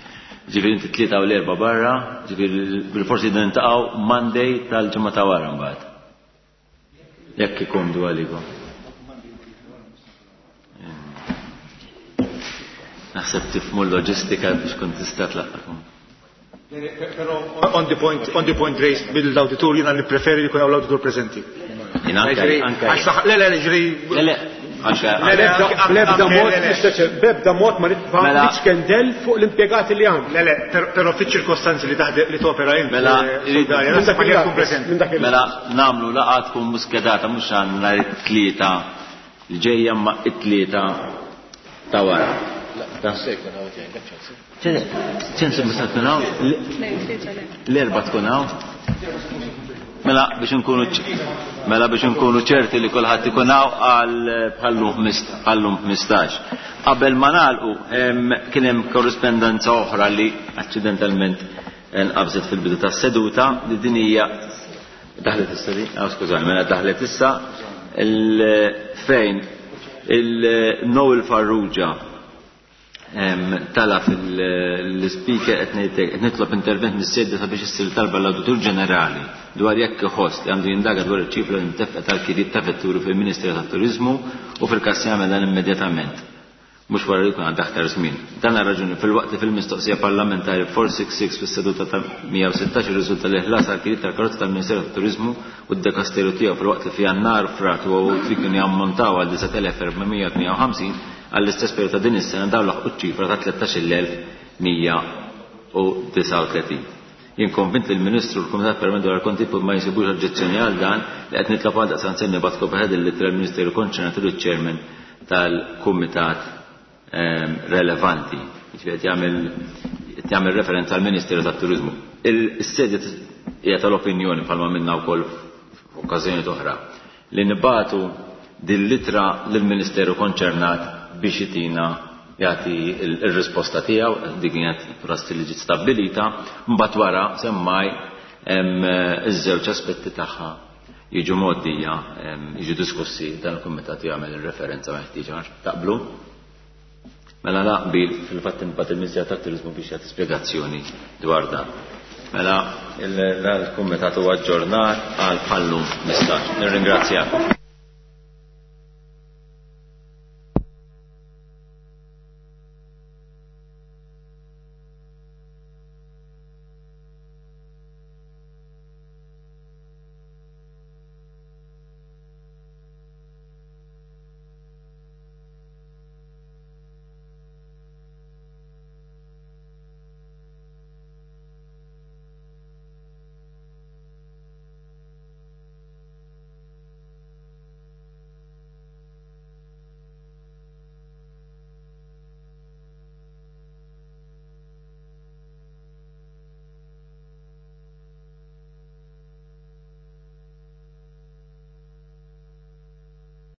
Ġifieri inti tlieta u l-erba' barra, ġifieri bil-forsi niltaqgħu Monday tal-ġimgħa ta' wara mbagħad. Jekk ikomdu għalikom. Naħseb tifhmu l-loġistika biex kont tista' tlaqqakom. Però on the point raised bil-awditur jiena nippreferi li jkun hawn l-awditur preżenti. Jien anke, anke. Għax saħ, le, le, le, ġri. Le, le, anke, Le, le, anke. anke, B'ebda anke, mod, le, le. Mister Chair, b'ebda mod ma rid Mela. nitkendel fuq l-impjegati li għandi. Le, le, però fiċ-ċirkostanzi li taħdem li topera int, Mela, Soldaria, Minn naħseb dak li il-lat, tkun preżenti. minn dak il-lat. Mela, nagħmlu laqgħa tkun muskedata mhux għal nhar it-tlieta li ġejja ma it-tlieta ta' wara. Se jkun hawn tiegħek, ċansi. ċensi mhux se tkun hawn? L-erba' tkun hawn? Mela biex inkunu mela biex inkunu ċerti li kulħadd ikun hawn għal bħallum 15. Qabel ma nagħlqu, kien hemm korrispondenza oħra li aċċidentalment nqabżet fil-bidu tas-seduta li din hija daħlet issa di? Ah, skużani, mela daħlet issa fejn il-Noel Farrugia tala fil-speaker qed ngħidlek, qed nitlob intervent mis-sejda sabiex issir talba l-Awditur Ġenerali dwar jekk iħoss li għandu jindaga dwar iċ-ċifra li ntefqet tal-kiriet ta' vetturi fil-Ministeru tat-Turiżmu u fil-każ jagħmel dan immedjatament. Mhux wara li jkun għadda aktar żmien. Dan għal raġuni fil-waqt li fil-mistoqsija parlamentari 466 fis-seduta ta' 116 irriżulta li ħlas għal kiriet tal-karozza tal-Ministeru tat-Turiżmu u d-dekasteru tiegħu fil-waqt li fi Jannar Frar u Awtri kienu jammontaw għal 9458 għall-istess periodu ta' din is-sena dawn laħqu ċ-ċifra ta' 13139. Jien konvint li l-Ministru u l-Kumitat Permanenti dwar il-Kontijiet ma jsibux oġġezzjoni għal dan li qed nitlob għal daqstant se nibgħat kopja ta' din l-ittra lill-Ministeru konċernat u liċ-Chairman tal-Kumitat relevanti. Jiġifieri qed jagħmel referenza għall Ministeru tat-Turiżmu. Il-sedja hija tal-opinjoni bħalma minna wkoll f'okkażjoni oħra li nibatu din l-ittra lill-Ministeru konċernat biex jitina jagħti il-risposta tiegħu, dik kienet prassi li ġiet stabbilita, mbagħad wara semmaj iż-żewġ aspetti tagħha jiġu mgħoddija, jiġu diskussi dan il-kumitat jagħmel ir-referenza meħtieġa. Taqblu? Mela naqbil fil-fatt imbagħad il-Ministeru tat-Turiżmu biex jagħti spjegazzjoni dwar dan. Mela il-kumitat huwa aġġornat għal bħallum 15. Nirringrazzjakom.